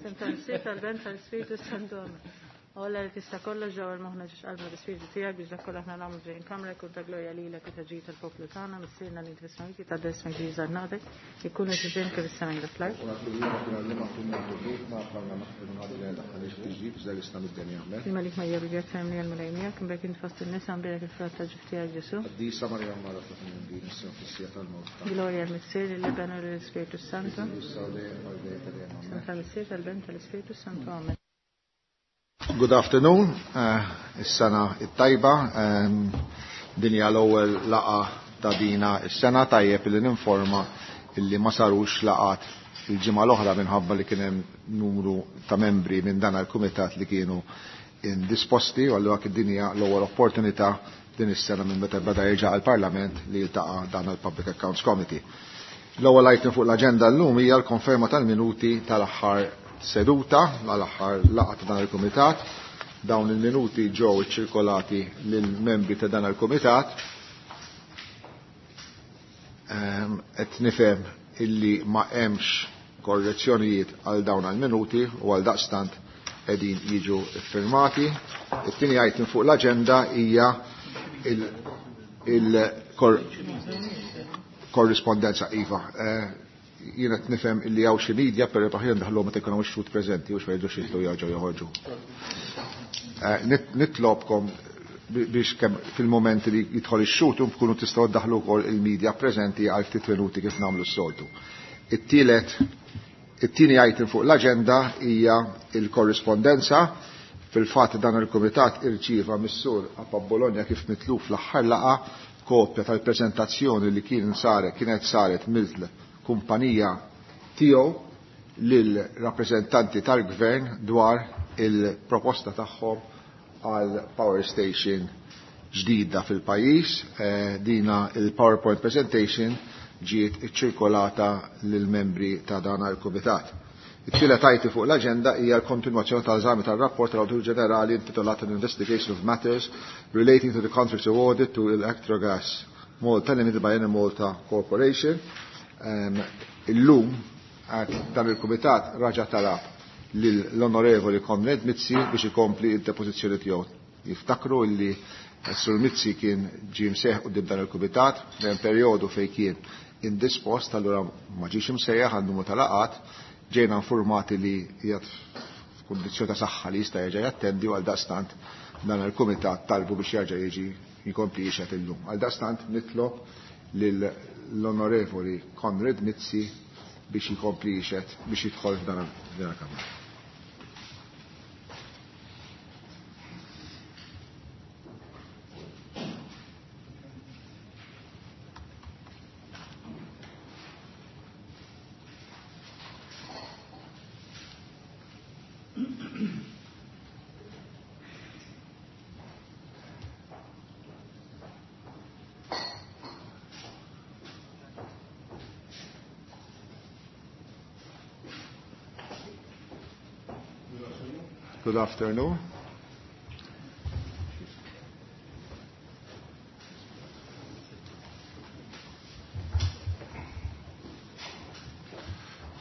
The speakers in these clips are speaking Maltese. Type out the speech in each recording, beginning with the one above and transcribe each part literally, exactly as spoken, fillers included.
F'isem tal-Missier, tal-Ben, tal-Ispirtu Santu. Alla li tista' kollox ġewwa l-moħħna ġiex qalbna l-Ispirtu tiegħek biex dak kollha aħna nagħmlu ġejjin kamra jkun ta' glorja lilek u ta' ġid tal-poplu tagħna, Missierna li inti fis-smajti ta' ismek ġie żarnatek, ikun qed kif is-sema jgħid fl-art. Il-Malik Marija bil-grazzja mimlija l-Mulej miegħek, imbierek int fost in-nisa, imbierek il-frott ta' ġuf tiegħek Ġesù. Qaddisa Marija Mara ta' din issa fis-siegħa tal-mewt. Glorja l-Missier, lill-Iben u lill-Ispirtu Santu. Amen. Tal-Missier, tal-Ben, tal-Ispirtu Santu. Amen. Good afternoon, is-sena it-tajba, din hija l-ewwel laqgħa ta' dina is-sena. Tajjeb li ninforma illi ma sarux laqgħat il-ġimgħa l-oħra minħabba li kien hemm numru ta' membri minn dan il-kumitat li kienu indisposti, u allura din hija l-ewwel opportunità din is-sena minn meta beda jerġa' għall-Parlament li jiltaqa' dan il-Public Accounts Committee. L-ewwel item fuq l-aġenda llum hija l-konferma tal-minuti tal-aħħar seduta, l-aħħar laqgħa ta' dan il-kumitat. Dawn il-minuti ġew iċċirkolati lill-membri ta' dan il-kumitat. Qed nifhem illi ma hemmx korrezzjonijiet għal dawn għal-minuti u għal daqstant qegħdin jiġu ffirmati. It-tieni item fuq l-aġenda hija il-korrispondenza iva. Jiena qed nifhem illi hawn xi media, però aħjar ndaħluhom meta jkun hawn ix-xhud preżenti u x'jgħidu xi jerġgħu joħorġu. Nitlobkom biex kemm fil-moment li jidħol ix-xhud tkunu tistgħu ddaħlu wkoll il-media preżenti għal ftit minuti kif nagħmlu s-soltu. It-tielet, it-tieni item fuq l-aġenda hija l-korrispondenza. Fil-fatt dan il-kumitat irċieva mis-sur Apap Bologna kif mitluf fl-aħħar laqgħa kopja tal-preżentazzjoni li kien saret kienet saret mill-kumpanija tiegħu lil rappreżentanti tal-gvern dwar il-proposta tagħhom għal power station ġdida fil-pajjiż. Dina il-PowerPoint presentation ġiet iċċirkolata lil membri ta' dan il-kumitat. It-tielet item fuq l-aġenda hija l-kontinwazzjoni tal-eżami tar-rapport tal-Awditur Ġenerali intitolat An Investigation of Matters Relating to the Contracts Awarded to Electrogas Malta Limited by Enemalta Corporation. Illum dan il-kumitat raġa' talab lill-Onorevoli Konrad Mizzi biex ikompli d-depożizzjoni tiegħu. Jiftakru illi Sur Mizzi kien ġie msejjaħ quddiem dan il-kumitat hemm perjodu fejn kien indispost, allura ma ġiex imsejjaħ għal numru ta' laqgħat, ġejna informati li qiegħed f'kundizzjoni ta' saħħa li jista' jerġa' jattendi u għal daqstant dan il-kumitat talbu biex jerġa' jiġi jkompli jixhed illum. Għal daqstant nitlob lill-Onorevoli Konrad Mizzi biex jkompli jixhed biex jidħol f'dan il-kamra. Good afternoon.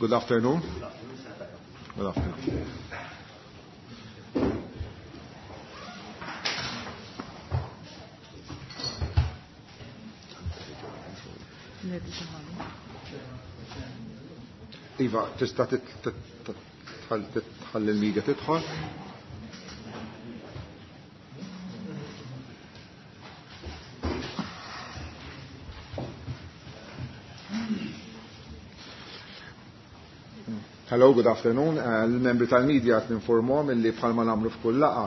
Good afternoon. Good afternoon. Iva, tista' tħalli l-media tidħol. Hello, good afternoon. Il-membri tal-media qed ninformhom illi bħalma nagħmlu f'kull laqgħa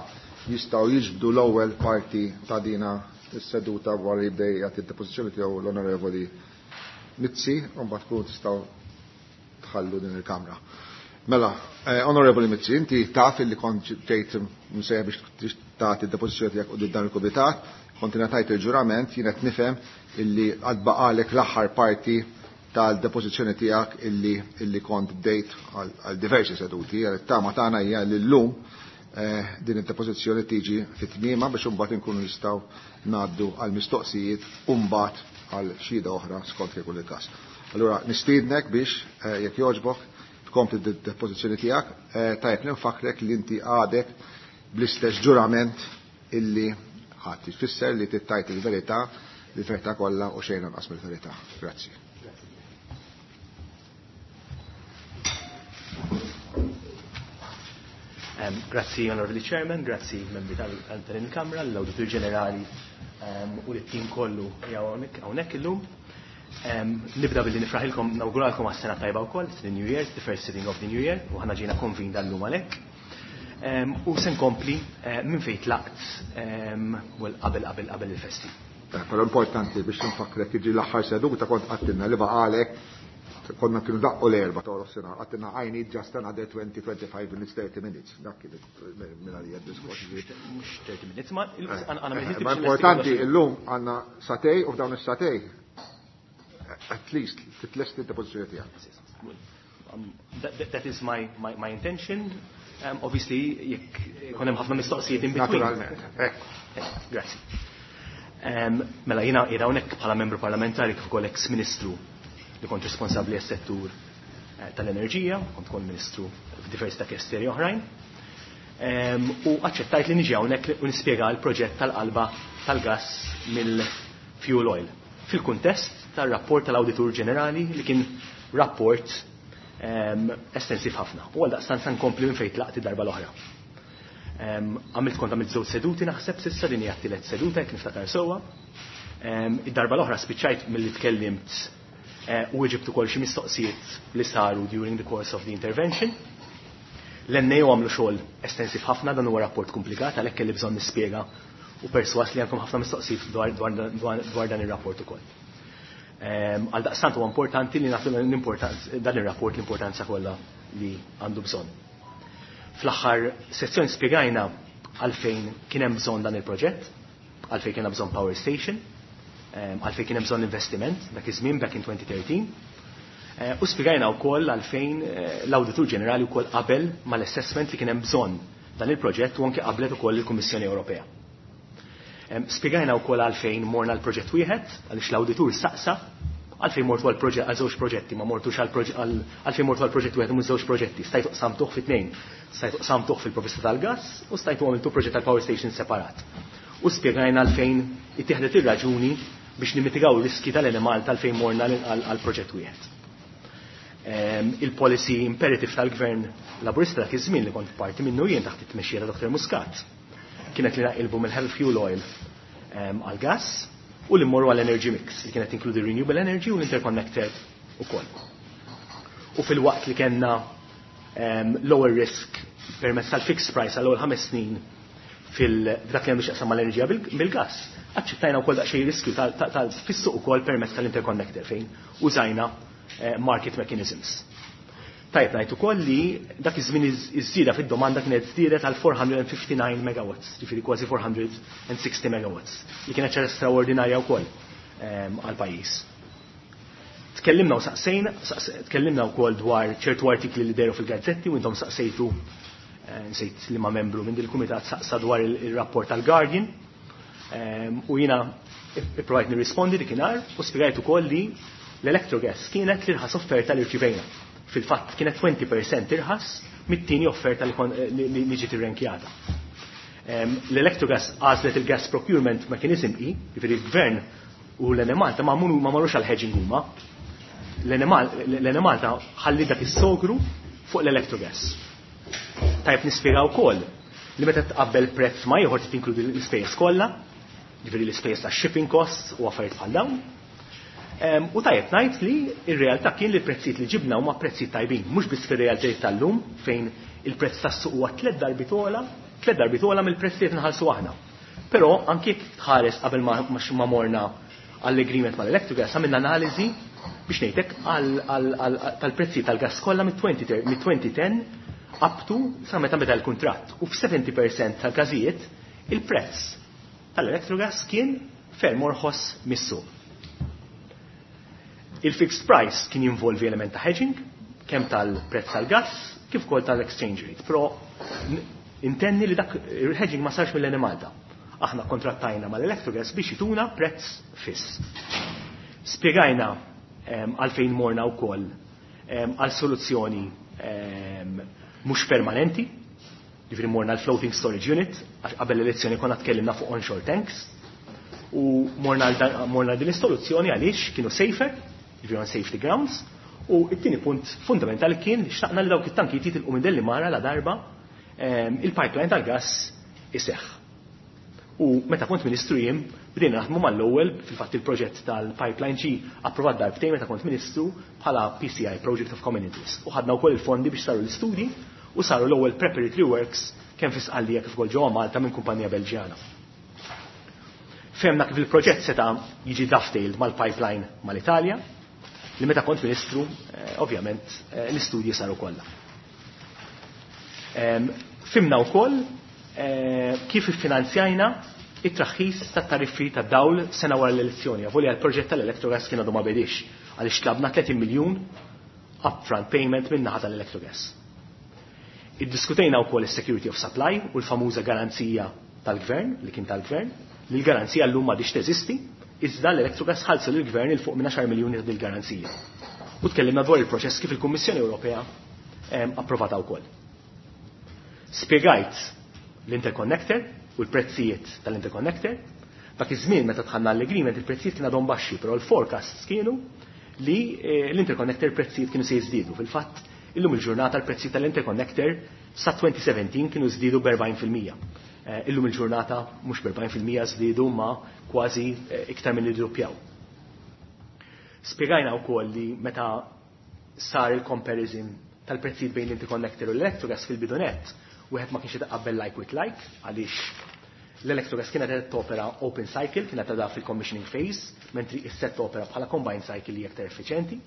jistgħu jiġbdu l-ewwel parti ta' dina is-seduta wara li jibda jagħti d-depożizzjoni tiegħu l-Onorevoli Mizzi, u mbagħad tkunu tistgħu tħallu din il-kamra. Mela, Onorevoli Mizzi, inti taf illi kont ġejt msejjaħ biex tagħti d-depożizzjoni tiegħek quddiem dan il-kumitat, kont ingħatajt il-ġurament, jien qed nifhem illi għad baqalek l-aħħar parti tal-depożizzjoni tiegħek illi illi kont bdejt għal diversi seduti. It-tama tagħna hija li llum din id-depożizzjoni tiġi fit-tmiema biex imbagħad inkunu nistgħu ngħaddu għal mistoqsijiet u mbagħad għal xhieda oħra skont kif ikun il-każ. Allura nistiednek biex jekk jogħġbok tkompli d-depożizzjoni tiegħek, tajjeb li nfakrek li inti għadek bl-istess ġurament illi ħadd. Ifisser li tittajt il-verità, il-verità kollha u xejn anqas mill-verità. Grazzi. Grazzi, Onorevoli Chairman, grazzi membri tal-Kamra, l-Awditur Ġenerali u l-tim kollu hawnhekk illum. Nibda billi nifraħilkom, nawguralkom għas-sena tajba wkoll, it's the New Year, it's the first sitting of the New Year, u ħana ġejna konvin dal-lum għalhekk. U se nkompli minn fejn tlaqt well qabel qabel qabel il-festi. Però importanti biex nfakrek jiġi l-aħħar seduta kont qattilna li baqalek konna kienu daqqu l-erba ta' sena, għattina I need just another twenty, twenty-five minutes, thirty minutes. Dak kien minn għalija diskors. Mhux thirty minutes, ma Ma importanti illum għandna satej u f'dawn is-satej at least titlesti d-depożizzjoni tiegħek. That is my, my, my intention. Um, obviously, jekk ikun hemm ħafna mistoqsijiet in between. Naturalment. Grazzi. Mela jiena qiegħda hawnhekk bħala membru parlamentari kif ukoll ex-ministru li kont responsabbli għas-settur tal-enerġija, kont kont ministru f'diversi ta' kesteri oħrajn. U aċċettajt li niġi hawnhekk u nispjega l-proġett tal-qalba tal-gass mill-fuel oil fil-kuntest tar-rapport tal-Awditur Ġenerali li kien rapport estensiv ħafna. U għaldaqstant se nkompli minn fejn tlaqt id-darba l-oħra. Għamilt kont għamilt żewġ seduti naħseb s'issa din hija t-tielet seduta jekk niftakar sewwa. Id-darba l-oħra spiċċajt milli tkellimt u ġibt ukoll xi mistoqsijiet li saru during the course of the intervention. L-N A O għamlu xogħol estensiv ħafna, dan huwa rapport komplikat għalhekk kelli bżonn nispjega u perswas li għandkom ħafna mistoqsijiet dwar, dwar, dwar, dwar dan ir-rapport ukoll. Għal daqstant huwa importanti li nagħtu dan ir-rapport l-importanza kollha li għandu bżonn. Fl-aħħar sezzjoni spjegajna għalfejn kien hemm bżonn dan il-proġett, għalfejn kien hemm bżonn power station, għalfejn kien hemm bżonn investiment dak iż-żmien back in twenty thirteen. U spjegajna wkoll għalfejn l-Awditur Ġenerali wkoll qabel mal-assessment li kien hemm bżonn dan il-proġett u anke qablet ukoll il-Kummissjoni Ewropea. Spjegajna wkoll għalfejn morna l-proġett wieħed, għaliex l-awditur saqsa għalfejn mortu għal proġett għal żewġ proġetti, ma mortux għal proġett għalfejn mortu għal proġett wieħed u mhux żewġ proġetti, stajtu qsamtuh fi tnejn, stajtu qsamtuh fil-provvista tal-gass u stajtu għamiltu proġett tal-power station separat. U spjegajna għalfejn ittieħdet ir-raġuni biex nimitigaw ir-riski tal-Enemalta għalfejn morna għal proġett wieħed. Il-policy imperative tal-Gvern Laburista dak iż-żmien li kont parti minnu jien taħt it-tmexxija ta' Doktor Muscat kienet li naqilbu mill-heavy fuel oil għal-gas u li mmorru għall-energy mix li kienet tinkludi renewable energy u l-interconnector ukoll. U fil-waqt li kellna lower risk permezz tal-fixed price għall-ewwel ħames snin fil-dak li għandu x'jaqsam mal-enerġija bil-gas, aċċettajna wkoll daqsxejn riskju fis-suq ukoll permezz tal-interconnector fejn użajna market mechanisms. Tajjeb ngħid ukoll li dak iż-żmien iż-żieda fid-domanda kienet żdiedet għal four hundred and fifty-nine megawatts, ġifieri kważi four hundred and sixty megawatts, li kienet ċara straordinarja wkoll għall-pajjiż. Tkellimna u saqsejna, tkellimna wkoll dwar ċertu artikli li dehru fil-gazzetti u intom saqsejtu, nsejt li ma membru minn dil-kumitat saqsa dwar il-rapport tal-Guardian, u jiena ipprovajt nirrispondi dikinhar u spjegajt ukoll li l-Electrogas kienet l-irħas offerta li rċivejna. Fil-fatt kienet twenty percent irħas mit-tieni offerta li ġiet irrenkjata. L-Electrogas għażlet il-gas procurement mechanism I, jiġifieri l-gvern u l-Enemalta ma marrux għal hedging huma. L-Enemalta ħalli dak is-sogru fuq l-Electrogas. Tajb nispjega wkoll li meta tqabbel prezz ma ieħor trid tinkludi l-ispejjeż kollha, jiġifieri l-ispejjeż tax-shipping costs u affarijiet bħal dawn. U tajjeb ngħid li r-realtà kien li l-prezzijiet li ġibna huma prezzijiet tajbin, mhux biss fir-realtajiet tal-lum fejn il-prezz tas-suq huwa tliet darbiet ogħla, tliet darbiet ogħla mill-prezzijiet nħallsu aħna. Però anke jekk tħares qabel ma, ma morna għall-agreement mal-Electrogas għamilna analiżi biex ngħidlek tal-prezzijiet tal-gas kollha mit-twenty ten up to sa meta beda l-kuntratt. U f'seventy percent tal-każijiet il-prezz tal-Electrogas kien ferm orħos mis-suq. Il-fixed price kien jinvolvi element ta' hedging, kemm tal-prezz tal-gas, kif ukoll tal-exchange rate. Però intenni li dak il-hedging ma sarx mill-Enemalta. Aħna kontrattajna mal-Electrogas biex jituna prezz fiss. Spjegajna għalfejn morna wkoll għal soluzzjoni ehm, mhux permanenti, ġifieri morna l-floating storage unit, għax qabel l-elezzjoni konna tkellimna fuq onshore tanks, u morna morna din is-soluzzjoni għaliex kienu safer, ġifieri on safety grounds, u it-tieni punt fundamentali kien li xtaqna li dawk it-tankijiet jitilqu minn Delimara la darba ehm, il-pipeline tal-gas iseħħ. U meta kont ministru jien bdejna naħdmu mal-ewwel, fil-fatt il-proġett tal-pipeline ġie approvat darbtejn meta kont ministru bħala P C I, Project of Common Interest. U ħadna wkoll il-fondi biex saru l-istudji u saru l-ewwel preparatory works kemm fi Sqallija kif ukoll ġewwa Malta minn kumpanija Belġjana. Fehmna kif il-proġett seta' jiġi dovetailed mal-pipeline mal-Italja, li meta kont ministru, eh, ovvjament, eh, l-istudji saru kollha. Fhimna wkoll eh, kif iffinanzjajna it-traħħis tat-tariffi tad-dawl sena wara l-elezzjoni. Avolja l-proġett tal-Electrogas kien għadu ma bedix, għaliex tlabna tletin miljun upfront payment minn naħa tal-Electrogas. Iddiskutejna wkoll is-security of supply u l-famuża garanzija tal-gvern, li kien tal-gvern, li l-garanzija llum m'għadix teżisti, iżda l-Electrogas ħallsu lill-gvern 'il fuq minn għaxar miljuni ta' dil-garanzija. U tkellimna dwar il-proċess kif il-Kummissjoni Ewropea approvata wkoll. Spjegajt l-interconnector u l-prezzijiet tal-interconnector. Dak iż-żmien meta dħalna l-agreement, il-prezzijiet kienu għadhom baxxi, però l-forecasts kienu li eh, l-interconnector prezzijiet kienu se jiżdiedu. Fil-fatt, illum il-ġurnata l-prezzijiet tal-interconnector sa elfejn u sbatax kienu żdiedu b'erbgħin fil-mija. Eh, illum il-ġurnata mhux b'erbgħin fil-mija żdiedu, ma kważi eh, iktar minn iddoppjaw. Spjegajna wkoll li meta sar il-comparison tal-prezzijiet bejn l-interconnector u l-Electrogas fil-bidu nett, wieħed ma kienx jitqabbel like with like, għaliex l-Electrogas kienet qed topera open cycle, kienet għadha fil-commissioning phase, mentri issa topera bħala combined cycle li aktar effiċjenti.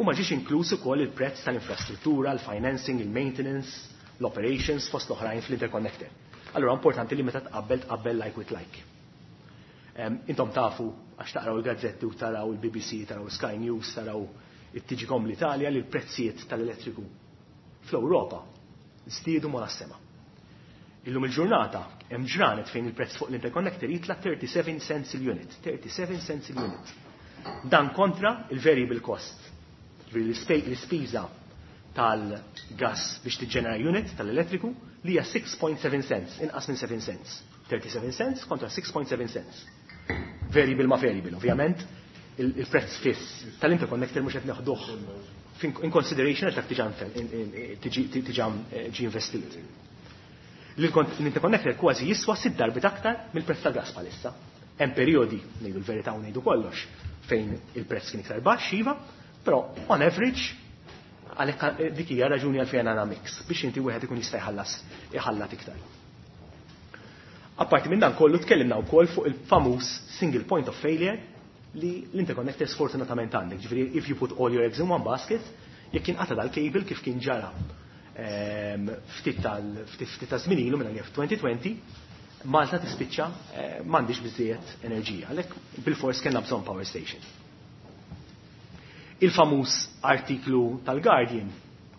U ma ġiex inkluż ukoll il-prezz tal-infrastruttura, il-financing, il-maintenance, l-operations fost l-oħrajn fl-interconnector. Allura importanti li meta tqabbel, tqabbel like with like. Intom tafu, għax taqraw il-gazzetti u taraw il-B B C, taraw Sky News, taraw it-T G Com l-Italja, li l-prezzijiet tal-elettriku fl-Ewropa żdiedu ma sema. Illum il-ġurnata hemm ġranet fejn il-prezz fuq l-interconnector jitla thirty-seven cents il-unit. thirty-seven cents il-unit. Dan kontra il-variable cost. L-ispiża tal-gas biex tiġġenera unit tal-elettriku li hija six point seven cents, inqas minn seven cents. thirty-seven cents kontra six point seven cents. Variable ma variable, ovvjament, il-prezz fiss tal-interconnector mhux qed neħduh in consideration għax dak diġà ġi investit. L-interconnector kważi jiswa sitt darbit aktar mill-prezz tal-gas bħalissa. Hemm perjodi, ngħidu l-verità u ngħidu kollox, fejn il-prezz kien iktar baxx, iva, però on average għalhekk dik hija raġuni għalfejn għandna mix biex inti wieħed ikun jista' jħallas iħallat iktar. Apparti minn dan kollu, tkellimna wkoll fuq il-famuż single point of failure li l-interconnector sfortunatament għandek. Ġifieri, if you put all your eggs in one basket, jekk jinqata dal-cable kif kien ġara ehm, ftit tal ftit ta' żmien ilu minn elfejn u għoxrin, Malta tispiċċa eh, m'għandix biżejjed enerġija. Għalhekk bil-fors kellna bżonn power station. Il-famuż artiklu tal-Guardian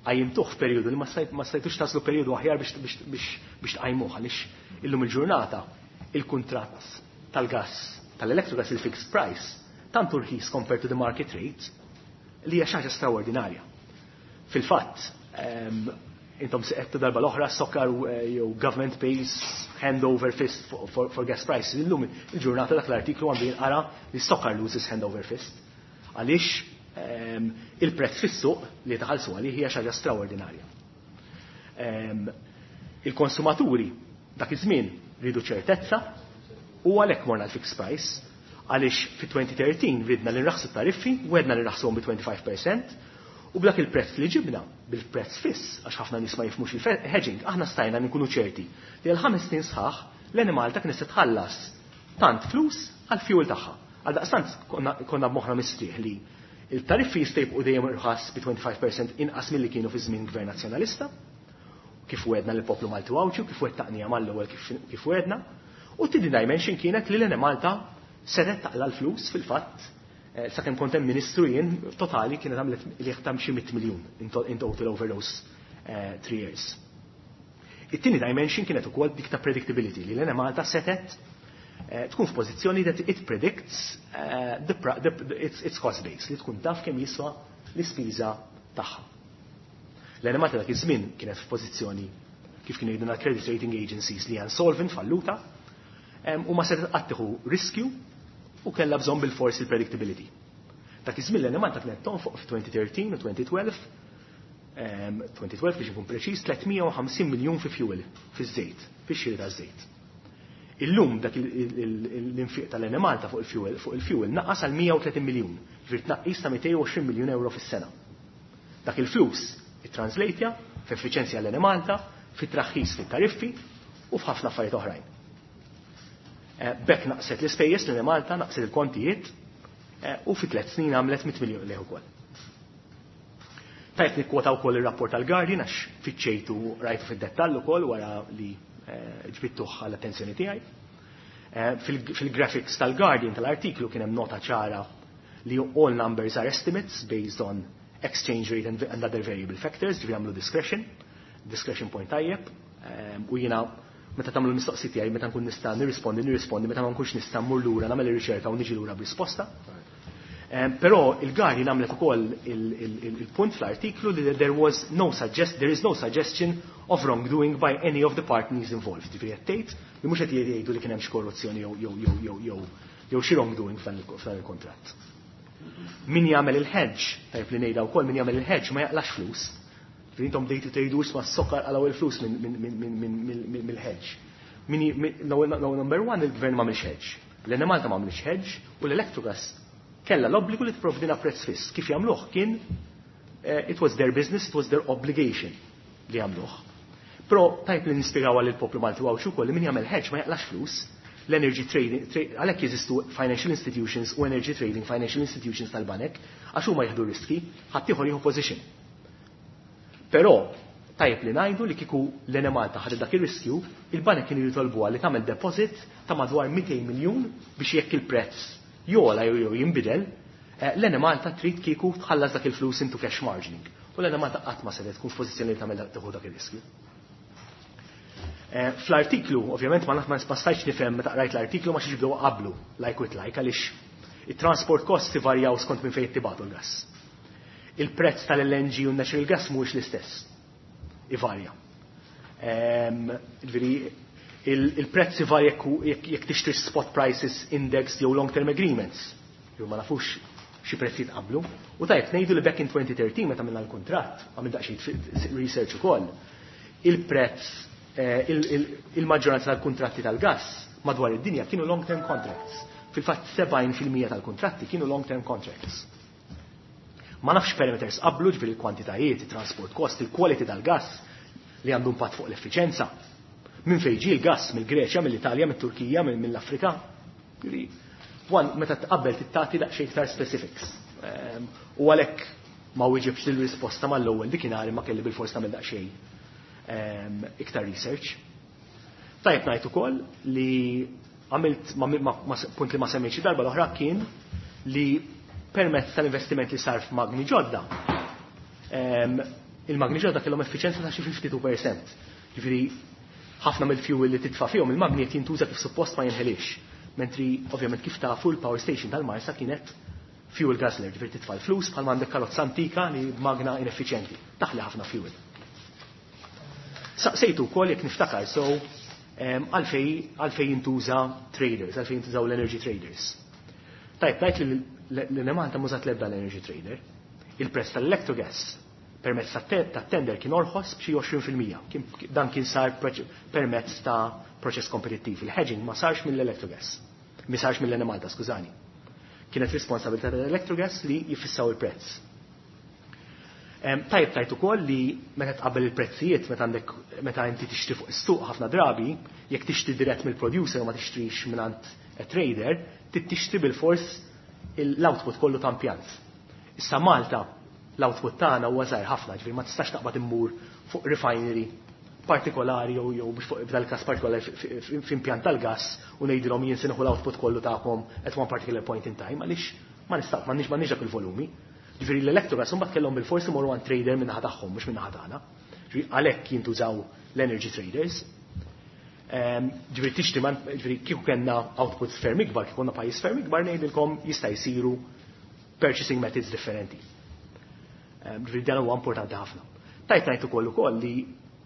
qajjimtuh f'perjodu li ma stajtux taslu perjodu aħjar biex biex tqajmuh, għaliex illum il-ġurnata il-kuntratt tal-gas tal-Electrogas, il-fixed price, tant rħis compared to the market rate li hija xi ħaġa straordinarja. Fil-fatt, intom se darba l-oħra SOCAR eh, jew government pays hand over fist for, for, for gas prices. Illum il-ġurnata dak l-artiklu għandu jinqara li SOCAR loses hand over fist. Għaliex il-prezz fis-suq li taħallsu għalih hija xi ħaġa straordinarja. Il-konsumaturi dak iż-żmien ridu ċertezza u għalhekk morna l-fixed price, għaliex fi elfejn u tlettax ridna li nraħsu tariffi u għedna li nraħsuhom bi twenty-five percent u b'dak il-prezz li ġibna, bil-prezz fiss, għax ħafna nies ma jifhmux il-hedging, aħna stajna nkunu ċerti li għal ħames snin sħaħ l-Enemalta kien se tħallas tant flus għal fuel tagħha. Għal daqstant konna b'moħħna mistrieħ li il-tariffi jista' jibqgħu dejjem irħas bi twenty-five percent inqas milli kienu fi żmien gvern nazzjonalista, kif wedna lill-poplu Malti Għawdxi, kif wettaqnija mal-ewwel kif wedna. U t-tieni dimension kienet li l-Enemalta setgħet taqla l-flus. Fil-fatt, eh, sakemm kont hemm ministru jien, totali kienet għamlet li jaħtam xi mitt miljun in total over those uh, three years. It-tieni dimension kienet ukoll dik ta' predictability, li l-Enemalta setgħet eh, tkun f'pożizzjoni that it predicts uh, the, the, its, its cost base, li tkun taf kemm jiswa l-ispiża tagħha. L-Enemalta dak iż-żmien kienet f'pożizzjoni kif kienu jgħiduna credit rating agencies li insolvent falluta u ma setgħet qatt tieħu riskju u kellha bżonn bil-forsi il-predictability. Dak iż-żmien l-Enemalta kienet tonfoq f'twenty thirteen u twenty twelve, twenty twelve biex ikun preċiż, tliet mija u ħamsin miljun fi fuel, fi żejt, fi xiri ta' żejt. Illum dak l-infiq tal-Enemalta fuq il-fuel fuq il-fuel naqas għal mija u tletin miljun, ġifieri tnaqqis ta' mitejn u għoxrin miljun euro fis-sena. Dak il-flus ittranslejtja f'effiċenzja l-Enemalta, fit-traħħis fit-tariffi u f'ħafna affarijiet oħrajn. Eh, b'hekk naqset l-ispejjeż l-Enemalta, naqset il-kontijiet eh, u fi tliet snin għamlet mitt miljun qligħ ukoll. Tajt nikkwota wkoll ir-rapport tal-Guardian għax fittxejtu rajtu fid-dettall ukoll wara li eh, ġbidtuh għall-attenzjoni tiegħi. Fil-graphics tal-Guardian tal-artiklu kien hemm nota ċara li all numbers are estimates based on exchange rate and, and other variable factors, ġifieri għamlu discretion, discretion point tajjeb, u jiena meta tagħmlu mistoqsijiet tiegħi, meta nkun nista' nirrispondi, nirrispondi, meta ma nkunx nista' mmur lura nagħmel ir-riċerka u niġi lura b'risposta. Però il-Guardian għamlet ukoll il-punt fl-artiklu li there was no suggest there is no suggestion of wrongdoing by any of the parties involved. Ġifieri qed tgħid li mhux qed jgħidu li kien hemm xi korruzzjoni jew jew jew jew jew jew xi wrongdoing f'dan il-kontratt. Min jagħmel il-hedge, tajb li ngħidha wkoll, min jagħmel il-hedge ma jaqlax flus. Intom bdejtu tgħidu, isma' s-sokkar qalgħu il-flus mill-hedge. Number one, il-gvern ma hedge. L-Enemalta ma hedge u l-Electrogas kella l-obbligu li tipprovdina prezz fiss. Kif jagħmluh kien eh, it was their business, it was their obligation li jagħmluh. Però tajb li nispjegaw għal il-poplu Malti u ukoll li min jagħmel hedge ma jaqlax flus, l-energy trading, għalhekk jeżistu financial institutions u energy trading financial institutions tal-banek, għax huma jieħdu riski, ħaddieħor jieħu position. Però tajjeb li ngħidu li kieku l-Enemalta ħadet dak ir-riskju, il-banek kienu jitolbuha li tagħmel deposit ta' madwar mitejn miljun biex jekk il-prezz jogħla jew jew jinbidel, eh, l-Enemalta trid kieku tħallas dak il-flus into cash margining. U l-Enemalta qatt ma setgħet tkun f'pożizzjoni li tagħmel tieħu dak ir-riskju. Eh, fl-artiklu, ovvjament ma ma stajtx nifhem meta qrajt l-artiklu ma xiex bdew qablu like with like għaliex it-transport costs ivarjaw skont minn fejn tibagħtu l-gas. Il-prezz tal-L N G u natural gas mhuwiex l-istess. Ivarja. Ġifieri il-prezz ivarja jekk tixtri spot prices index jew long term agreements. Jew ma nafux xi prezzijiet qablu. U tajjeb ngħidu li back in twenty thirteen meta minna l-kuntratt, għamil daqsxejn research ukoll, il-prezz eh, il-maġġoranza tal-kuntratti tal-gas madwar id-dinja kienu long-term contracts. Fil-fatt sebgħin fil-mija tal-kuntratti kienu long-term contracts. Ma nafx parameters qablu, ġifieri il-kwantitajiet, il-transport cost, il-quality tal-gas li għandu impatt fuq l-effiċenza. Minn fejn ġie l-gas? Mill-Greċja, mill-Italja, mill-Turkija, mill-Afrika. One, meta tqabbel tittati daqsxejn iktar specifics. Ehm, u għalhekk ma wieġibx il-risposta mal-ewwel dikinhar, ma kelli bil-fors tagħmel daqsxejn ehm, iktar research. Tajjeb ngħid ukoll li għamilt punt li ma semmejtx darba l-oħra kien li permezz tal-investiment li sar f'magni ġodda, ehm, il-magni ġodda kellhom effiċenza ta' xi tnejn u ħamsin fil-mija. Ġifieri ħafna mill-fuel li titfa' fihom il-magni qed jintuża kif suppost, ma jinħelix. Mentri ovvjament kif tafu l-power station tal-Marsa kienet fuel guzzler, ġifieri titfa' l-flus bħal għandek karozza antika li magna ineffiċjenti, taħli ħafna fuel. Saqsejtu wkoll jekk niftakar so għalfej għalfej jintuża traders, għalfej jintużaw l-energy traders. Tajb, tajt li l-Enemalta m'użat l-ebda l-energy trader. Il-prezz tal-Electrogas permezz ta' tender kien orħos b'xi għoxrin fil-mija. Dan kien sar permezz ta' proċess kompetittiv. Il-hedging ma sarx mill-Electrogas. Mi sarx mill-Enemalta, skużani. Kienet responsabilità tal-Electrogas li jifissaw il-prezz. Tajb tajt ukoll li meta tqabbel il-prezzijiet, meta għandek meta inti tixtri fuq is-suq, ħafna drabi jekk tixtri dirett mill-producer u ma tixtrix mingħand trader, tixtri bil-fors l-output kollu ta' impjant. Issa Malta l-output tagħna huwa żgħir ħafna, ġifieri ma tistax taqbad immur fuq refinery partikolari jew jew biex fuq f'dal każ partikolari f'impjant tal-gas u ngħidilhom jien se nieħu l-output kollu tagħkom at one particular point in time, għaliex ma nista' m'għandniex m'għandniex dak il-volumi. Ġifieri l-Electrogas mbagħad kellhom bil-forsi morru għand trader min-naħa tagħhom, mhux min-naħa tagħna. Ġifieri għalhekk jintużaw l-energy traders. Ġifieri tixtri, ġifieri kieku kellna output ferm ikbar, kieku konna pajjiż ferm ikbar, ngħidilkom jista' jsiru purchasing methods differenti. Ġifieri dan huwa importanti ħafna. Tajt ngħid ukoll ukoll li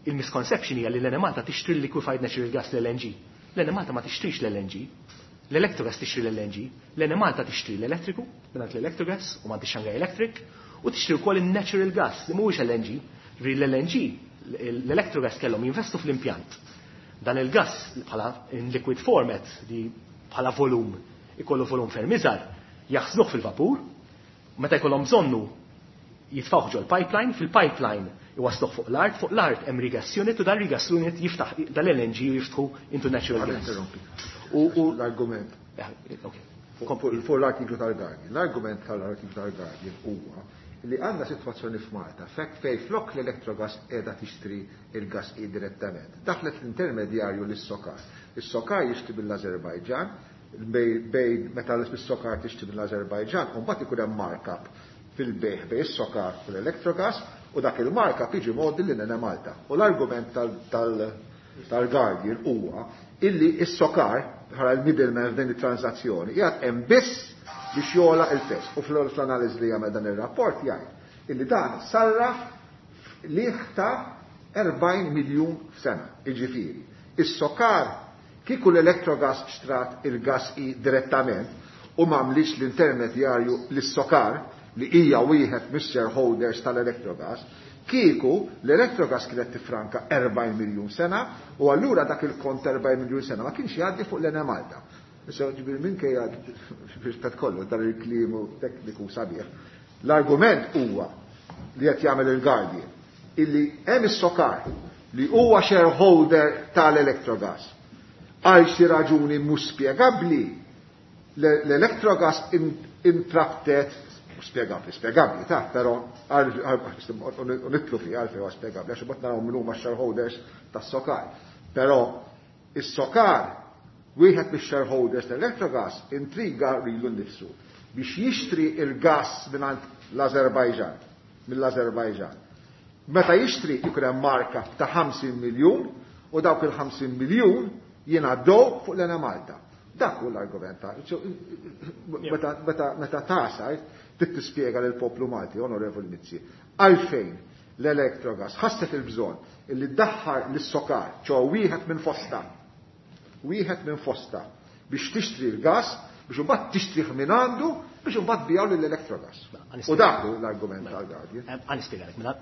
il-misconception hija li l-Enemalta tixtri l-liquefied natural gas l-L N G. L-Enemalta ma tixtrix l-L N G. L-Electrogas tixtri l-L N G. L-Enemalta tixtri l-elettriku mingħand l-Electrogas u mingħand Shanghai Electric u tixtri wkoll il-natural gas li mhuwiex L N G. Ġifieri l-L N G l-Electrogas kellhom jinvestu fl-impjant. Dan il-gas bħala in liquid format li bħala volum ikollu volum ferm iżgħar, jaħżnuh fil-vapur, meta jkollhom bżonnu jitfgħuh ġol pipeline, fil-pipeline iwasluh fuq l-art, fuq l-art hemm regas unit u dan regas unit jiftaħ dal-L N G u jiftħu into natural gas. U l-argument. Eh, ok. Fuq l-artiklu tal-Guardian. L-argument tal-artiklu tal-Guardian huwa li għandna situazzjoni f'Malta fek fej flok l-Electrogas qiegħda tixtri il-gas direttament. Daħlet l-intermedjarju lis-Sokar. Is-Sokar jixtri mill-Azerbajġan, bejn meta l-Sokar tixtri mill-Azerbajġan, u mbagħad ikun hemm markup fil-bejħ bejn is-Sokar u l-Electrogas u dak il-markup jiġi mgħoddi lil Malta. U l-argument tal-Guardian huwa illi is-Sokar bħala l-middleman f'din it-transazzjoni qiegħed hemm biss biex jogħla il-prezz. U fl-analiżi li jagħmel dan ir-rapport jgħid illi dan sarraf liħ ta' erbgħin miljun f'sena, jiġifieri. Is-Sokar kieku l-Electrogas xtrat il-gas i direttament u m'għamlix l-intermedjarju lis-Sokar li hija wieħed mis-shareholders tal-Electrogas, kieku l-Electrogas kienet tifranka erbgħin miljun sena u allura dak il-kont erbgħin miljun sena ma kienx jgħaddi fuq l-Enemalta. Issa ġifieri minkejja rispett kollu dan il-klimu tekniku sabiħ. L-argument huwa li qed jagħmel il-Guardian illi hemm is-Sokar li huwa shareholder tal-Electrogas. Għal xi raġuni mhux spjegabbli l-Electrogas intrabtet, spjegabbli, spjegabbli, ta' però nidħlu fi għalfejn huwa spjegabbli, għax imbagħad naraw min huma shareholders tas-Sokar. Però is-Sokar, wieħed mix-shareholders tal-Electrogas, intriga lilu nnifsu biex jixtri il-gas mingħand l-Azerbajġan, mill-Azerbajġan. Meta jixtri jkun hemm markup ta' ħamsin miljun u dawk il-ħamsin miljun jingħaddew fuq l-Enemalta. Dak hu l-argument ta' meta meta tasal trid tispjega lill poplu Malti, Onorevoli Mizzi, għalfejn l-Electrogas ħasset il-bżonn illi ddaħħar lis-Sokar, ċo wieħed minn fosta, wieħed minn fosta biex tixtri l-gas, biex imbagħad tixtrih minn għandu, biex imbagħad tbigħu lill-Electrogas. U dak hu l-argument tal-Guardian. Ħa nispjegalek, mela,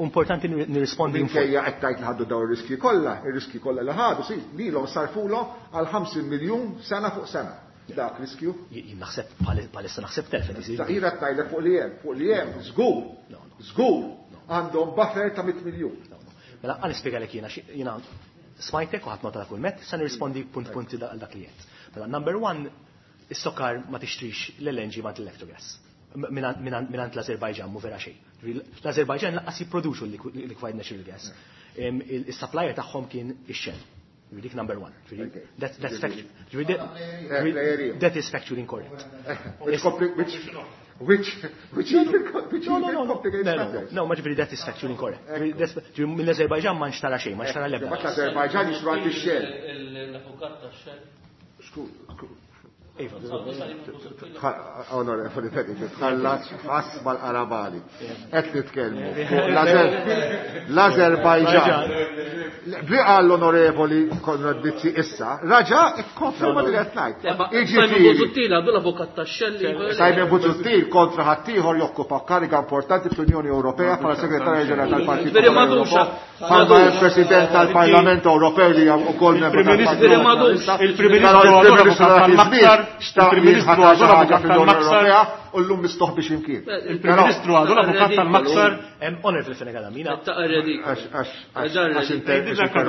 importanti nirrispondi. Minkejja qed tgħid li ħaddu dawn ir-riski kollha, ir-riski kollha li ħadu, si lilhom sarfulhom għal ħamsin miljun sena fuq sena. Dak riskju? Jien naħseb bħalissa naħseb telfet isir. Ta' jiena tgħidlek fuq li hemm, fuq li hemm, żgur, żgur, għandhom buffer ta' mitt miljun. Mela ħa nispjegalek jiena, jiena smajtek u ħadt nota ta' kull met, sa nirrispondi punt punti għal dak li jgħid. Mela, number one, is-Sokar ma tixtrix l-L N G ma l-Electrogas. Minant l-Azerbajġan mu vera xejn. L-Azerbajġan lanqas jipproduċu l-liquefied natural gas. Il-supplier tagħhom kien ix-Shell. Dik number one. That's, that's factual. That is factually incorrect. Which, which, which, which even, which no, no, no, no, no, no, ma ġifieri that is factually incorrect. Mill-Azerbajġan ma nxtara xejn, ma nxtara l-ebda. L-Azerbajġan jixtru għand ix-Shell. L-avukat tax-Shell. Iva. Onorevoli Felice, tħallat ħass mal-qarabali. Qed nitkellmu l-Azerbajġan. Bli qal l-Onorevoli Konrad Mizzi issa, raġa ikkonferma li qed ngħid. Simon Busuttil għadu l-avukat tax-Shell. Simon Busuttil kontra ħaddieħor jokkupa kariga importanti fl-Unjoni Ewropea bħala Segretarju Ġenerali tal-Partit Veri madux. Bħalma il-President tal-Parlament Ewropew li wkoll membru tal-Partit. Il-Prim Ministru tal-Maksar, il-Prim Ministru għadu l-avukat tal-Maksar. U llum mistoħbi x'imkien. Il-Prim Ministru għadu l-avukat tal-Maksar. Onorevoli Fenech Adami. Ta'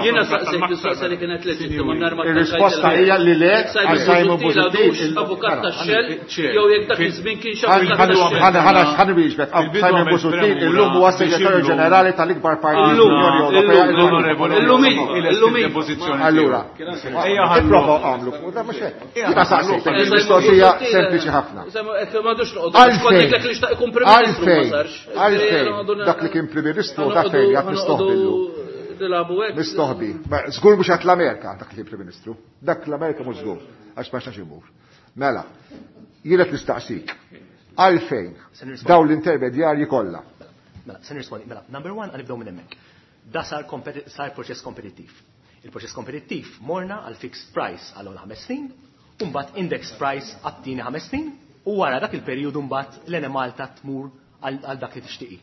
Jiena saqsejt mistoqsija li kienet leġittima nhar ma Il-risposta hija li le għal Simon Busuttil. Avukat tax-Shell jew jekk dak iż-żmien kienx avukat tax-Shell. Ħa nwieġbek, Simon Busuttil illum huwa segretarju ġenerali tal-ikbar partit l-Unjoni Ewropea. Illum illum. Allura, ipprova għamlu, da mhux hekk. Jiena saqsejtek il-mistoqsija sempliċi ħafna. Għalfejn, għalfejn, għalfejn, dak li kien Prim Ministru, dak fejn jgħat mistoħbi llum. Mistoħbi. Żgur mhux għat l-Amerika dak li kien Prim Ministru. Dak l-Amerika mhux żgur, għax ma xax imur. Mela, jiena nistaqsik, għalfejn dawn l-intermedjarji kollha Mela, se nirrispondi. Mela, number one, ħa nibdew minn hemmhekk. Da sar sar proċess kompetittiv. Il-proċess kompetittiv morna għal fixed price għal ħames snin, u mbagħad index price għat-tieni ħames snin, u wara dak il-perjodu mbagħad l-Enemalta tmur għal dak li tixtieqi.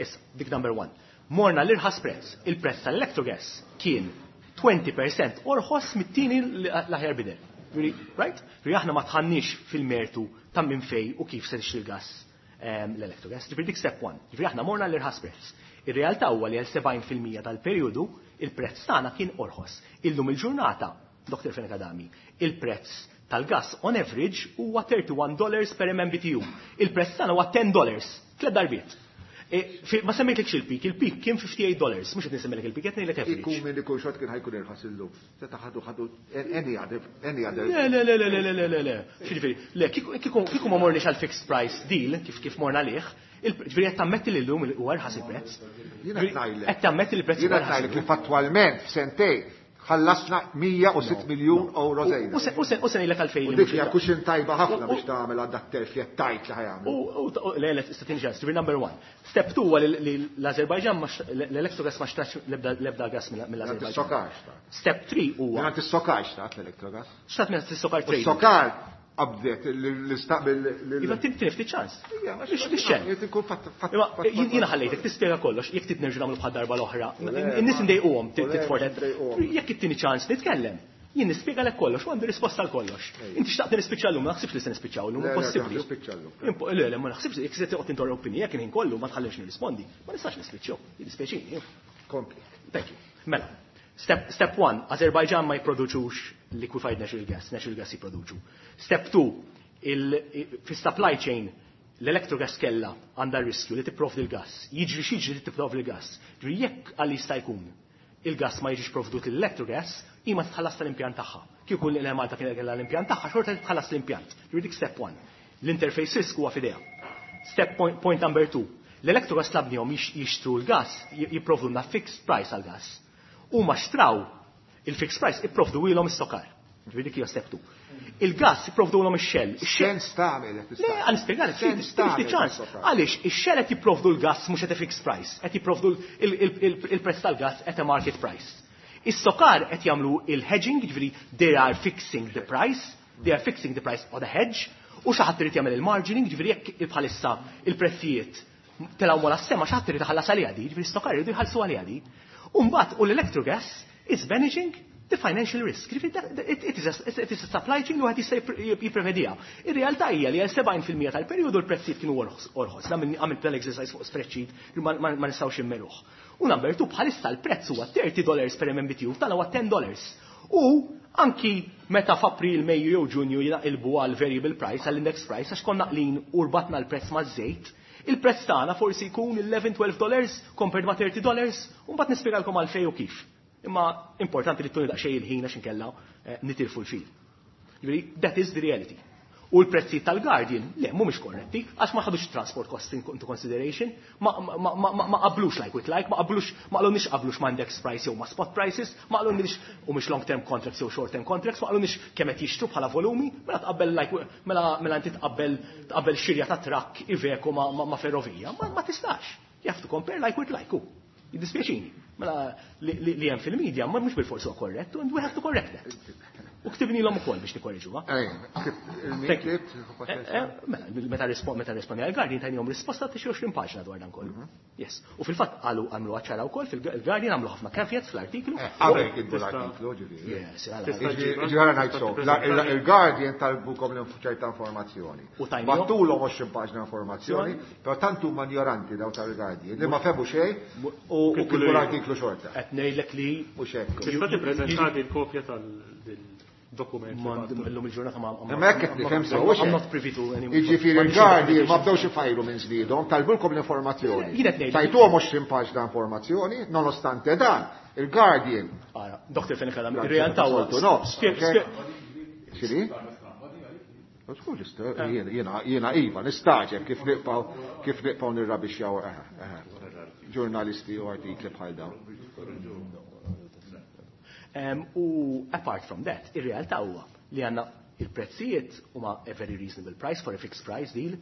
Issa, dik number one. Morna l-irħas prezz. Il-prezz tal-Electrogas kien twenty percent orħos mit-tieni l-aħjar bidder. Right? Ġifieri aħna ma dħalniex fil-mertu ta' minn fej u kif se tixtri l-gas l-Electrogas. Ġifieri dik step one. Ġifieri aħna morna l-irħas prezz. Ir-realtà huwa li għal sebgħin fil-mija tal-perjodu il-prezz tagħna kien orħos. Illum il-ġurnata, Doktor Fenech Adami, il-prezz tal-gas on average huwa thirty-one dollars per M M B T U. Il-prezz tagħna huwa ten dollars, tliet darbiet. E, ma semmejtlekx il-peak, il-peak kien fifty-eight dollars, mhux qed nisemmilek il-peak, qed ngħidlek average. Ikun minn ikun xort kien ħa jkun irħas illum. Seta ħadu ħadu any other any other. Le, le, le, le, le, le, le, le. Ġifieri, le, kieku ma morniex għal fixed price deal, kif kif morna lih, ġifieri qed tammetti li llum huwa irħas il-prezz. Jiena qed ngħidlek. Qed tammetti li l-prezz Jiena qed ngħidlek li fattwalment f'sentejn ħallasna mija u sitt miljun euro żejda. U se ngħidlek għalfejn. U dik hija cushion tajba ħafna biex tagħmel għal dak telf li qed tajt li ħa jagħmel. U le, le, tini ċans, number one. Step two huwa li l-Azerbajġan, l-Electrogas ma xtrax l-ebda gas mill-Azerbajġan. Is-SOCAR. Step three huwa. Mingħand is-SOCAR xtrat l-Electrogas. Xtrat mingħand is-SOCAR Trading. Is-SOCAR qabdet l-istaqbil. Iva, tini ftit ċans. Biex. Jiena ħallejtek tispjega kollox, jekk trid nerġgħu nagħmlu bħal darba l-oħra. In-nies indejquhom titfortet. Jekk ittini ċans nitkellem. Jien nispjegalek kollox, u għandi risposta għal kollox. Inti xtaqt nispiċċa llum, ma naħsibx li se nispiċċaw llum, impossibbli. Le, le, ma naħsibx, jekk se toqgħod interrompini, jekk il-ħin kollu ma tħallix nirrispondi, ma nistax nispiċċaw, jiddispjaċini. Kompli. Thank you. Mela, step, step one, Azerbaijan ma jipproduċux liquefied natural gas, natural gas jipproduċu. Step two, fis-supply chain, l-Electrogas kella għandha riskju li tipprovdi l-gas. Jiġri x'jiġri li tipprovdi l-gas. Ġifieri jekk għal jista' jkun il-gas ma jiġix provdut l-Electrogas, ima titħallas tal-impjant tagħha. Kieku l-Malta kien kellha l-impjant tagħha, xorta titħallas l-impjant. Ġifieri dik step one. L-interface risk huwa f'idejha. Step point, point number two. L-Electrogas tlabnihom jixtru l-gas, jipprovdulna fixed price għal-gas. U ma xtraw il-fixed price, ipprovdu ilhom is-SOCAR. Ġifieri dik hija step two. Il-gas jipprovdulhom ix-Shell. Sens tagħmel. Le, ħa nispjegalek, ftit ċans. Għaliex ix-Shell qed jipprovdu l-gas mhux at a fixed price, qed jipprovdu il-prezz tal-gas at a market price. Is-SOCAR qed jagħmlu il-hedging, ġifieri they are fixing the price, they are fixing the price on the hedge, u xi ħadd irid jagħmel il-margining, ġifieri jekk bħalissa il-prezzijiet telgħu mola s-sema, xi ħadd irid iħallas għaliha di, ġifieri s-SOCAR iridu jħallsu għaliha di. U mbagħad u l-Electrogas is managing the financial risk. It is a, it is a supply chain li wieħed jista' jipprevediha. Ir-realtà hija li għal sebgħin fil-mija tal-perjodu l-prezzijiet kienu orħos. Għamilt tal-exercise fuq spreadsheet li ma nistgħux immeruh. U number two, bħalissa l-prezz huwa thirty dollars per M M B T U, tal huwa ten dollars. U anki meta f'April, Mejju jew Ġunju jinaqilbu għal variable price, għall index price, għax konna qlin u rbatna l-prezz maż-żejt, il-prezz tagħna forsi jkun eleven twelve dollars compared ma' thirty dollars, u mbagħad nispjegalkom għalfejn u kif. Imma importanti li ttuni daqsxejn il-ħin għax inkella eh, nitilfu l-fil. Ġifieri, that is the reality. U l-prezzi tal-Guardian, le, mhumiex korretti, għax ma ħadux transport cost into consideration, ma, ma, ma, ma qablux like with like, ma qablux, ma qalunix qablux ma index price jew ma spot prices, ma qalunix u mhux long term contracts jew short term contracts, ma qalunix kemm qed jixtru bħala volumi, mela tqabbel like, mela mela inti tqabbel tqabbel xirja ta' trakk Iveco ma, ma, ma ferrovija, ma, ma tistax. You have to compare like with like. Jiddispjaċini. Mela li hemm fil-media ma mhux bil-forsi huwa korrett and we have to correct that. U ktibnilhom ukoll biex nikkorriġuha. Mela, meta meta rispondi għal-Guardian tajnihom risposta ta' xi għoxrin paġna dwar dan kollu. Yes. U fil-fatt qalu għamlu ċara wkoll fil-Guardian, għamlu ħafna caveats fl-artiklu. Qabel kitbu l-artiklu, ġifieri. Yes. Ġifieri ngħid so, il-Guardian talbukom ċerta informazzjoni. Bagħtulhom għoxrin paġna informazzjoni, però tant huma ignoranti daw tal-Guardian li ma fehmu xejn u kitbu l-artiklu xorta. Qed ngħidlek li Mhux hekk. Tista' tippreżentati l-kopja tal-dokument? Illum il-ġurnata ma Imma hekk qed nifhem sew. I'm not privy to any. Jiġifieri il-Guardian ma bdewx ifajru minn żniedhom, talbulkom l-informazzjoni. Tajtuhom għoxrin paġna informazzjoni, nonostante dan, il-Guardian. Ara, Doktor Fenech Adami, ir-realtà huwa. No. X'inhi? Jiena jiena iva, nistagħġeb kif nibqgħu kif nibqgħu nirrabixxjaw ġurnalisti u artikli bħal dawn. U apart from that, ir-realtà huwa li għandna il-prezzijiet huma a very reasonable price for a fixed price deal.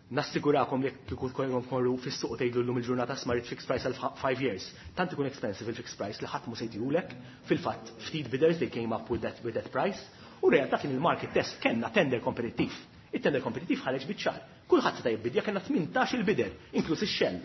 Nassigurakom li kieku tkorru fis-suq tgħidu llum il-ġurnata smart fixed price għal five years. Tant ikun expensive il-fixed price li ħadd mhu se jdihulek. Fil-fatt ftit bidders they came up with that, with that price. U realtà kien il-market test kellna tender kompetittiv. Il-tender kompetittiv ħareġ biċ-ċar. Kulħadd seta' jibbidja kellna tmintax il-bidder, inkluż ix-Shell.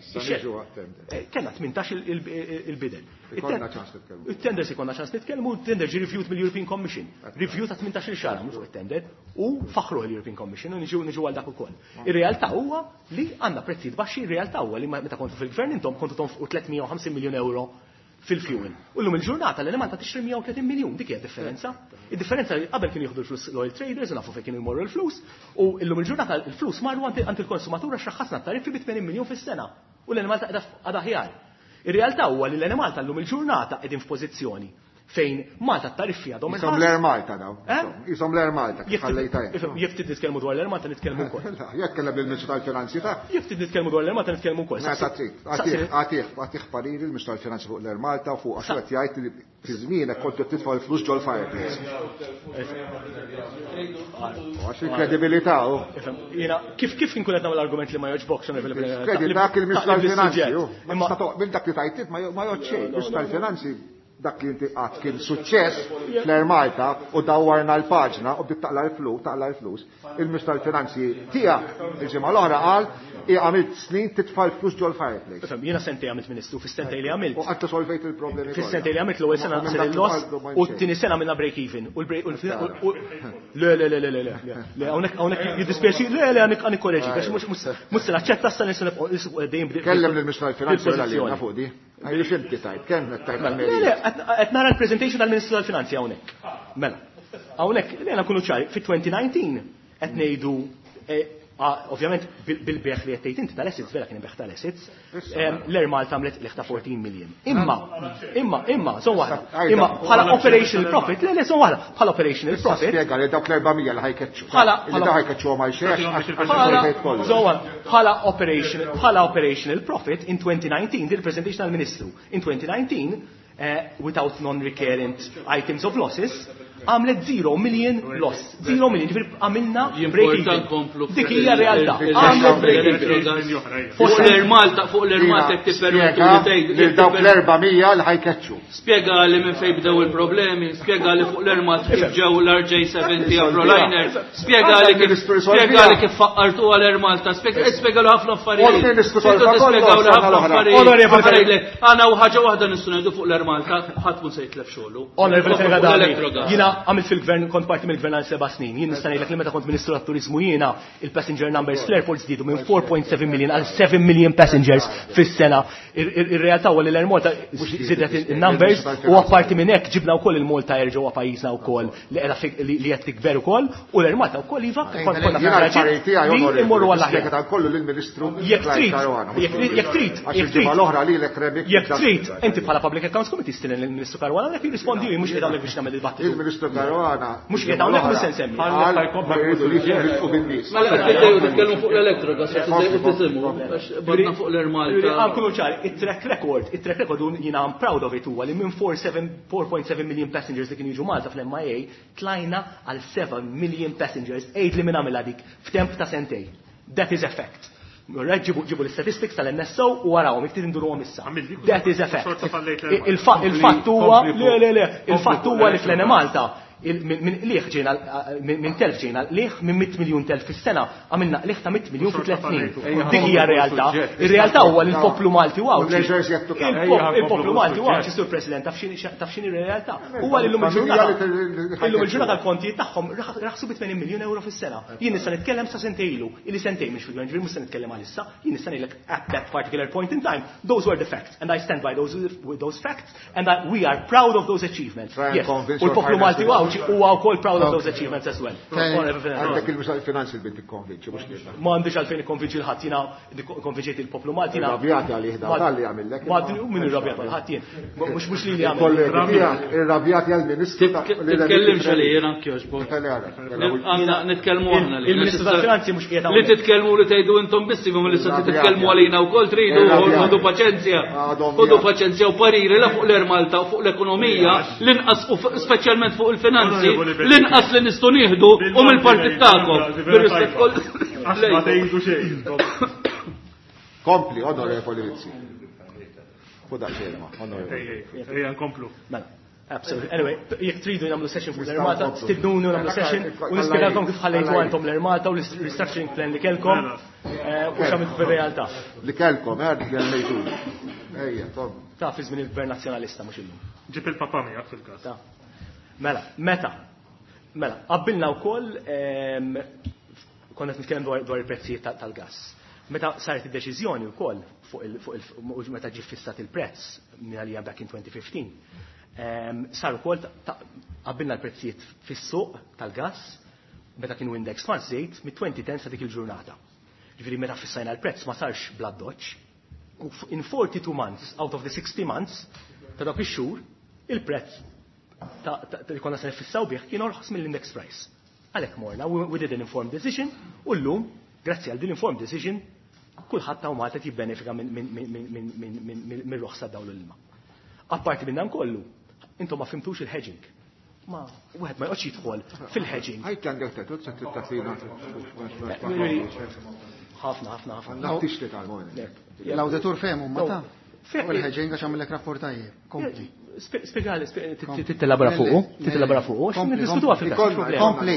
Kellna tmintax il-bidder. Il-tender se jkollna ċans nitkellmu, il-tender ġie reviewed mill-European Commission. Review ta' tmintax il xahar għamlu fuq it-tender u faħruh l-European Commission u niġu niġu għal dak ukoll. Ir-realtà huwa li għandna prezzijiet baxxi, ir-realtà huwa li meta kontu fil-gvern intom kontu tonfqu tliet mija u ħamsin miljun euro fil-fuel. U llum il-ġurnata l-Enemalta tixtri mija u tletin miljun, dik hija differenza. Id-differenza li qabel kienu jieħdu l-flus l-oil traders, u nafu fejn kienu jmorru l-flus, u llum il-ġurnata l-flus marru għand il-konsumatur għax raħħasna t-tariffi bi tmenin miljun fis-sena. U l-Enemalta qiegħda aħjar. Ir-realtà huwa li l-Enemalta llum il-ġurnata qegħdin f'pożizzjoni fejn Malta t-tariffi għadhom Isom l-Air Malta daw. Isom l-Air Malta, kif ħallejta jien. Jekk trid nitkellmu dwar l-Air Malta nitkellmu wkoll. Jekk kellem lill-Ministru tal-Finanzi ta' Jekk trid nitkellmu dwar l-Air Malta nitkellmu wkoll. Meta trid. Għatih, għatih, għatih pariri l-Ministru tal-Finanzi fuq l-Air Malta u fuq għax qed jgħid li fi żmienek kont qed titfa' l-flus ġol-fireplace. Għax il-kredibilità u. Jiena kif kif inkun qed nagħmel argument li ma jogħġbokx Kredi dak il-Ministru tal-Finanzi, minn dak li tajt ma jgħod xejn, il-Ministru tal-Finanzi dak li inti qatt kien suċċess fl-Air Malta u dawwarna l-paġna u bdiet taqla l-flus, taqla l-flus. Il-Ministru tal-Finanzi tiegħek il-ġimgħa l-oħra qal i għamilt snin titfa' l-flus ġol-fireplace. Ifhem, jiena sentej għamilt ministru, fis-sentej li għamilt. U qatt solvejt il-problemi. Fis-sentej li għamilt l-ewwel sena sar il-loss u t-tieni sena minna break even. U l-break u le le le le le le le hawnhekk hawnhekk jiddispjaċi le le għandek għandek korreġi għax mhux mhux se naċċetta issa nistgħu dejjem Kellem lill-Ministru tal-Finanzi wara li fuq di. Għajri xinti tajt, kemm qed tajt Le, le, qed nara l-presentation tal-Ministru tal-Finanzi hawnhekk. Mela, hawnhekk li nkunu ċari, fi twenty nineteen qed ngħidu ovvjament bil-beħ li qed tgħid inti tal-assets, vera kien beħ tal-assets, l-Air Malta għamlet liħ ta' fourteen million. Imma, imma, imma, son waħda, imma bħala operational profit, le, le, son waħda, bħala operational profit. Spjega li dawk l-erba' mija li ħajkeċċu. Li daw ħajkeċċu għal xejn, bħala operational, bħala operational profit in twenty nineteen, din il-presentation tal-Ministru, in twenty nineteen, without non-recurrent items of losses, għamlet zero million loss. Zero million, ġifieri għamilna break even. Dik hija realtà. Għamlet break even. Fuq l-Air Malta, fuq l-Air Malta qed tippermettu li tgħid lil dawk l-erba' mija li ħajkeċċu. Spjega li minn fejn bdew il-problemi, spjega li fuq l-Air Malta kif ġew l-R J seventy Afroliner, spjega li kif spjega li kif faqqartu għal Air Malta, spjega li ħafna affarijiet. Spjegaw li ħafna affarijiet. Għandna u ħaġa waħda nistgħu ngħidu fuq l-Air Malta, ħadd mhu se jitlef xogħlu. Onorevoli Fenech, jiena għamilt fil-gvern, kont parti mill-gvern għal seba' snin. Jien nista' ngħidlek li meta kont Ministru tat-Turiżmu jiena il-passenger numbers fl-airport żdiedu minn four point seven million għal seven million passengers fis-sena. Ir-realtà huwa li l-Air Malta żiedet in-numbers u apparti minn hekk ġibna wkoll il-Malta Air ġewwa pajjiżna wkoll li qiegħda li qed tikber ukoll u l-Air Malta wkoll iva kont konna fil-raġel li immorru għall aħjar. Spjega kollu lill-Ministru Jekk trid, jekk trid, jekk trid, jekk trid, inti bħala Public Accounts Committee stilen lill-Ministru Caruana dak jirrispondi mhux qiegħed hawnhekk biex nagħmel il-dibattitu. Il-Ministru Caruana mhux qiegħed hawnhekk mhux se nsemmi. Mela qed tgħidu titkellmu fuq l-elettrogas, qed tgħidu tisimgħu għax badna fuq l-Air Malta. Nkunu ċari, it-track record, it-track record jiena I'm proud of it huwa li minn four seven, four point seven million passengers li kienu jiġu Malta fl-M I A tlajna għal seven million passengers, għid li minn għamilha dik f'temp ta' sentej. That is a fact. Ġibu, ġibu l-statistics tal-N S O u warawhom, jekk trid induruhom issa. That is a fact. Il-fatt huwa, le, le, le, il-fatt huwa li fl-N Malta minn liħ ġejna, minn telf ġejna liħ minn mitt miljun telf fis-sena għamilna liħ ta' mitt miljun fi tliet snin. Dik hija r-realtà. Ir-realtà huwa li l-poplu Malti u Għawdxi. Il-poplu Malti u Għawdxi, Sur President, taf x'inhi r-realtà. Huwa li llum il-ġurnata illum il-ġurnata l-kontijiet tagħhom raħsu bi tmenin miljun euro fis-sena. Jien nista' nitkellem sa sentejn ilu, illi sentejn mhix fil-gvern, ġifieri mhux se nitkellem għalissa, jien nista' ngħidlek at that particular point in time, those were the facts and I stand by those, those facts and I, we are proud of those achievements. Yes. U l-poplu Malti u Għawdxi huwa wkoll proud of those achievements as well. Għandek il-Ministru tal-Finanzi li tikkonvinċi, mhux lilna. Ma għandix għalfejn ikkonvinċi l-ħadd, jiena konvinċejt il-poplu Malti, jiena Irrabjati għalih dan, dan li għamillek. Ma għandi min irrabjat għal ħadd jien. Mhux mhux li li għamel. Il-kollegi tiegħek irrabjati għall-Ministru ta' Titkellimx għalih jiena anke jogħġbok. Għandna nitkellmu aħna li. Il-Ministru tal-Finanzi mhux qiegħed hawnhekk. Li titkellmu li tgħidu intom biss, imma li se titkellmu għalina wkoll tridu, ħodu paċenzja. Ħodu paċenzja u pariri la fuq l-Air Malta u fuq l-ekonomija, l-inqas u speċjalment fuq il-finanzi, l-inqas li nistgħu nieħdu u mill-partit tagħkom. Bir-rispett kollu. Ma tgħidu xejn. Kompli, onorevoli Rizzi. Fu daqsxejn ma, onorevoli. Ejja nkomplu. Mela. Absolutely. Anyway, jekk tridu nagħmlu session fuq l-Air Malta, stidnuni u nagħmlu session u nispjegalkom kif ħallejtu għandhom l-Air Malta u l-restructuring plan li kelkom u x'għamiltu fir-realtà. Li kelkom, eh, li għallejtu. Ejja, tom. Ta' fi żmien il-Gvern Nazzjonalista mhux illum. Ġib il-papa miegħek fil-każ. Ta. Mela, meta? Mela, qabbilna wkoll konna qed nitkellem dwar il-prezzijiet tal-gass. Meta saret id-deċiżjoni wkoll fuq il meta ġie fissat il-prezz minn għalija back in twenty fifteen, sar ukoll qabbilna l-prezzijiet fis-suq tal-gass meta kienu index ma' żejt mit-twenty ten sa dik il-ġurnata. Ġifieri meta fissajna l-prezz ma sarx bla doċċ. In forty-two months out of the sixty months ta' dawk ix-xhur il-prezz li konna se nifissaw bih kien orħos mill-index price. Għalhekk morna, we did an informed decision u llum, grazzi għal din informed decision, kulħadd ta' Malta jibbenefika minn roħsa dawl l-ilma. Apparti minn dan kollu, intom ma fimtux il-hedging. Ma wieħed ma joqgħodx jidħol fil-hedging. Ħajt għandek tetut se tittasina. Ħafna, ħafna, ħafna. Tixtri tal-mojn. L-awditur fehmu ma ta' fuq il-hedging għax għamilek rapport tajjeb. Kompli. Spjegali, tittelabra fuqu, tittelabra fuqu, għax niddiskutuha fil-każ. Kompli.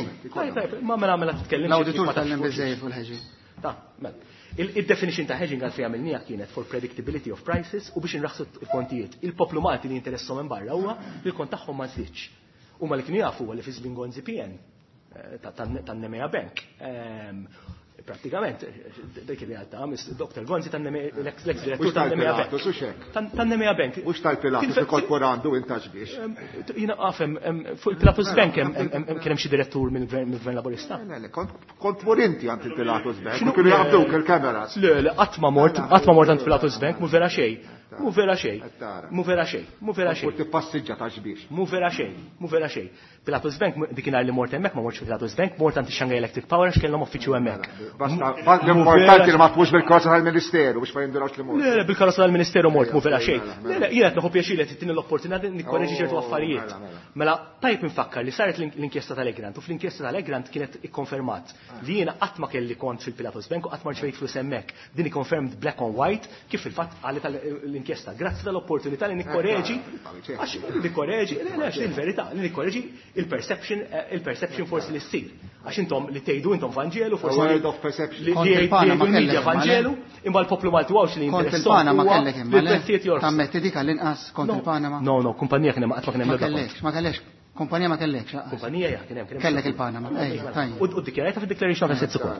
Ma mela mela titkellem. L-awditur tgħallem biżejjed fuq il-hedging. Ta' mela. Il-definition ta' hedging għalfejn għamilniha kienet for predictability of prices u biex inraħsu l-kontijiet. Il-poplu Malti li jinteressom minn barra huwa li l-kont tagħhom ma żdiedx. Huma li kienu jafu li fi żmien Gonzi P N tan-Nemea Bank. Pratikament, dik il-realtà, Doctor Gonzi l-ex direttur tan-Nemea Bank. Tan-Nemea Bank. Mhux tal-Pilatus inkorporandu intax biex. Jiena għafem, fuq il-Pilatus Bank kien hemm xi direttur mill-Gvern Laburista. Le, le, kont mur inti għand il-Pilatus Bank, kienu jaqbduk il-kameras. Le, le, qatt ma mort, qatt ma mort għand Pilatus Bank, mhu vera xejn. Mhu vera xejn. Mhu vera xejn, mhu vera xejn. Kont tippassiġġa ta' xbiex. Mhu vera xejn, mhu vera xejn. Pilatus Bank, dikinhar li mort hemmhekk ma mortx Pilatus Bank, mort għand ix-Shanghai Electric Power għax kellhom uffiċċju hemmhekk. Basta, l-importanti li ma tmux bil-karozza tal-Ministeru biex ma jindurawx li mort. Le, le, bil-karozza tal-Ministeru mort, mhu vera xejn. Le, le, jiena qed nieħu pjaċir li titini l-opportunità nikkoreġi ċertu affarijiet. Mela, tajb infakkar li saret l-inkjesta tal-Egrant u fl-inkjesta tal-Egrant kienet ikkonfermat li jiena qatt ma kelli kont fil-Pilatus Bank u qatt ma rċevejt flus hemmhekk. Din ikkonfermed black on white kif fil-fatt qalet l-inkjesta. Grazzi tal-opportunità li nikkoreġi, għax nikkoreġi, le, le, għax il-verità, li nikkoreġi il-perception, il-perception forsi li ssir. Għax intom li tgħidu intom Vanġelu, forsi World of perception. li Kont il-Panama jgħidu l-media kellek, ma le? Vanġelu, imma l-poplu Malti għawx li Kont jinteressom il-Panama huwa kellek imma le? li l-prezzijiet jorħsu. Tammetti dik għall-inqas kont il-Panama. No, no, kumpanija kien hemm qatt ma kien hemm Ma l-ebda kont. kellekx, ma kellekx. Kumpanija ma kellekx, laqas. Kumpanija ja, kien hemm, kien hemm. Kellek il-Panama, ejja, tajjeb. U ddikjarajta fid-declaration of assets ukoll.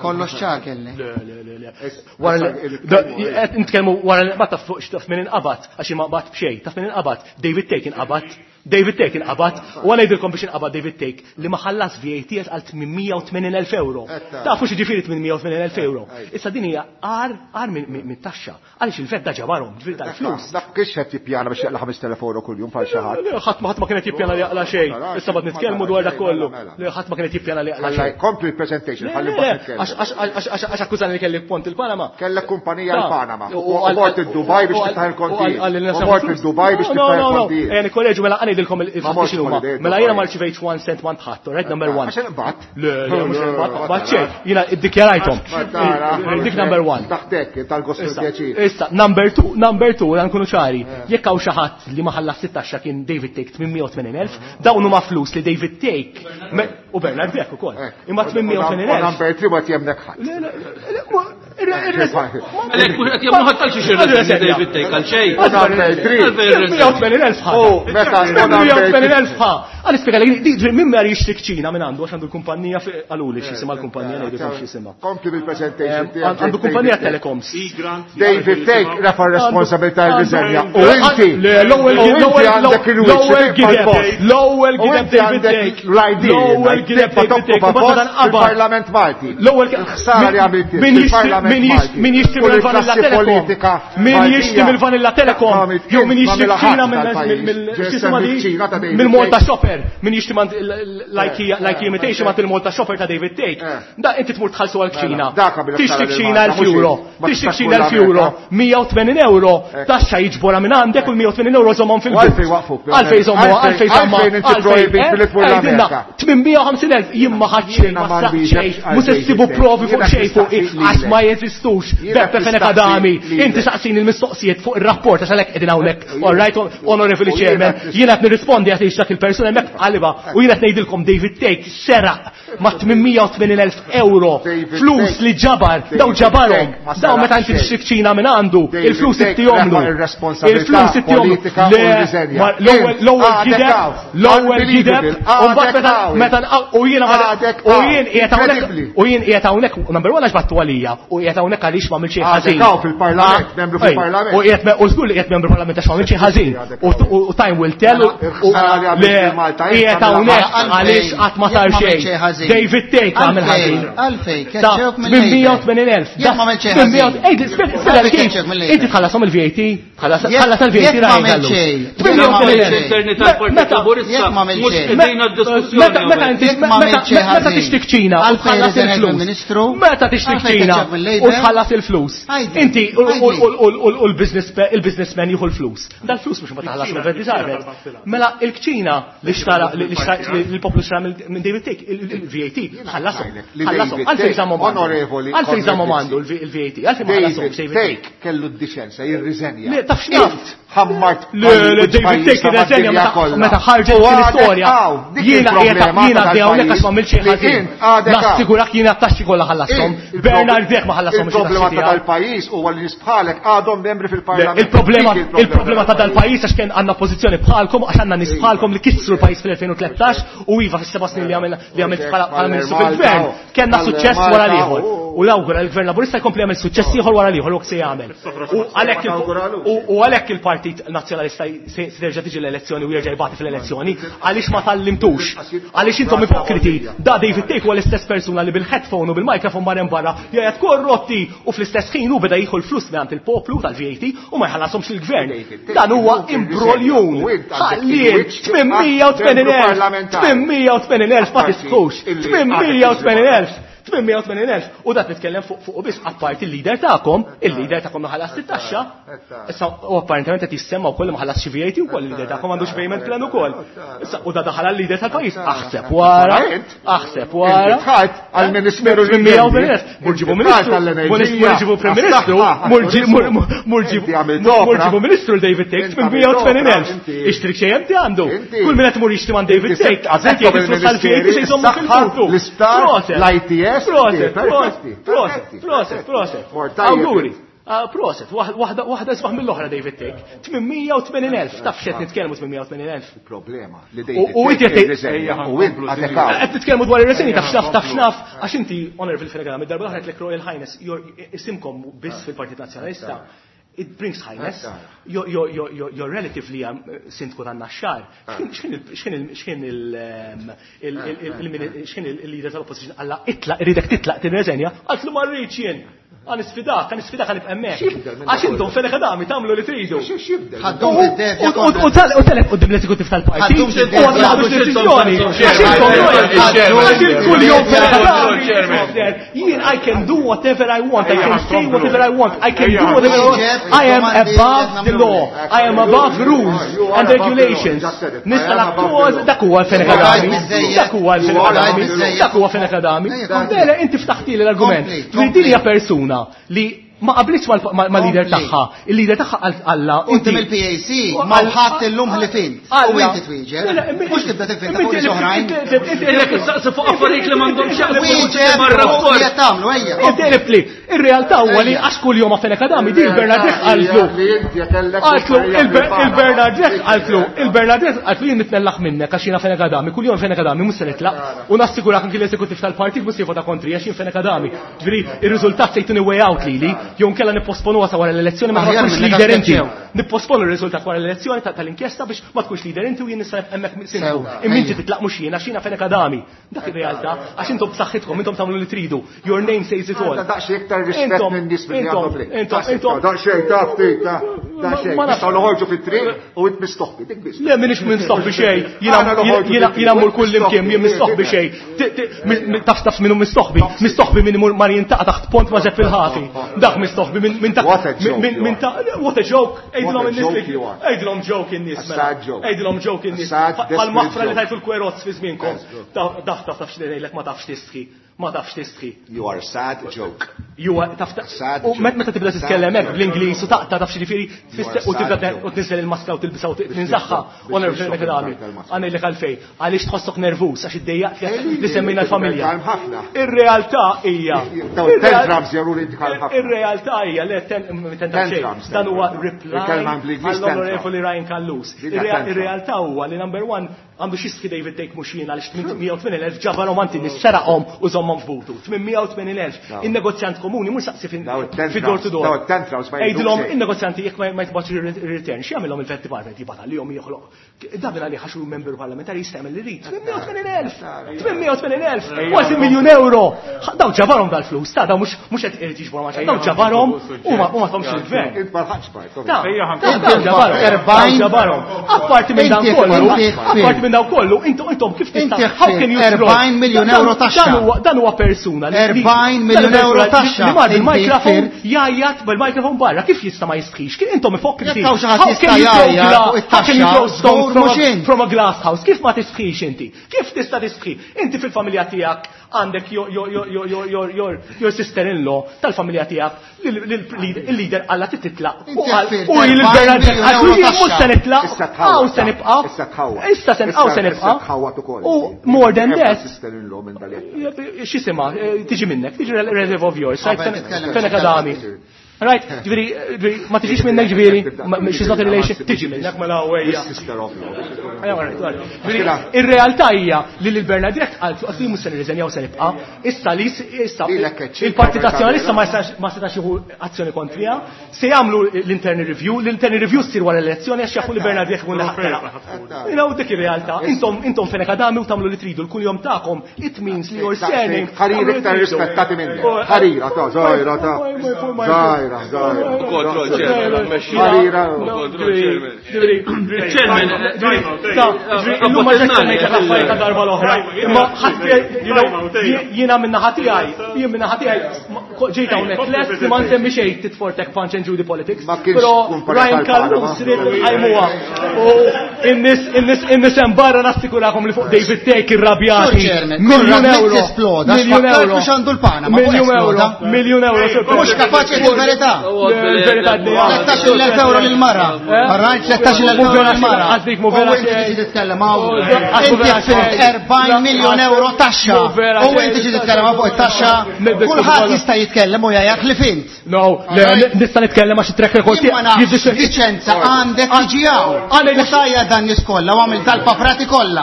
Kollox ċar kellek. Le, le, le, le. Wara li qed nitkellmu wara li ma taf fuq x'taf min inqabad, għax ma qbad b'xejn, taf min inqabad. David Thake inqabad. David Thake inqabad. U għal ngħidilkom biex inqabad David Thake li ma ħallas V A T għal tmien mija u tmenin elf euro. Tafu x'jiġifieri tmien mija u tmenin elf euro. Issa din hija għar, għar minn taxxa. Għaliex il-vet da ġabarhom, ġifieri tal-flus. Dak kiex qed jippjana biex jaqla' ħames telef euro kuljum bħal xi ħadd. Le, ħadd ma ħadd ma kienet jippjana li jaqla' xejn. Issa bad nitkellmu dwar dak kollu. Le, ħadd ma kienet jippjana li jaqla' xejn. Kompli l-presentation, ħalli Le, mbagħad le, nitkellmu. għax, għax, għax, għax, għax akkużani li kelli pont il-Panama. Kellek kumpanija Ta. l-Panama. U U għal- mort id-Dubaj biex u għal- tiftaħ il-kontijiet. u għal- għal- U mort id-Dubaj biex No, no, tiftaħ no, no. il-kontijiet. Ejja, nikkoreġu mela għanejdilkom il- Ma mortx il-fatti x'inhuma. holiday, Mela jiena Dubai. ma rċivejtx one cent one ħadd, all right, number one. Għax inqbad. Le, le, mhux inqbad, Le, ma xejn. Jiena iddikjarajthom. Ma tara. Dik number one. Taħtek, tal-gost Issa, pjaċir. issa, number two, number two, dan nkunu ċari. Jekk hawn xi ħadd li ma ħallas sittaxxa kien David Thake tmien mija u tmenin elf, dawn huma flus li David Thake me-, u Bernard Grech ukoll. Imma tmien mija u tmenin U elf. number three ma tjemnek ħadd. Le, le, le, ma, irre-, irre-, Għalhekk mhux qed jemmnu ħadd għal xi xirrid David Thake għal xejn. U number three. Tmien mija u tmenin elf ħa. U meta Tmien mija u tmenin elf ħa. Għal ispjega li di-, di-, min mar jixtri kċina minn għandu għax għandu l-kumpanija fi-, għaluli x'jisimha l-kumpanija, ngħidilkom x'jisimha. Kompli bil-presentation Ehm, tiegħek, Għandu kumpanija David Thake. telecoms. David Thake rafa responsabilità r-riżenja. U inti, Le, l-ewwel u inti l-ewwel għandek il-wiċċ l-ewwel li gideb, tibqa' l-ewwel U gideb inti David għandek Thake. l-I D, L-ewwel gideb tibqa' David Thake. tokkupa U meta post dan qabad. fil-Parlament Malti. L-ewwel ge- Il-ħsara li għamilt Min jixtri- fil-Parlament min jixtri- Malti. min jixtri U mill-Vanilla l-klassi Telecom. politika Min Maltija. jixtri mill-Vanilla Telecom. Għamilt Jew min kien jixtri ma' kċina mill-ħadd mill- tal-pajjiż. mill- Ġesem x'jisimha di? il-kċina ta' David Mill-Malta Thake. Shopper. Shopper, min jixtri l-Ikea imitation ma il-Malta Shopper ta' David Thake. Da inti tmur tħallsu għal-kċina. Tixtri kċina elf euro. Tixtri kċina elf euro. mija u tmenin euro. Taxxa jiġbora minn għandek u l-mija u tmenin euro żommhom fil-but. Għalfej żommu, għalfej żommu. Għalfej tmien mija u ħamsin elf jien ma ħadd xejn, ma saq xejn, mhux se ssibu provi fuq xejn fuq għax ma jeżistux. Beppe Fenech Adami, inti saqsin il-mistoqsijiet fuq ir-rapport għax għalhekk qegħdin hawnhekk. All right, Honorable Chairman, jiena qed nirrispondi għax dak il-persuna hemmhekk qalibha u jiena qed ngħidilkom David Thake seraq ma' tmien mija u tmenin elf euro flus li ġabar, daw ġabarhom, daw meta inti tixtri kċina minn għandu, il-flus ittihomlu. Il-flus ittihomlu. L-ewwel gideb, l-ewwel gideb, u mbagħad meta meta u jiena u jien qiegħed hawnhekk u jien qiegħed hawnhekk number one għax battu għalija u qiegħed hawnhekk għaliex ma għamilx xejn ħażin. Fil-parlament, membru fil-parlament. U qiegħed u żgur li qiegħed membru parlament għax ma għamilx xejn ħażin. U time will tell u qiegħed hawnhekk għaliex qatt ma sar xejn. David Thake għamel ħażin. Għalfej, keċċewk mill mija u tmenin elf. Jekk ma għamilx xejn ħażin. Inti tħallasom il-V A T, tħallas il-V A T Jekk ma għamilx xejn. Meta tixtri kċina u tħallas il-flus. Meta tixtri kċina u tħallas il-flus. Inti u l-businessman jieħu l-flus. Dal-flus mhux ma tħallas mill-Venti. Mela il-kċina li xtara li l-poplu xtara minn David Thake, il-V A T, ħallasom. Ħallasom. Għalfejn żammhom għandu. Għalfejn żammhom għandu il-V A T. Għalfejn ma ħallasom David Thake kellu d-diċenza jirriżenja. Le, taf x'naf. Ħammart. Le, le, David Thake irriżenja meta ħarġet l-istorja. Jiena qiegħed jiena għaddej hawnhekk għax ma għamilx xejn ħażin. Nassigurak jiena t-taxxi kollha ħallasom. Bernard Grech ma ħallasom Il-problema ta' dal-pajjiż huwa li nies bħalek għadhom membri fil-parlament. Il-problema il-problema ta' dal-pajjiż għax kien għandna pożizzjoni bħalkom għax għandna nies bħalkom li kissru l-pajjiż fil-elfejn u tlettax u iva fis-seba' snin li għamilna li għamilt bħala ministru fil-gvern. Kellna suċċess wara l-ieħor. U l-awgura l-gvern Laburista jkompli jagħmel suċċess ieħor wara l-ieħor u se jagħmel. U għalhekk il-Partit Nazzjonalista se terġa' tiġi l-elezzjoni u jerġa' jbati fl-elezzjoni għaliex ma tallimtux. Għaliex intom ipokriti. Da David Thake huwa l-istess persuna li bil-headphone u bil-microphone mar hemm barra jgħid korrotti u fl-istess ħin hu beda jieħu l-flus mingħand il-poplu tal-V A T u ma jħallasomx il-gvern. Dan huwa imbroljun. Ħalliet tmien mija u tmenin elf. tmien mija u tmenin elf ma tisħux. tmien mija u tmenin elf. tmien mija u tmenin elf. U dak nitkellem fuq fuq biss apparti il-leader tagħkom, il-leader tagħkom ma ħallas it-taxxa. Issa u apparentement qed jissemma wkoll ma ħallas xi V A T wkoll il-leader tagħkom għandux payment plan ukoll. Issa u da daħal għal-leader tal-pajjiż. Aħseb wara, aħseb wara. Tħadd għall-Ministeru Tmien mija u tmenin elf. Mur ġibu ministru, mur ġibu Prim Ministru, mur ġibu Ministru l-David Thake tmien mija u tmenin elf. Ixtri xejn inti għandu. Kull min qed imur jixtri man David Thake, qed jgħid flus tal-V A T se jżommu fil-futur. L-isptar, l-I T S, Proset, proset, proset, proset, proset. Awguri. Proset, waħda waħda isbaħ mill-oħra David Thake. tmien mija u tmenin elf, taf x'qed nitkellmu tmien mija u tmenin elf. Il-problema li U David inti Thake qed irriżenja u int għadek hawn. Qed nitkellmu dwar ir-reżenji, taf x'naf, taf x'naf, għax inti Honorable Fenech Adami, darba l-oħra qed Royal Highness, isimkom biss fil-Partit Nazzjonalista. It brings highness. Your, your, your, your, your relative li għam sindku tan-Naxxar. X'kien il-leader tal-opposition għalla itlaq, irridek titlaq tirreżenja, għaltlu ma rridx jien. Għan isfidak, għan isfidak għan ibqemmek. Għax intom Fenech Adami tagħmlu li tridu. Ħaddum fid-defja U telef quddiem l-eżekutiv tal-partit. Ħaddum fid-defja. U għad ma ħadux deċiżjoni. Għax intom għax kull jum Fenech Adami. Jien I can do whatever I want, I can say whatever I want, I can do whatever I want. I am above the law. I am above rules and regulations. Nista' lakkoż, dak huwa Fenech Adami. Dak huwa Fenech Adami. Dak huwa Fenech Adami. Mela inti ftaħtili l-argument. Din hija persuna li ma qablitx mal-leader tagħha. Il-leader tagħha għalla. Inti mill-P A C ma ħadd illum li fint. U inti twieġeb. Mhux tibda tivvinta fuq oħrajn. Ilek issaqsi fuq affarijiet li m'għandhom x'jaqsmu Wieġeb mar-rapport. li qed tagħmlu, ejja. Inti qlibtli. Ir-realtà huwa li għax kuljum ma' Fenech Adami din Bernard Grech qaltlu. Qaltlu il-Bernard Grech qaltlu, il-Bernard Grech qaltlu jien nitnellaħ minnek għax jiena Fenech Adami, kuljum Fenech Adami mhux se nitlaq. U nassigurak anki l-eżekutiv tal-partit mhux se jivvota kontri għax jien Fenech Adami. Ġifieri ir-riżultat se jtuni way out lili. Jew nkella nipposponuha sa wara l-elezzjoni ma tkunx leader inti. Nipposponu r-riżultat wara l-elezzjoni tal-inkjesta biex ma tkunx leader inti u jien nista' hemmhekk sindku. Imma inti titlaq mhux jiena x'jiena Fenech Adami. Dak ir-realtà għax intom b'saħħitkom intom tagħmlu li tridu. Your name says it all. Daqsxejn iktar rispett minn nies milli għandhom Intom intom daqsxejn taf ftit daqsxejn. Nistgħu noħorġu fit-triq u int mistoħbi dik biss. Le m'iniex mistoħbi xejn. Jiena jiena mmur kull imkien jien mistoħbi xejn. Taf taf minnu mistoħbi. Mistoħbi min imur mar jintaqa' taħt pont ma' Zepp il-ħafi. Dak mistoħbi minn ta' minn ta' what a joke. Għidilhom in-nies. Għidilhom joke in-nies. Għidilhom joke in-nies. Bħal-maħfra li tajtu l-kwerozz fi żmienkom. Taf taf taf x'ngħidlek ma tafx tistħi. Ma tafx tistħi. You are a sad joke. You are taf u meta tibda titkellem hekk bl-Ingliż u taqta' taf x'jiġifieri u tibda u tniżel il-maskra u tilbisha u tinżaħħa u nervus Adami. Għanejlek għalfejn. Għaliex tħossok nervus għax iddejjaq li semmejna l-familja. Ir-realtà hija. Ir-realtà hija le tantrums. Dan huwa reply għall-Onorevoli Ryan Callus. Ir-realtà huwa li number one għandu xistħi David Thake mhux jien għaliex tmien mija u tmien elf ġabarhom għand in-nies seraqhom u żommhom f'butu. tmien mija u tmien elf. In-negozjant komuni mhux saqsi fid-door to door. Għidilhom in-negozjanti jekk ma jitbgħatx ir-return, x'jagħmilhom il-Vet Department jibgħat għalihom joħloq. Dan minn għalih għax hu membru parlamentari jista' jagħmel li jrid. tmien mija u tmien elf. tmien mija u tmien elf. Kważi miljun euro. Daw ġabarhom dal-flus, ta' daw mhux mhux qed irid jiġbor ma' xejn. Daw ġabarhom u ma tagħhomx il-gvern. Int ġabarhom. Apparti minn dan kollu, apparti minn dan kollu, intom intom kif tista' how can you erbgħin miljun euro taxxa. Dan huwa persuna li erbgħin miljun euro taxxa. Li mar bil-mikrofon jgħajjat bil-mikrofon barra, kif jista' ma jistħix? Kif intom ipokriti? How can you throw can you throw stone from a, from a glass house? Kif ma tistħix inti? Kif tista' tistħi? Inti fil-familja tiegħek għandek your your your your your your sister-in-law tal-familja tiegħek il-leader qalla titlaq. U il-Bernard jien mhux se nitlaq, hawn se nibqa'. Issa se hawn se nibqa'. U more than that. X'isima, tiġi minnek, tiġi relative of yours, Fenech Adami. Right, ġifieri, ma tiġix minnek ġifieri, she's not a relation, tiġi minnek mela għawejja. Ir-realtà hija li lil Bernard Grech qal għal mhux se nirriżenjaw se nibqa', issa li issa il-Partit Nazzjonalista ma setax jieħu azzjoni kontriha, se jagħmlu l-internal review, l-internal review ssir wara l-elezzjoni għax jafu li Bernard Grech ikun laħaq. You know, dik ir-realtà. Intom intom Fenech Adami u tagħmlu li tridu l-kuljom tagħkom, it means li your surname. Ħarir iktar rispettati minnek. Ħarira ta' żgħira ta' żgħira. Control chairman, Chairman, illum ma ġejt semmejt l-affarijiet ta' darba l-oħra. Imma jiena minn naħa tiegħi, jien minn naħa tiegħi ġejt hawnhekk lest li ma nsemmi xejn titfortek punch and Judy politics. Però Ryan Callus ried nqajmuha. U in-nies in-nies in-nies hemm barra nassikurakom li fuq David Thake irrabjati. Miljun euro. Miljun euro. Miljun euro. Miljun euro. Mhux kapaċi il-verità. Il-verità tlettax elf euro lil-mara. Arrajt tlettax elf euro lil-mara. Għażlik mu vera xejn. Inti titkellem hawn. Inti ħsibt erbgħin miljun euro taxxa. U inti ġi titkellem fuq it-taxxa. Kulħadd jista' jitkellem u jgħajjak li fint. No, nista' nitkellem għax it-track record tiegħi. Diċenza għandek tiġi hawn. U tajja dan nies kollha u għamil tal-paprati kollha.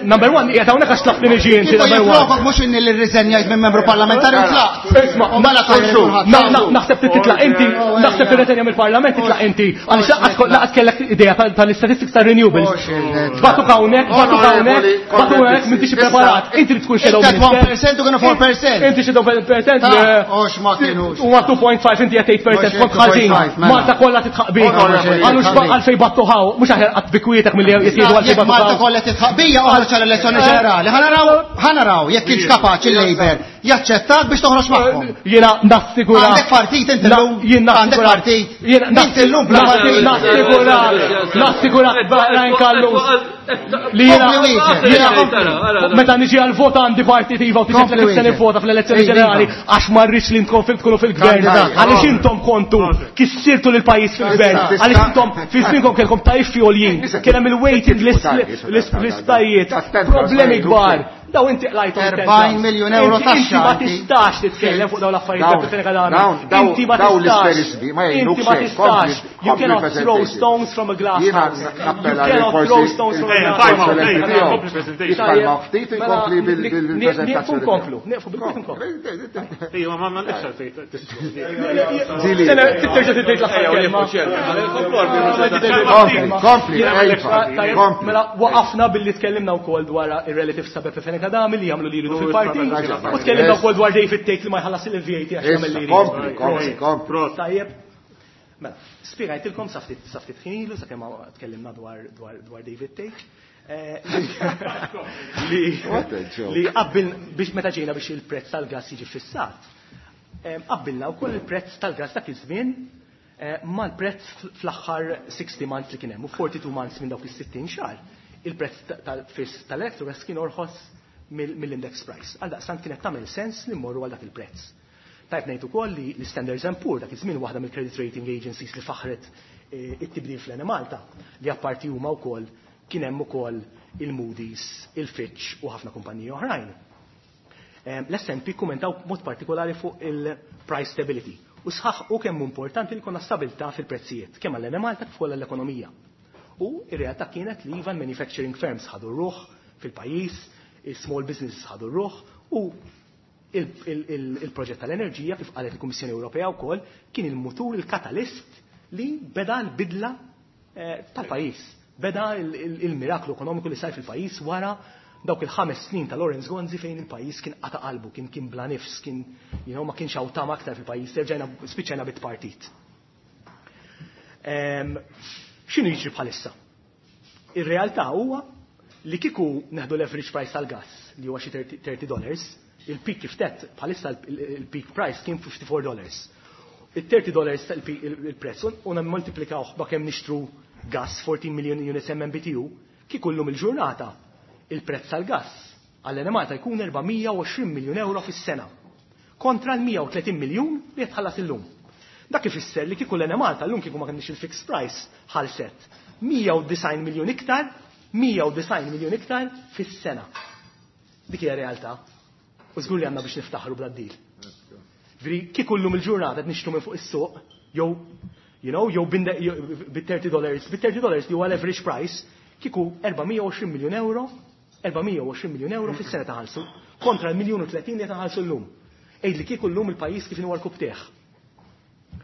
Number one, qiegħed hawnhekk għax tlaqt niġi inti number one. Jiflokok mhux inni li rriżenjajt minn membru parlamentari u tlaqt. Isma' naħseb titlaq inti, naħseb tirretenja mill-parlament titlaq inti, għaliex laqas kellek idea tal-istatistics ta' renewables. Batuk hawnhekk, batuk hawnhekk, batuk hawnhekk m'intix ippreparat. Inti li tkun shadow minister. one percent u kienu four percent. Inti shadow percent. Ox ma kienux. Huwa two point five inti qed eight percent kont ħażin. Malta kollha titħaq bik. Għalux għalfejn battu ħaw, mhux aħjar qatt bikwietek milli jgħidu għalfejn battu. Malta kollha titħaq bija oħroġ għall-elezzjoni ġenerali. Ħa naraw, ħa naraw jekk kienx kapaċi il-Labour jaċċettak biex toħroġ magħhom. Jiena nassigura. Għandek partit inti llum. Għandek partit. Inti llum bla partit. Nassigura. Nassigura Ryan Callus. Li jiena meta niġi għal vot għandi partit iva u tiġi li se nivvota fl-elezzjoni ġenerali għax ma rridx li intom tkunu fil-gvern. Għaliex intom kontu kissirtu lil pajjiż fil-gvern. Għaliex intom fi żmienkom kellkom tariffi għoljin, kien hemm il-waiting list l-isptajiet, problemi kbar. Daw inti qlajthom erbgħin miljun euro taxxa. Inti ma tistax titkellem fuq dawn l-affarijiet Beppe Fenech Adami. Inti ma tistax. Inti ma tistax. You cannot throw stones from a glass house. You cannot throw stones from a glass house. Jitkalma ftit inkompli bil-prezentazzjoni. Nieqfu nkomplu, nieqfu bil-kwiet nkomplu. Ejja, ma m'għandekx għalfejn Terġa' tgħid l-aħħar kelma. Kompli, kompli. Mela waqafna billi tkellimna wkoll dwar ir-relatives ta' Beppe Fenech Adami li jagħmlu li jridu fil-partit. U tkellimna wkoll dwar David Tate li ma jħallas il-V A T għax jagħmel li jridu. Kompli, kompli, kompli. Tajjeb. Mela, spjegajtilkom sa ftit ħin ilu sakemm tkellimna dwar dwar David Tate. Li qabbil biex meta ġejna biex il-prezz tal-gas jiġi fissat. Qabbilna wkoll il-prezz tal-gas dak iż-żmien mal-prezz fl-aħħar sixty months li kien hemm u forty-two months minn dawk is-sittin xahar. Il-prezz tal-fiss tal-Electrogas kien orħos mill-index price. Għaldaqstant kienet tagħmel sens li mmorru għal dak il-prezz. Tajb ngħid ukoll li l-Standards and Poor dak iż-żmien waħda mill-credit rating agencies li faħret it-tibdil fl-Enemalta li apparti huma wkoll kien hemm ukoll il-Moody's, il-Fitch u ħafna kumpaniji oħrajn. L-S and P kummentaw b'mod partikolari fuq il-price stability u sħaħ u kemm importanti li konna stabilità fil-prezzijiet, kemm għall-Enemalta kif ukoll għall-ekonomija. U ir-realtà kienet li iva manufacturing firms ħadu r-ruħ fil-pajjiż, il-small businesses ħadu r-ruħ u il-proġett tal-enerġija kif qalet il-Kummissjoni Ewropea wkoll kien il-mutur, il-katalist li beda l-bidla tal-pajjiż. Beda il-miraklu ekonomiku li sar fil-pajjiż wara dawk il-ħames snin ta' Lawrence Gonzi fejn il-pajjiż kien qata' qalbu, kien kien bla nifs, kien you know, ma kienx hawn tama aktar fil-pajjiż, terġajna spiċċajna bit-partit. X'inhu jiġri bħalissa? Ir-realtà huwa li kieku neħdu l-average price tal-gas li huwa xi thirty dollars, il-peak kif tett bħalissa il-peak price kien fifty-four dollars. Il-thirty dollars il-prezz u nammultiplikawh ba' kemm nixtru gas fourteen million units M M B T U, kieku llum il-ġurnata il-prezz tal-gas għall-Enemalta jkun erba' mija u għoxrin miljun euro fis-sena kontra l-mija u tletin miljun li jitħallas illum. Dak ifisser li kieku l-Enemalta llum kieku ma kenniex il-fixed price ħalset mija u disgħin miljun iktar, mija u disgħin miljun iktar fis-sena. Dik hija realtà. U żgur li għandna biex niftaħru bla d-dil. Veri kieku llum il-ġurnata qed nixtru minn fuq is-suq, jew you know, jew bit thirty dollars, bit thirty dollars li huwa l-average price, kieku erba' mija u għoxrin miljun euro, erba' mija u għoxrin miljun euro fis-sena taħallsu, kontra l-miljun u tletin li taħallsu llum. Ejd li kieku llum il-pajjiż kif inhu l-kub tieħ.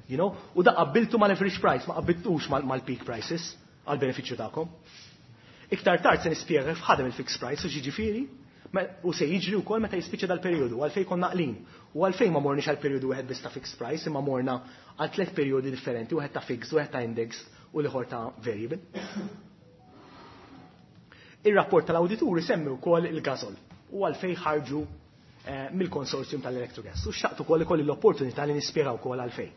You know, u da qabbiltu mal-average price, ma qabbiltux mal-peak prices għal benefiċċju tagħkom. Iktar tard se nispjega kif ħadem il-fixed price u ġiġifieri, u se jiġri wkoll meta jispiċċa dal-perjodu, għalfejn konna naqlin. U għalfejn ma morniex għal perjodu wieħed biss ta' fixed price, imma morna għal tliet perjodi differenti, wieħed ta' fixed, wieħed ta' index u l-ieħor ta' variable. Ir-rapport tal-awdituri semmi wkoll il-gasol u għalfejn ħarġu mill-konsorzjum tal-Electrogas. U xtaqt ukoll ikolli l-opportunità li nispjega wkoll għalfejn.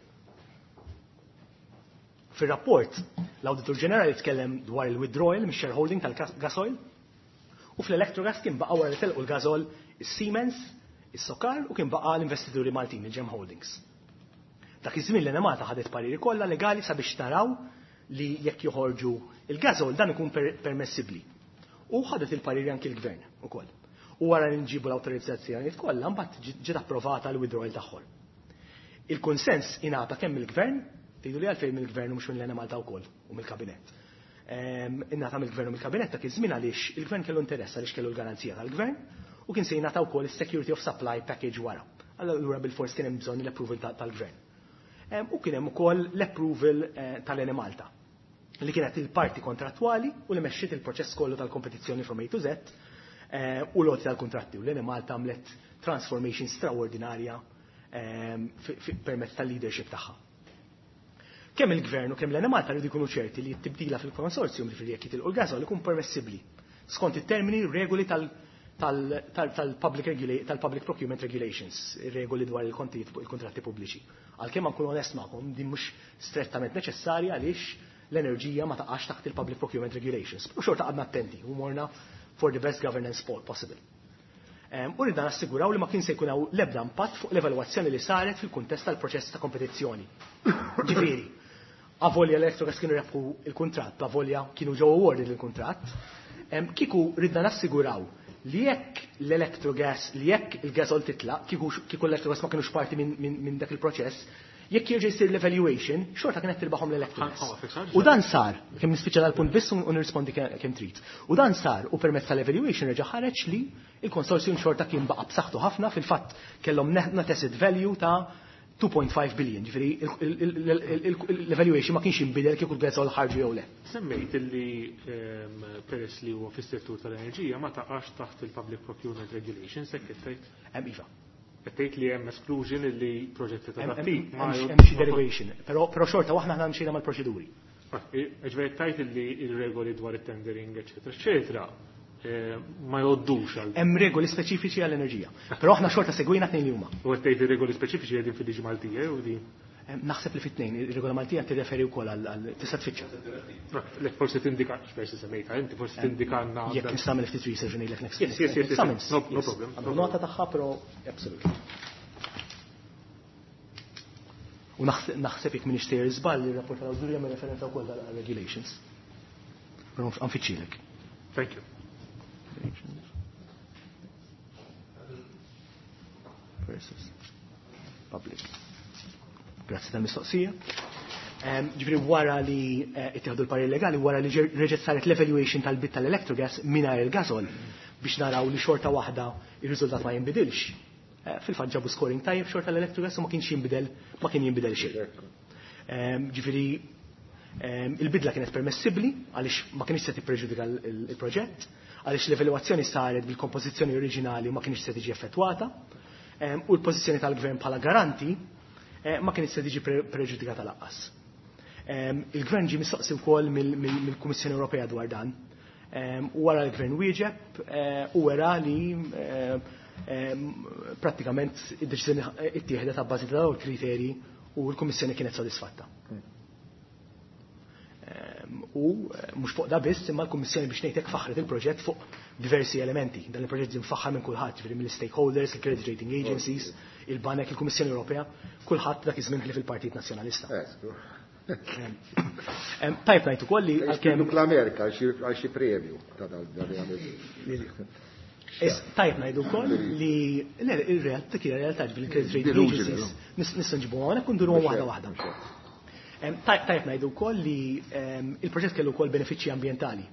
Fir-rapport, l-Awditur Ġenerali tkellem dwar il-withdrawal mix-shareholding tal-gasoil u fl-Electrogas kien baqa' wara li telqu l-gasol is-Siemens, is-Sokar u kien baqa' l-investituri Maltin, il-Gem Holdings. Dak iż-żmien l-Enemalta ħadet pariri kollha legali sabiex taraw li jekk joħorġu il-gasol dan ikun permessibbli. U ħadet il-pariri anki l-gvern ukoll. U wara li nġibu l-awtorizzazzjonijiet kollha mbagħad ġiet approvata l-withdrawal tagħhom. Il-konsens ingħata kemm mill-gvern, tgħidu li għalfejn mill-gvern u mhux mill-Enemalta wkoll u mill-kabinett. Ingħata mill-gvern u mill-kabinett dak iż-żmien għaliex il-gvern kellu interess għaliex kellu l-garanzija tal-gvern u kien se jingħata wkoll is-security of supply package wara. Allura bil-fors kien hemm bżonn l-approval tal-gvern. U kien hemm ukoll l-approval tal-Enemalta li kienet il-parti kontrattwali u li mexxiet il-proċess kollu tal-kompetizzjoni from A to Z u l-għoti tal-kontratti. U l-Enemalta għamlet transformation straordinarja permezz tal-leadership tagħha. Kemm il-gvern u kemm l-Enemalta rridu jkunu ċerti li t-tibdila fil-konsorzjum li fil-jekk jitilqu l-gasol ikun permessibbli skont it-termini regoli tal-public tal-public procurement regulations, regoli dwar il-kontratti pubbliċi. Għalkemm ma nkunu onest magħkom, din mhux strettament neċessarja għaliex l-enerġija ma taqax taħt il-public procurement regulations. U xorta għadna attenti u morna for the best governance possible. U rridna nassiguraw li ma kien se jkun hawn l-ebda impatt fuq l-evalwazzjoni li saret fil-kuntest tal-proċess ta' kompetizzjoni. Ġifieri, avolja l-Electrogas kienu rebħu il-kuntratt, avolja kienu ġew awarded il-kuntratt, kieku ridna nassiguraw li jekk l-electrogas, li jekk il-gasol titlaq, kieku l-electrogas ma kienux parti minn dak il-proċess, jekk jerġa' jsir l-evaluation, xorta kienet tirbaħhom l-electrogas. U dan sar, kemm nispiċċa dal-punt biss u nirrispondi kemm trid. U dan sar u permezz tal-evaluation reġa' ħareġ li il-konsorzjum xorta kien baqa' b'saħħtu ħafna, fil-fatt kellhom net asset value ta' two point five billion, ġifieri l-evaluation ma kienx jinbidel kieku l-gasol ħarġu jew le. Semmejt illi peress li huwa fis-settur tal-enerġija ma taqax taħt il-Public Procurement Regulations, hekk qed tgħid? Hemm iva. Qed tgħid li hemm exclusion illi proġetti ta' dak-tip ma hemm xi derivation, però però xorta waħna aħna mxejna mal-proċeduri. Ġifieri tgħid illi r-regoli dwar it-tendering, eċetera, eċetera, ma jgħoddux għal. Hemm regoli speċifiċi għall-enerġija. Però aħna xorta segwejna tnejn li huma. U qed tgħid ir-regoli speċifiċi qegħdin fil-liġi Maltija jew din? Naħseb li fit-tnejn, ir-regola Maltija tirreferi wkoll għal tista' tfittxa. Lek forsi tindika, forsi semmejtha inti, forsi tindikanna. Jekk nista' nagħmel ftit research ngħidlek next. Yes, yes, yes. No, no problem. Għandu nota tagħha, però absolutely. U naħseb jekk m'iniex sejjer żball ir-rapport tal-awdurja jagħmel referenza wkoll għal regulations. Però nfittxilek. Thank you. Versus public. Grazzi tal-mistoqsija. Ġifieri wara li ittieħdu l-parir legali, wara li reġgħet saret l-evaluation tal-bid tal-electrogas mingħajr il-gasol biex naraw li xorta waħda ir-riżultat ma jinbidilx. Fil-fatt ġabu scoring tajjeb xorta l-electrogas u ma kienx jinbidel, ma kien jinbidel xejn. Ġifieri il-bidla kienet permessibbli għaliex ma kienx se tippreġudika il-proġett, għaliex l-evalwazzjoni saret bil-kompożizzjoni oriġinali ma kienx se tiġi effettwata, u l-pożizzjoni tal-gvern bħala garanti ma kienx se tiġi preġudikata lanqas. Il-gvern ġie mistoqsi wkoll mill-Kummissjoni Ewropea dwar dan. U wara l-gvern wieġeb u wera li prattikament id-deċiżjoni ittieħdet ta' bażi ta' dawn il-kriterji u l-Kummissjoni kienet sodisfatta. U mhux fuq da biss, imma l-Kummissjoni biex ngħidlek faħret il-proġett fuq diversi elementi. Dan il-proġett ġie mfaħħar minn kulħadd, ġifieri mill-stakeholders, il-credit rating agencies, il-banek, il-Kummissjoni Ewropea, kulħadd dak iż-żmien ħlief il-Partit Nazzjonalista. Tajb ngħid ukoll li għalkemm l-Amerika għal xi premju ta' dan li Tajb ngħidu wkoll li ir-realtà kien realtà ġifieri il-credit rating agencies nistgħu nġibuhom hawnhekk u nduruhom waħda waħda. Tajb ngħidu wkoll li il-proġett kellu wkoll benefiċċji ambjentali.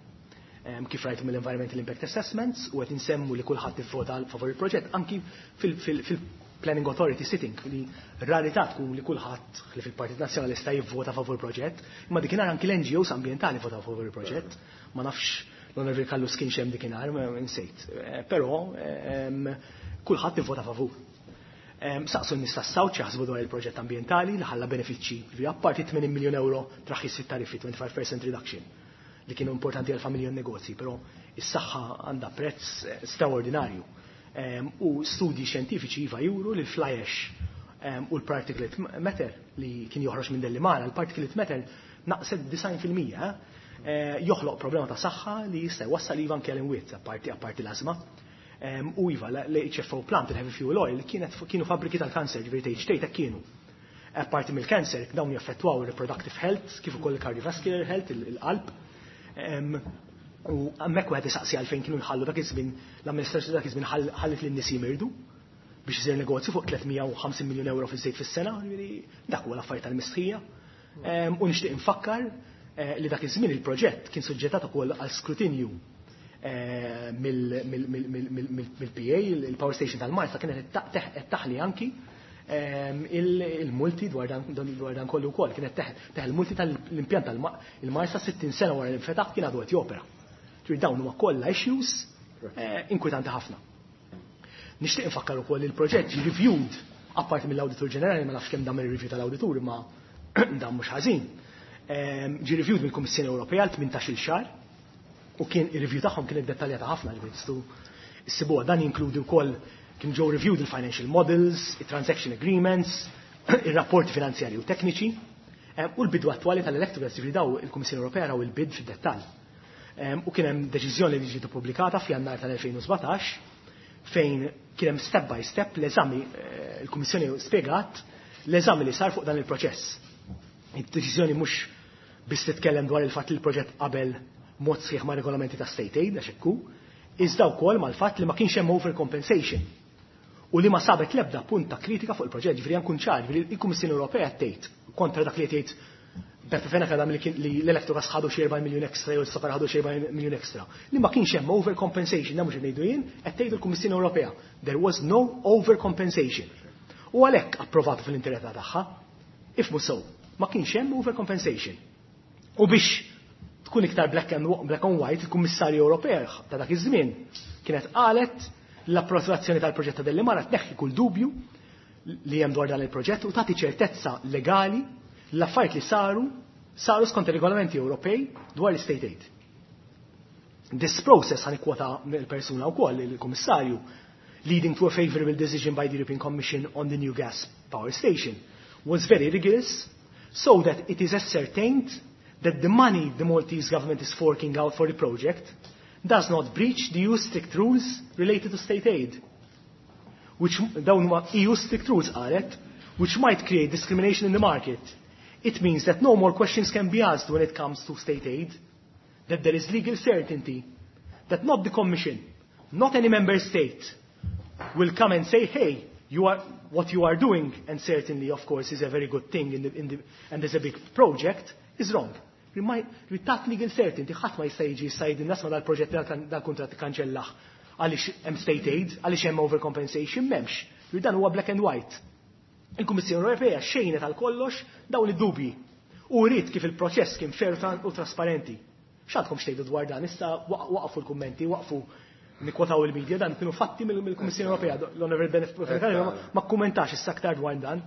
Kif rajtu mill-Environmental Impact Assessments u qed insemmu li kulħadd ivvota favur il-proġett anki fil-Planning Authority sitting li rarità tkun li kulħadd li fil-Partit Nazzjonalista jivvota favur proġett, imma dikinhar anki l-N G Os ambjentali votaw favur il-proġett. Ma nafx l-Onorevoli Callus kienx hemm dikinhar, insejt. Però kulħadd ivvota favur. Saqsu n-nies tas-South jaħsbu dwar il-proġett ambjentali li ħalla benefiċċji, ġifieri apparti tmenin miljun euro traħħis fit-tariffi, twenty-five percent reduction, li kienu importanti għal familji u negozji, però is-saħħa għandha prezz straordinarju. U studji xjentifiċi iva juru li l-fly ash u l-particulate matter li kien joħroġ minn Delimara, l-particulate matter naqset disgħin fil-mija, joħloq problema ta' saħħa li jista' jwassal iva anke għall-imwiet, apparti apparti l-asma. U iva, l-H F O plant, il-heavy fuel oil, kienet kienu fabbriki tal-kanser, ġifieri T H T ta' kienu. Apparti mill-kanser, dawn jaffettwaw il-reproductive health, kif ukoll il-cardiovascular health, il-qalb. U hemmhekk wieħed isaqsi għalfejn kienu jħallu dak iż-żmien, l-amministrazzjoni dak iż-żmien ħallit lin-nies jimirdu biex isir negozju fuq tliet mija u ħamsin miljun euro fiż-żejt fis-sena, ġifieri dak huwa l-affarijiet tal-mistħija. U nixtieq infakkar li dak iż-żmien il-proġett kien suġġettat ukoll għal skrutinju mill-P A, il-Power Station tal-Marsa kienet qed taħli anki il-multi dwar dan kollu wkoll, kienet teħel multi tal-impjant tal-Marsa sittin sena wara li nfetaħ kien għadu qed jopera. Ġifieri dawn huma kollha issues inkwetanti ħafna. Nixtieq infakkar ukoll li l-proġett ġie reviewed apparti mill-Awditur Ġenerali, ma nafx kemm dam ir-review tal-Awditur, imma dan mhux ħażin. Ġie reviewed mill-Kummissjoni Ewropea għal tmintax-il xahar u kien ir-review tagħhom kienet dettaljata ħafna, ġifieri tistgħu issibuha. Dan jinkludi wkoll kien ġew reviewed il-financial models, il-transaction agreements, ir-rapporti finanzjarji u tekniċi, u l-bidu attwali tal-Electrogas, ġifieri daw il-Kummissjoni Ewropea raw il-bid fid-dettall. U kien hemm deċiżjoni li ġiet ippubblikata f'Jannar tal-elfejn u sbatax fejn kien hemm step by step l-eżami, il-Kummissjoni spjegat l-eżami li sar fuq dan il-proċess. Id-deċiżjoni mhux biss titkellem dwar il-fatt li l-proġett qabel mod sħiħ ma' regolamenti ta' state aid, għax hekk hu, Iżda wkoll mal-fatt li ma kienx hemm overcompensation u li ma sabet l-ebda punt ta' kritika fuq il-proġett, ġifieri nkun ċar, ġifieri il-Kummissjoni Ewropea tgħid kontra dak li tgħid Beppe Fenech Adami li l-Electrogas ħadu xi erba' miljun ekstra jew s-Safar ħadu xi erba' miljun ekstra. Li ma kienx hemm overcompensation, dan mhux ngħidu jien, qed tgħidu l-Kummissjoni Ewropea. There was no overcompensation. U għalhekk approvatu fil-integrità tagħha. Ifhmu sew, ma kienx hemm overcompensation. U biex tkun iktar black and, black and white, il-Kummissarju Ewropea ta' dak iż-żmien kienet qalet l-approvazzjoni tal-proġett ta' Delimara tneħħi kull dubju li hemm dwar dan il-proġett u tagħti ċertezza legali l-affarijiet li saru saru skont ir-regolamenti Ewropej dwar l-state aid. This process, ħa nikkwota mill-persuna wkoll, il-Kummissarju, leading to a favorable decision by the European Commission on the new gas power station, was very rigorous so that it is ascertained that the money the Maltese government is forking out for the project does not breach the E U strict rules related to state aid. Which dawn huma E U strict rules, qalet, which might create discrimination in the market. It means that no more questions can be asked when it comes to state aid, that there is legal certainty, that not the Commission, not any member state will come and say, "Hey, you are, what you are doing," and certainly, of course, is a very good thing in the, in the, and there's a big project, is wrong. Tat legal certainty, ħadd ma jista' jiġi jgħid isma' dal-proġett, dal-kuntratt kanċellah għaliex hemm state aid, għaliex hemm overcompensation, m'hemmx. Dan huwa black and white. Il-Kummissjoni Ewropea xejnet għal kollox dawn id-dubji. U rrid kif il-proċess kien fair u trasparenti. X'għandkom x'tgħidu dwar dan? Issa waqfu l-kummenti, waqfu nikkwotaw il-medja, dan kienu fatti mill-Kummissjoni Ewropea. L-Honorable Benefit ma kkummentax issa aktar dwar dan.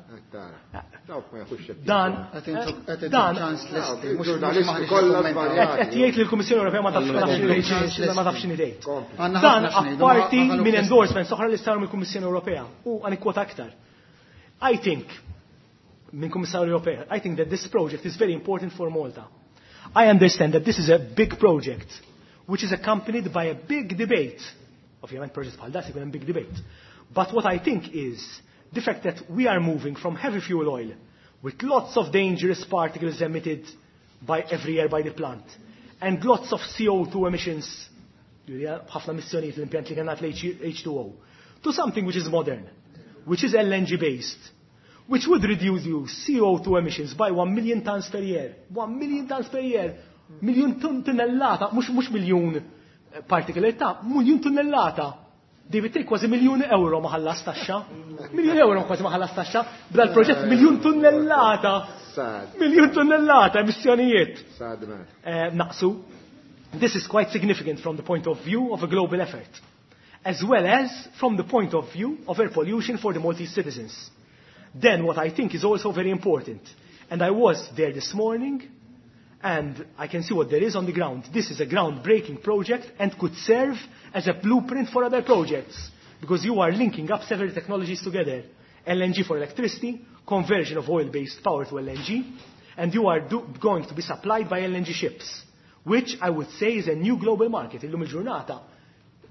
Dan, dan, qed jgħid li l-Kummissjoni Ewropea ma tafx ma tafx x'inhi tgħid. Dan apparti minn endorsements oħra li saru mill-Kummissjoni Ewropea u ħa nikkwota aktar. I think, minn Kummissarju Ewropea, I think that this project is very important for Malta. I understand that this is a big project, which is accompanied by a big debate. Ovvjament project bħal da ikun hemm big debate. But what I think is the fact that we are moving from heavy fuel oil with lots of dangerous particles emitted by every year by the plant and lots of C O two emissions, ħafna emissjonijiet l-impjant li kien H two O, to something which is modern, which is L N G based, which would reduce you C O two emissions by one million tons per year. one million tons per year. Miljun tunnellata, mhux mhux miljun particle ta' miljun tunnellata. David Take kważi miljun euro ma ħallas taxxa. Miljun euro kważi ma ħallas taxxa. Bla l-proġett miljun tunnellata. Miljun tunnellata emissjonijiet. Eh, naqsu. This is quite significant from the point of view of a global effort, as well as from the point of view of air pollution for the Maltese citizens. Then what I think is also very important, and I was there this morning, and I can see what there is on the ground. This is a groundbreaking project and could serve as a blueprint for other projects, because you are linking up several technologies together. L N G for electricity, conversion of oil-based power to L N G, and you are do going to be supplied by L N G ships, which I would say is a new global market. Illum il-ġurnata,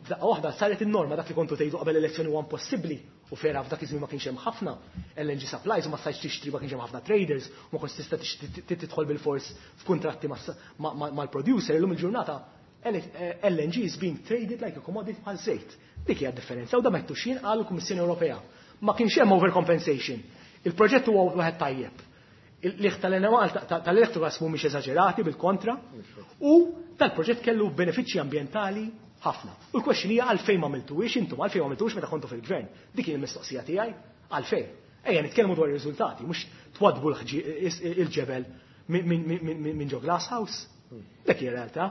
f'daqqa waħda saret in-norma dak li kontu tgħidu qabel elezzjoni huwa impossibbli u vera f'dak iż-żmien ma kienx hemm ħafna L N G supplies u ma stajtx tixtri, ma kienx hemm ħafna traders u ma kontx tista' tidħol bil-fors f'kuntratti mal-producer. Illum il-ġurnata L N G is being traded like a commodity, bħal żejt. Dik hija differenza u da mettu xin qal il-Kummissjoni Ewropea. Ma kienx hemm overcompensation. Il-proġett huwa wieħed tajjeb. Il-liħ tal-Electrogas mhumiex eżaġerati, bil-kontra, u tal-proġett kellu benefiċċji ambjentali ħafna. U l-question hija għalfejn ma għamiltuhiex intom, għalfejn ma għamiltuhiex meta kontu fil-gvern. Dik hija l-mistoqsija tiegħi, għalfejn. Ejja nitkellmu dwar ir-riżultati, mhux twadbu il-ġebel minn ġo glass house. Dik hija realtà.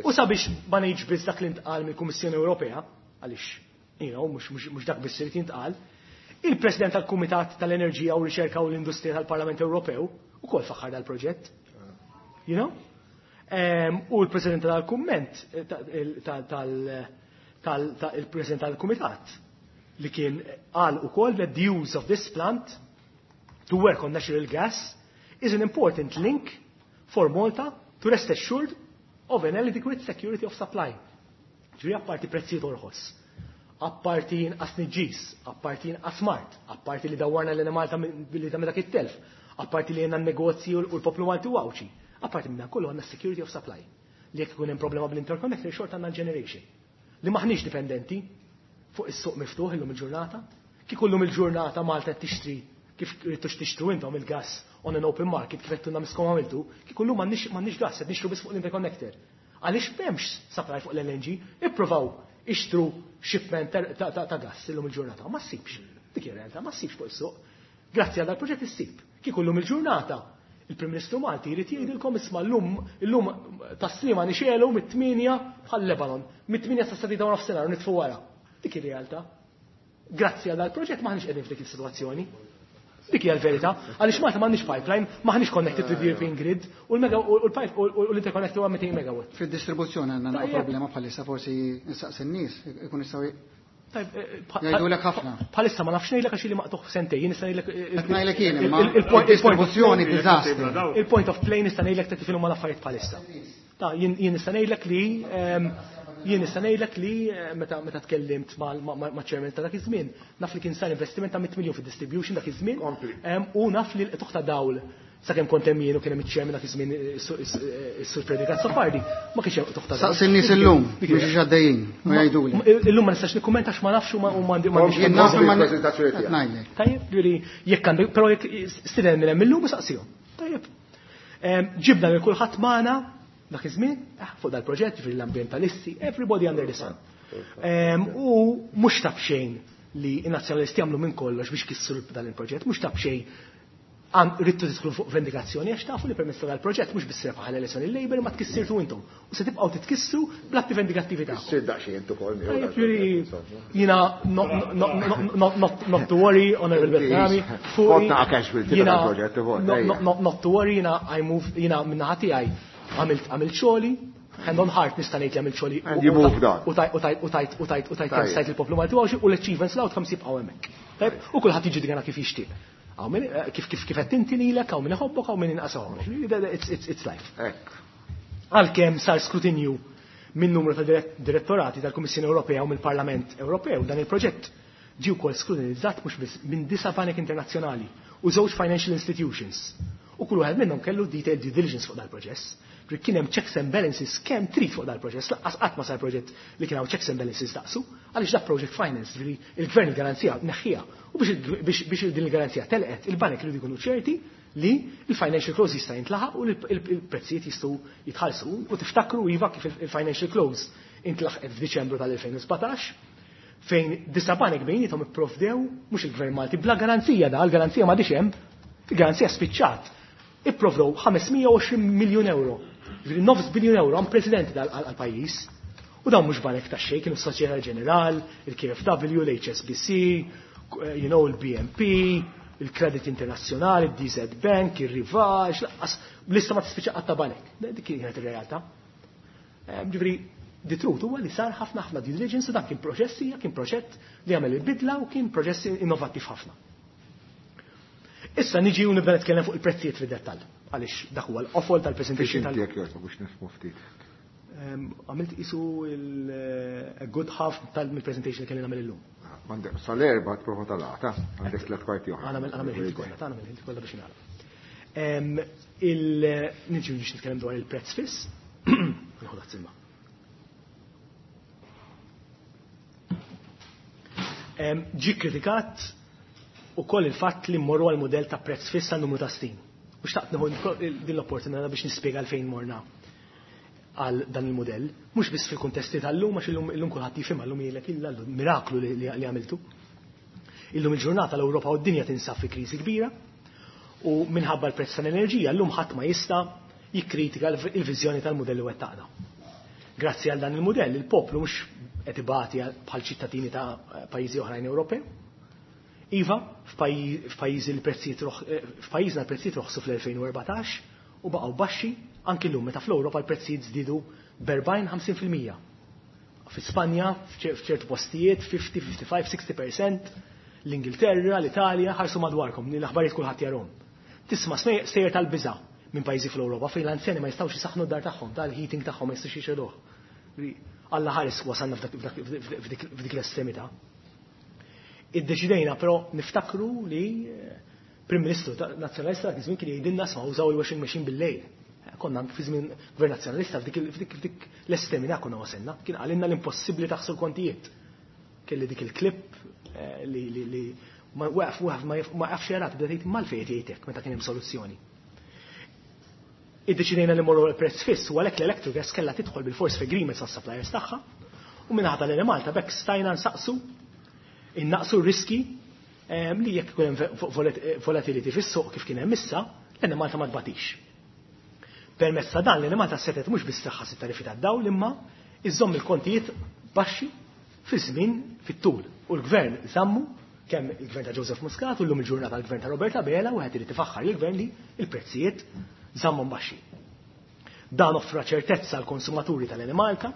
U sabiex ma ngħidx biss dak li ntqal mill-Kummissjoni Ewropea, għaliex you know, mhux dak biss irid jintqal, il-President tal-Kumitat tal-Enerġija u Riċerka u l-Industrija tal-Parlament Ewropew ukoll faħħar dal-proġett. You know? U l-President tal-Kumment, tal-President tal-Kumitat, li kien qal ukoll that the use of this plant to work on natural gas is an important link for Malta to rest assured of an adequate security of supply. Ġifieri apparti prezzijiet orħos, apparti inqas tniġġis, apparti inqas mard, apparti li dawwarna l Malta li ta' dak it-telf, apparti li għandna negozji u l-poplu Malti u Għawdxi. Apparti minn kollu għandna security of supply. Li jekk ikun hemm problema bl-interconnector, xorta għandna generation. li maħniex dipendenti fuq is-suq miftuħ illum il-ġurnata. Kieku llum il-ġurnata Malta tixtri kif ridtux tixtru intom il-gas on an open market kif qed miskom għamiltu, kieku llum m'għandniex gas, qed nixtru biss fuq l-interconnector. Għaliex m'hemmx supply fuq l-L N G, ippruvaw ixtru shipment ta' gas illum il-ġurnata, ma ssibx. Dik hija realtà, ma ssibx fuq is-suq. Grazzi għal dal-proġett issib. Kieku llum il-ġurnata il-Prim Ministru Malti jrid jgħidilkom isma' llum illum tas-Sliema nixelu mit-tmienja bħal Lebanon, mit-tmienja sa sadida u nofsinhar u nitfu wara. Dik ir-realtà. Grazzi għal dal-proġett maħniex qegħdin f'dik is-sitwazzjoni. Dik hija l-verità, għaliex Malta m'għandniex pipeline, maħniex connected to the European grid u l-interconnector huwa mitejn megawatt. Fid-distribuzzjoni għandna naqra problema bħalissa, forsi nsaqsi n-nies ikun jistgħu jgħidulek ħafna. Bħalissa ma nafx ngħidlek għax li maqtuħ sentejn, jien nista' ngħidlek Qed ngħidlek jien imma il-distribuzzjoni diżastru. Il-point of play nista' ngħidlek ta' kif huma l-affarijiet bħalissa. Ta' jien nista' ngħidlek li jien nista' ngħidlek li meta meta tkellimt ma' chairman ta' dak iż-żmien, naf li kien sar investiment ta' mitt miljun fid-distribution dak iż-żmien, u naf li l-qtugħ ta' dawl sakemm kont hemm jien u kien hemm iċ-chairman dak iż-żmien is-Sur Frederick Azzopardi, ma kienx hemm qtugħ ta' dawl. Saqsi n-nies illum biex għaddejjin u jgħiduli. Illum ma nistax nikkummenta għax ma nafx u m'għandi m'għandix Jien naf imma il-preżentazzjoni tiegħek. Ngħidlek. Tajjeb, ġifieri jekk għandek, però jekk stieden minn hemm illum u saqsihom. Tajjeb. Ġibna lil kulħadd magħna dak iż-żmien fuq dal-proġett, ġifieri l-ambjentalisti, everybody under the sun. U mhux taf xejn li n-nazzjonalisti jagħmlu minn kollox biex kissru dan il-proġett, mhux taf xejn ridtu tidħlu fuq vendikazzjoni għax tafu li permezz tal-proġett mhux biss rebaħ l-elezzjoni il-Labour ma tkissirtu intom. U se tibqgħu titkissru bl-atti vendikattivi tagħkom. Issir daqsxejn intu ukoll miegħu Tajjeb, dal-proġett, ġifieri, insomma. jiena not to worry, Honorable Bertrami, fuqi, Kont naqa' casualty ta' jiena dal-proġett ukoll, no, ejja. no, no, not to worry, jiena I move, jiena min-naħa tiegħi għamilt, għamilt xogħli, hand on heart nista' ngħid li għamilt xogħli And you moved on. u tajt, u tajt, u tajt, u tajt, u tajt kemm Tajjeb. stajt il-poplu Malti u għawxi, u l-achievements l-outcomes jibqgħu hemmhekk. Tajjeb, u kulħadd jiġġudikana kif jixtieq. Hawn min, eh, kif, kif, kif qed inti lilek, hawn min iħobbok, hawn min inqas iħobbok. It's, it's, it's life. Hekk. Għalkemm sar skrutinju minn numru ta' dirett-, direttorati tal-Kummissjoni Ewropea u mill-Parlament Ewropew, dan il-proġett ġie wkoll skrutinizzat mhux biss minn disa' banek internazzjonali u żewġ financial institutions. U kull wieħed minnhom kellu detailed due diligence fuq dal-proċess. Ġifieri kien hemm checks and balances kemm trid fuq dal-proċess, lanqas qatt ma sar proġett li kien hawn checks and balances daqsu, għaliex dak project finance, ġifieri il-gvern il-garanzija neħħiha. U biex il-, biex, biex din il-garanzija telqet, il-banek iridu jkunu ċerti li il-financial close jista' jintlaħaq u l-prezzijiet jistgħu jitħallsu. U tiftakru iva kif il-financial close intlaħqet f'Diċembru tal-elfejn u sbatax, fejn disa' banek bejniethom ipprovdew mhux il-Gvern Malti bla garanzija, da l-garanzija m'għadix hemm, il-garanzija spiċċat. Ipprovdew ħamesmija u għoxrin miljun euro, ġifieri nofs biljun euro unprecedented għal-, għal-pajjiż. U dawn mhux banek ta' xejn, kienu s-Soċjetà Ġeneral, il-K F W, l-H S B C, you know, il-B N P, il-Credit Internazzjonali, il-D Z Bank, il-Rivax, laqqas, lista ma tispiċċa qatt ta' banek. Dik kienet ir-realtà. Ehm, ġifieri, the truth huwa li sar ħafna ħafna due diligence u dan kien proċessi, kien proġett li għamel il-bidla u kien proċess innovattiv ħafna. Issa niġi u nibda nitkellem fuq il-prezzijiet fid-dettall, għaliex dak huwa l-qofol tal-presentation Biex tal- inti jekk jogħġbok biex nifhmu ftit. Ehm, għamilt isu il-, a good half tal-presentation li kelli nagħmel illum. Għandek sal-erba' tipprova tal-għata, għandek tliet kwarti oħra. Għana għamel ħilti kollha, ta' nagħmel ħilti kollha biex nagħlaq. Ehm, il-, niġi biex nitkellem dwar il-prezz fiss. Nieħu dak silma. Ehm, ġie kritikat ukoll il-fatt li mmorru għal mudell ta' prezz fiss għal numru ta' snin. U xtaqt nieħu din l-opportunità biex nispjega għalfejn morna għal dan il-modell, mhux biss fil-kuntesti tal-lum, għax illum, illum kulħadd jifhimha, illum jgħidlek illa llum miraklu li, li, li għamiltu. Illum il-ġurnata l-Ewropa u d-dinja tinsab fi kriżi kbira u minħabba l-prezz tal-enerġija llum ħadd ma jista' jikkritika l-, il-viżjoni tal-modell li wettaqna. Grazzi għal dan il-modell, il-poplu mhux qed ibati bħal ċittadini ta' pajjiżi oħrajn Ewropej. Iva, f'pajji-, f'pajjiżi l-prezzijiet roħ-, eh, f'pajjiżna l-prezzijiet roħsu fl-elfejn u erbatax u baqgħu baxxi anki llum meta fl-Ewropa l-prezzijiet żdiedu b'erbgħin ħamsin fil-mija. Fi Spanja, f'ċer-, f'ċertu postijiet, fifty, fifty-five, sixty percent, l-Ingilterra, l-Italja, ħarsu madwarkom, l-aħbarijiet kulħadd jarhom. Tisma' snej-, sejjer tal-biża' minn pajjiżi fl-Ewropa fejn l-anzjani ma jistgħux isaħħnu d-dar tagħhom, tal-heating tagħhom ma jistgħux jixegħluh. Alla ħares wasalna f'dak, f'dak, f'dik, f'dik, f'dik l-estremità. Iddeċidejna però niftakru li, eh, Prim Ministru ta-, Nazzjonalista dak iż-żmien kien jgħidilna sma' użaw il-washing machine bil-lejl. Konna anke fi żmien Gvern Nazzjonalista f'dik f'dik l-estremità konna wasilna, kien qalilna l-impossibbli taħsru l-kontijiet. Kelli dik il-klip li li ma waqaf waqaf ma jafx jarat bda tgħid mal-fejn jgħidek meta kien hemm soluzzjoni. Iddeċidejna li morru l-prezz fiss u għalhekk l-Electrogas kellha tidħol bil-fors f'agreements mas-suppliers tagħha u minnaħa tal-Enemalta b'hekk stajna nsaqsu innaqsu r-riski li jekk ikun hemm volatility fis-suq kif kien hemm issa, l-Enemalta ma tbatix. Permezz ta' dan l-Enemalta setgħet mhux biss traħħas it-tariffi tad-dawl imma iżżomm il-kontijiet baxxi fi żmien fit-tul. U l-gvern żammu kemm il-gvern ta' Joseph Muscat u llum il-ġurnata l-gvern ta' Robert Abela u qed irid ifaħħar lill-gvern li l-prezzijiet żammhom baxxi. Dan offra ċertezza għall konsumaturi tal-Enemalta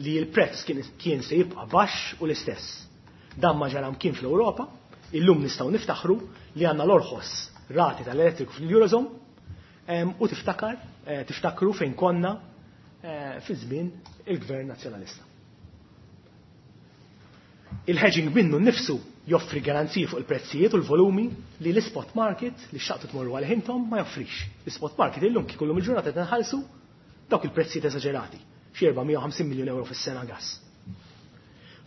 li l-prezz kien se jibqa' baxx u l-istess. Dan ma ġara mkien fl-Ewropa, illum nistgħu niftaħru li għandna l-orħos rati tal-elettriku fil-Eurozone u tiftakar, tiftakru fejn konna fi żmien il-Gvern Nazzjonalista. Il-hedging minnu nnifsu joffri garanziji fuq il-prezzijiet u l-volumi li l-spot market li xaqtu tmorru għal ħintom ma joffrix. L-spot market illum kif kullum il-ġurnata qed nħallsu dawk il-prezzijiet eżaġerati, xi erba' mija u ħamsin miljun euro fis-sena gas.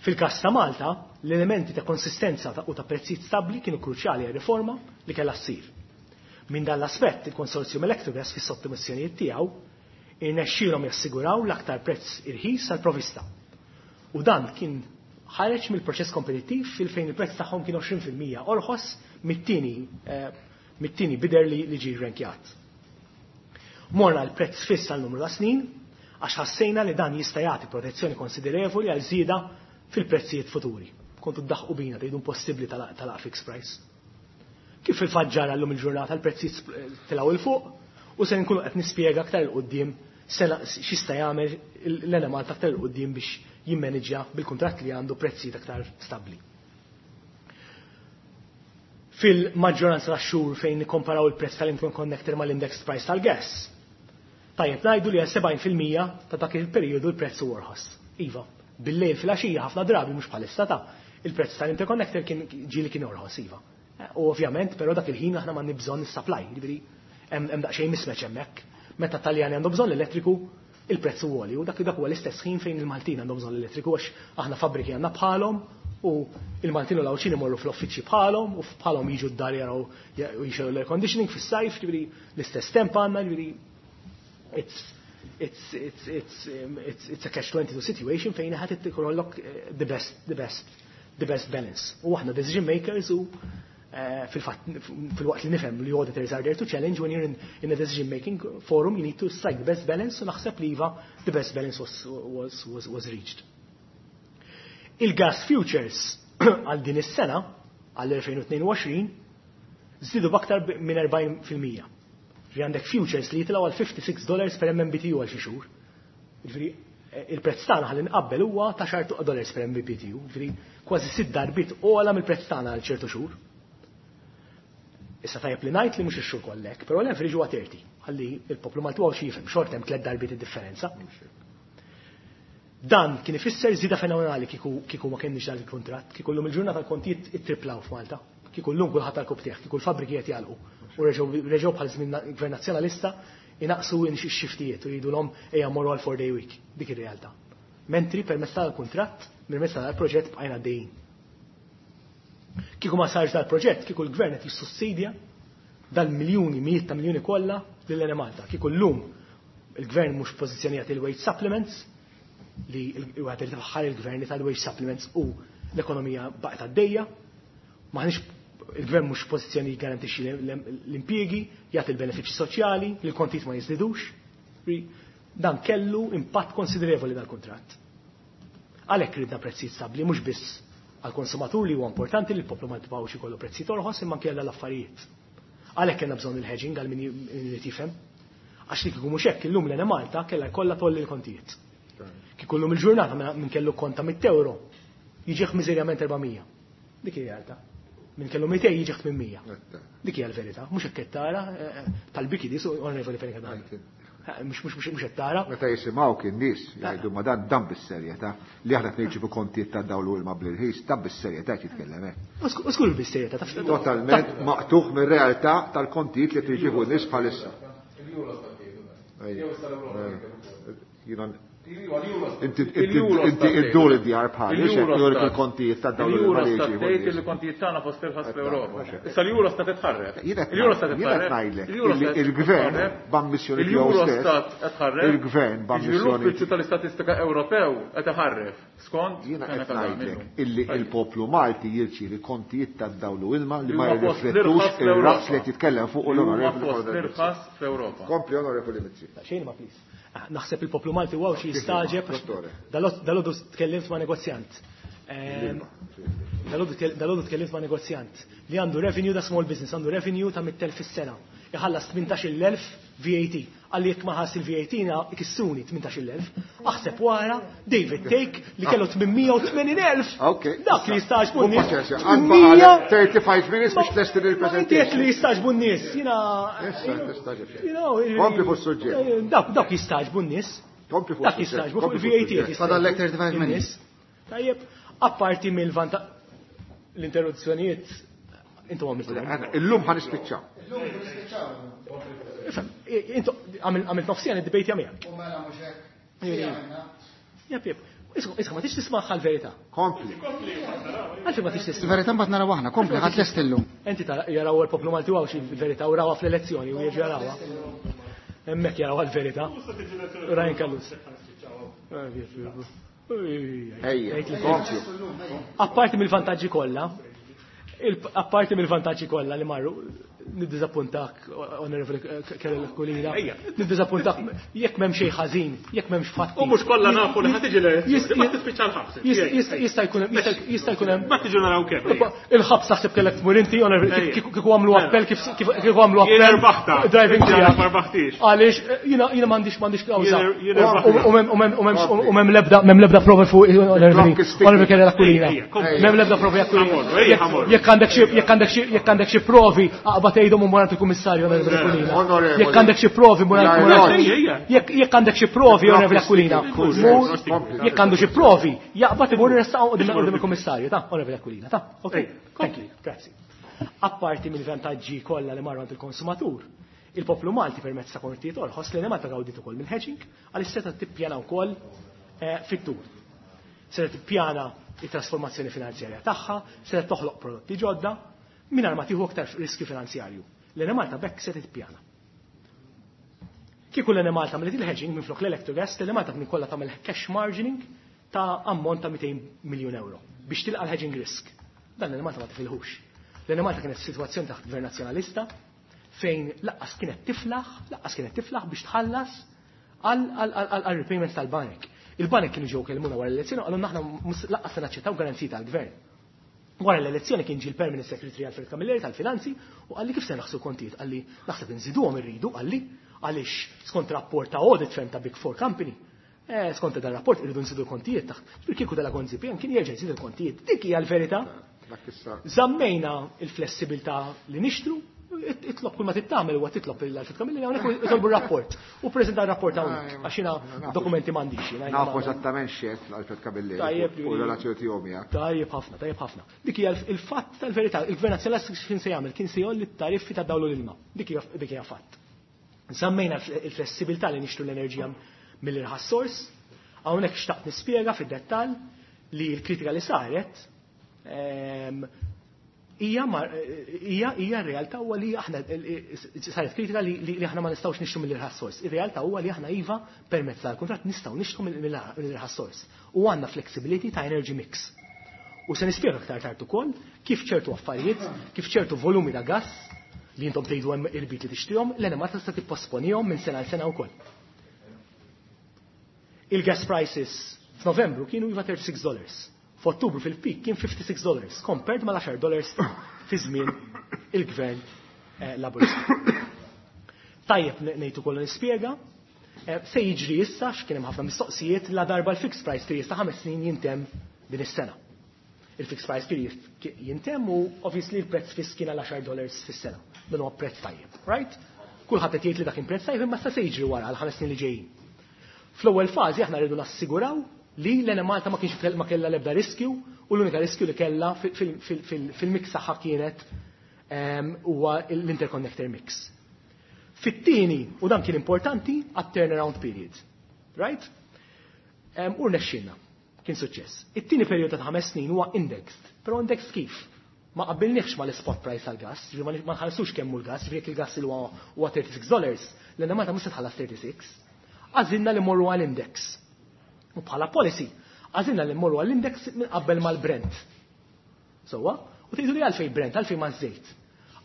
Fil-każ ta' Malta, l-elementi ta' konsistenza u ta' prezzijiet stabbli kienu kruċjali għal riforma li kellha ssir. Minn dan l-aspett, il-konsorzjum Electrogas fis-sottomissjonijiet tiegħu irnexxielhom jassiguraw l-aktar prezz irħis għall-provista. U dan kien ħareġ mill-proċess kompetittiv fil-fejn il-prezz tagħhom kien għoxrin fil-mija orħos mit-tieni mit-tieni bider li li ġie rrankjat. Morna l-prezz fiss għal numru ta' snin għax ħassejna li dan jista' jagħti protezzjoni konsiderevoli għal żieda fil-prezzijiet futuri. Kontu ddaħqu bina tgħidu impossibbli tal fixed price. Kif fil-fatt ġara llum il-ġurnata l-prezzijiet tilgħu il fuq u se nkunu qed nispjega aktar il quddiem x'jista' jagħmel l-Enemalta aktar il quddiem biex jimmanġja bil-kuntratt li għandu prezzijiet aktar stabbli. Fil-maġġoranza tax-xhur fejn nikkomparaw il-prezz tal-interconnector mal-index price tal-gas, tajjeb ngħidu li għal sebgħin fil-mija ta' dak il-perjodu l-prezz huwa orħos. Iva, bil-lejl fil-għaxija ħafna drabi mhux bħalissa ta' il-prezz tal-interconnector kien ġieli kien orħos, iva. U ovvjament, però dak il-ħin aħna m'għandni bżonn is-supply, jiġifieri hemm daqsxejn mismatch hemmhekk. Meta Taljani għandhom bżonn l-elettriku, il-prezz huwa għoli, u dak dak huwa l-istess ħin fejn il-Maltin għandhom bżonn l-elettriku għax aħna fabbriki għandna bħalhom u il-Maltin u l-Għawdxin imorru fl-uffiċċji bħalhom u bħalhom jiġu d-dar jaraw u jixegħlu l-air conditioning fis-sajf, jiġifieri l-istess temp għandna, jiġifieri it's it's it's it's it's it's a catch twenty-two situation fejn ħadd ikollok the best the best the best balance. U aħna decision makers u fil-fatt fil-waqt li nifhem li auditors are there to challenge when you're in, in a decision making forum you need to strike the best balance u naħseb li iva the best balance was was was, was reached. Il-gas futures għal din is-sena għal elfejn u tnejn u għoxrin żdiedu b'aktar minn erbgħin fil-mija. Ġifieri għandek futures li jitilgħu għal fifty-six dollars per M M B T U għal xi xhur. Ġifieri il-prezz tagħna ħalli nqabbel huwa ta' xar dollars per M M B T U, ġifieri kważi sitt darbiet ogħla mill-prezz tagħna għal ċertu xhur. Issa tajjeb li ngħid li mhux ix-xhur kollek, però l-average huwa thirty, ħalli il-poplu Malti huwa xi jifhem, xort hemm tliet darbiet id-differenza. Dan kien ifisser żieda fenomenali kieku kieku ma kenniex dan il-kuntratt, kieku llum il-ġurnata l-kontijiet ittriplaw f'Malta, kieku llum kulħadd tal-kub tiegħek, kieku l-fabbriki qed jagħlqu u reġgħu bħal żmien Gvern Nazzjonalista inaqsu x-xiftijiet u jgħidulhom ejja mmorru għal four day week, dik ir-realtà. Mentri permezz tal-kuntratt, permezz tal-proġett bqajna għaddejjin. Kieku ma sarx dal-proġett, kieku l-gvern qed jissussidja dal-miljuni, mijiet ta' miljuni kollha lil Enemalta. Kieku llum il-gvern mhux pożizzjonijat il-wage supplements li wieħed irid ifaħħar il-gvern li tal-wage supplements u l-ekonomija baqgħet għaddejja, maħniex il-gvern mhux pożizzjoni jgarantixxi l-impjiegi, jagħti l-benefiċċji soċjali, li l-kontijiet ma jiżdidux. Dan kellu impatt konsiderevoli dal-kuntratt. Għalhekk ridna prezzijiet stabbli mhux biss għall-konsumatur li huwa importanti li l-poplu ma jibqgħux ikollu prezzijiet orħos imma anke għall-affarijiet. Għalhekk kellna bżonn il-hedging għal min irid jifhem. Għax li kieku mhux hekk illum l-Enemalta kellha jkollha tolli l-kontijiet. Kieku llum il-ġurnata minn kellu konta mitt euro jiġih miżerjament erba' mija. Dik hija realtà. Minn kellu mitej jiġih tmien mija. Dik hija l-verità. Mhux hekk qed tara tal-biki di onorevoli Fenech Adami. Mhux mhux mhux qed tara. Meta jisimgħu kien nies jgħidu ma dan dan bis-serjetà li aħna qed nirċievu kontijiet ta' dawl u ilma bl-irħis, dan bis-serjetà qed jitkellem hekk. U skur bis-serjetà taf. Totalment maqtuħ mir-realtà tal-kontijiet li qed jirċievu n-nies bħalissa. Inti iddur id-djar bħali, jurik il-kontijiet ta' dawn il-Eurostat tgħid il-kontijiet tagħna fost irħas fl-Ewropa. Issa l-Eurostat tħarref. Il-Eurostat tħarref. Il-gvern b'ammissjoni Il-Eurostat tħarref. Il-gvern b'ammissjoni. L-Uffiċċju tal-Istatistika Ewropew qed iħarref. Skont jiena qed ngħidlek illi il-poplu Malti jirċievi kontijiet ta' dawn ilma li ma jirriflettux ir-raqs li jitkellem fuq l-onorevoli. L-irħas fl-Ewropa. Kompli onorevoli Mizzi. Xejn ma please. Naħseb il-poplu Malti wow xi jistaġeb. Dalodu tkellimt ma' negozjant. Dalodu tkellimt ma' negozjant li għandu revenue ta' small business, għandu revenue ta' mitt elf fis-sena. Iħallas tmintax-il elf V A T. Għalli jekk ma ħass il-V A T na ikissuni tmintax-il elf. Aħseb wara David Take li kellu tmien u tmenin elf. Dak li jistaġbu n-nies. thirty-five minutes biex tlesti il-presentation. Inti li jistaġbu n-nies. Jiena. Kompli fuq suġġett. Dak dak jistaġbu n-nies. Kompli fuq. Dak jistaġbu fuq il-V A T. Fadallek thirty-five minutes. Tajjeb, apparti mill-vanta l-interruzzjonijiet intom għamiltu. Illum ħa nispiċċaw. Intom għamilt nofsija id-debate miegħek. U mela mhux hekk. Jep, jep. Isma' ma tix tisma' l-verità. Kompli. Għalfejn ma tix tisma'. Il-verità mbagħad naraw aħna, kompli ħadd lest illum. Inti jaraw il-poplu Malti għaw xi verità u rawha fl-elezzjoni u jerġgħu jarawha. Hemmhekk jarawha l-verità. Ryan Callus. Apparti mill-vantaġġi kollha, apparti mill-vantaġġi kollha li marru, niddiżappuntak, onorevoli Karol Aquilina, niddiżappuntak jekk m'hemm xejn ħażin, jekk m'hemmx fatti. U mhux kollha nafu li ħa tiġi l-elezzjoni, ma tispiċċa l-ħabs. Jista' jkun jista' jkun hemm. Ma tiġu naraw kemm. Il-ħabs naħseb kellek tmur inti, onorevoli, kieku għamlu appell kif kieku għamlu appell. Jien rbaħta. Driving tiegħek. Ma rbaħtix. Għaliex jiena jiena m'għandix m'għandix kawża. U m'hemm l-ebda m'hemm l-ebda prova fuq onorevoli onorevoli Karol Aquilina. M'hemm l-ebda provi Aquilina. Jekk għandek xi jekk għandek xi jekk għandek xi provi aqbad tgħidhom u mor il-kummissarju onorevoli Aquilina. Jekk għandek xi provi mor jekk għandek xi provi onorevoli Aquilina. Jekk għandu xi provi jaqbad imur iressaqhom quddiem il-kummissarju ta' onorevoli Aquilina ta' okej. Thank you. Grazzi. Apparti mill-vantaġġi kollha li marru għand il-konsumatur, il-poplu Malti permezz ta' kontijiet orħos li Malta gawdiet ukoll mill-hedging għaliex seta' tippjana wkoll fit-tul. Seta' tippjana it-trasformazzjoni finanzjarja tagħha, seta' toħloq prodotti ġodda mingħajr ma tieħu aktar riskju finanzjarju. L-Enemalta bekk se tippjana. Kieku l-Enemalta għamlet il-hedging minflok l-Electrogas, l-Enemalta kien kollha tagħmel cash margining ta' ammont ta' mitejn miljun euro biex tilqa' l-hedging risk. Dan l-Enemalta ma tifilħux. L-Enemalta kienet f'sitwazzjoni taħt gvern nazzjonalista fejn laqqas kienet tiflaħ, laqqas kienet tiflaħ biex tħallas għal repayments tal-banek. Il-banek kienu ġew kellmuna wara l-elezzjoni qalulna aħna laqqas se naċċettaw garanziji tal-gvern. Wara l-elezzjoni kien ġie l-Permanent Secretary Alfred Camilleri tal-Finanzi u qalli kif se naħsu kontijiet, qalli naħseb inżiduhom irridu, qalli għaliex skont rapport ta' audit firm ta' Big Four Company, eh, skont dan rapport irridu nżidu l-kontijiet taħt. Ġifieri kieku dala Gonzi P M kien jerġa' jżid il-kontijiet. Dik hija l-verità. Żammejna il-flessibilità li nixtru, itlob kull ma tittamel huwa titlob lil Alfred Camilleri hawnhekk itolbu r-rapport. U preżenta r-rapport hawnhekk għax jiena dokumenti m'għandix. Nafu eżattament x'għedt l-Alfred Camilleri u r-relazzjoni tiegħu miegħek. Tajjeb ħafna, tajjeb ħafna. Dik hija il-fatt tal-verità. Il-Gvern Nazzjonalista x'kien se jagħmel? Kien se jgħolli t-tariffi ta' dawl u l-ilma. Dik hija fatt. Żammejna il-flessibilità li nixtru l-enerġija mill-irħas sors. Hawnhekk xtaqt nispjega fid-dettall li l-kritika li saret hija hija hija r-realtà huwa li aħna saret kritika li aħna ma nistgħux nixtru mill-irħas sors. Ir-realtà huwa li aħna iva permezz tal-kuntratt nistgħu nixtru mill-irħas sors. U għandna flexibility ta' energy mix. U se nispjega aktar tard ukoll kif ċertu affarijiet, kif ċertu volumi ta' gass li intom tgħidu hemm irbit li tixtrihom, l-Enemalta tista' tipposponihom minn sena għal sena wkoll. Il-gas prices f'Novembru kienu iva thirty-six dollars. F'Ottubru fil-pik kien fifty-six dollars, compared mal għaxar dollars fi żmien il-gvern Laburista. Tajjeb ngħid ukoll nispjega, se jiġri issa x'kien hemm ħafna mistoqsijiet la darba l-fixed price period ta' ħames snin jintemm din is-sena. Il-fixed price period jintemm u obviously l-prezz fiss kien għal għaxar dollars fis-sena. Dan huwa prezz tajjeb, right? Kulħadd qed jgħid li dak kien prezz tajjeb imma se jiġri wara għal ħames snin li ġejjin. Fl-ewwel fażi aħna rridu nassiguraw li l-Enemalta ma kienx ma kellha l-ebda riskju u l-unika riskju li kellha fil-mix tagħha kienet huwa l-interconnector mix. Fit-tieni, u dan kien importanti, għat-turnaround period. Right? U rnexxilna. Kien suċċess. It-tieni perjodu ta' ħames snin huwa indexed. Però indexed kif? Ma qabbilniex mal-spot price tal-gas, ġifieri ma nħallsux kemm hu l-gas, ġifieri jekk il-gas il huwa thirty-six dollars, l-Enemalta mhux se tħallas thirty-six. Għażilna li mmorru għall-index. U bħala policy, għażilna li mmorru għall-index minn qabel mal-Brent. Sewwa? U tgħidu li għalfejn Brent, għalfejn ma żejt.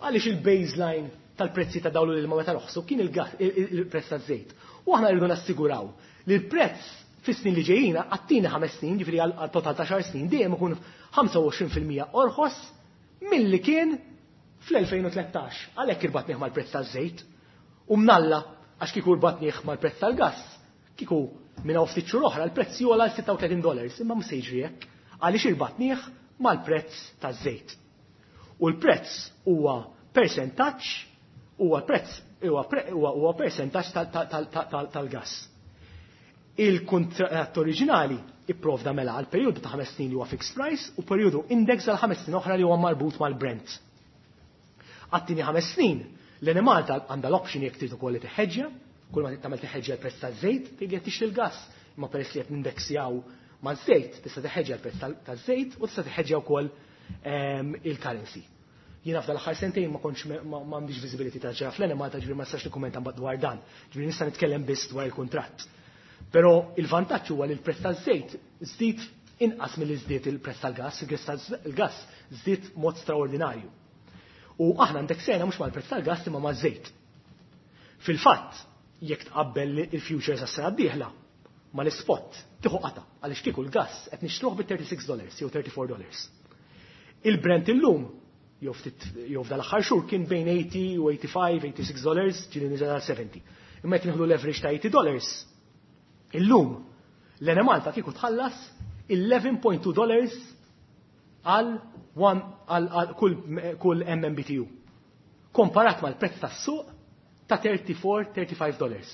Għaliex il-baseline tal-prezzi ta' dawlu l-ilma meta roħsu kien il-prezz taż-żejt. U aħna rridu nassiguraw li l-prezz fis-snin li ġejjin għat-tieni ħames snin, ġifieri għal total ta' xar snin, dejjem ikun ħamsa u għoxrin fil-mija orħos milli kien fl-elfejn u tlettax. Għalhekk irbatnieh mal-prezz taż-żejt. U mnalla għax kieku rbatnieh mal-prezz tal-gass, kieku minn hawn ftit xhur oħra l-prezz jogħla għal sitta u tletin dollars, imma mhux se jiġri hekk għaliex irbatnieh mal-prezz taż-żejt. U l-prezz huwa percentaġġ, huwa prezz, huwa pre-, huwa, huwa percentaġġ tal-, tal-, tal-, tal-, tal-, tal-gass. Il-kuntratt oriġinali ipprovda mela għal perjodu ta' ħames snin li huwa fixed price u perjodu index għal ħames snin oħra li huwa marbut mal-Brent. Għat-tieni ħames snin, l-Enemalta għandha l-option jekk trid ukoll li tiħħeġġja, kull ma trid tagħmel tiħħeġġja l-prezz taż-żejt, tgħid li qed tixtri l-gass, imma peress li qed nindeksjaw maż-żejt, tista' tiħħeġġja l-prezz tal-, taż-żejt u tista' tiħħeġġja wkoll, ehm, il-currency. Jiena f'dal aħħar sentejn ma kontx me-, ma, ma għandix visibility ta' ġara fl-Enemalta, ġifieri ma nistax nikkummenta mbagħad dwar dan, ġifieri nista' nitkellem biss dwar il-kuntratt. Però il-vantaġġ huwa li l-prezz taż-żejt żdied inqas milli żdied il-prezz tal-gass, il-prezz tal-gass żdied mod straordinarju. U aħna indeksejna mhux mal-prezz tal-gass imma maż-żejt. Fil-fatt, jekk tqabbel il-futures għas-sena d-dieħla mal-ispot tieħu qata għaliex kieku l-gass qed nixtruh bi thirty-six dollars jew thirty-four dollars. Il-Brent illum jew ftit jew f'dal aħħar xhur kien bejn eighty u eighty-five, eighty-six dollars, ġieli niżel għal seventy. Imma jekk nieħdu l-average ta' eighty dollars, illum l-Enemalta kieku tħallas eleven point two dollars għal one, għal, għal kull, kull M M B T U. Komparat mal-prezz tas-suq ta' thirty-four, thirty-five dollars.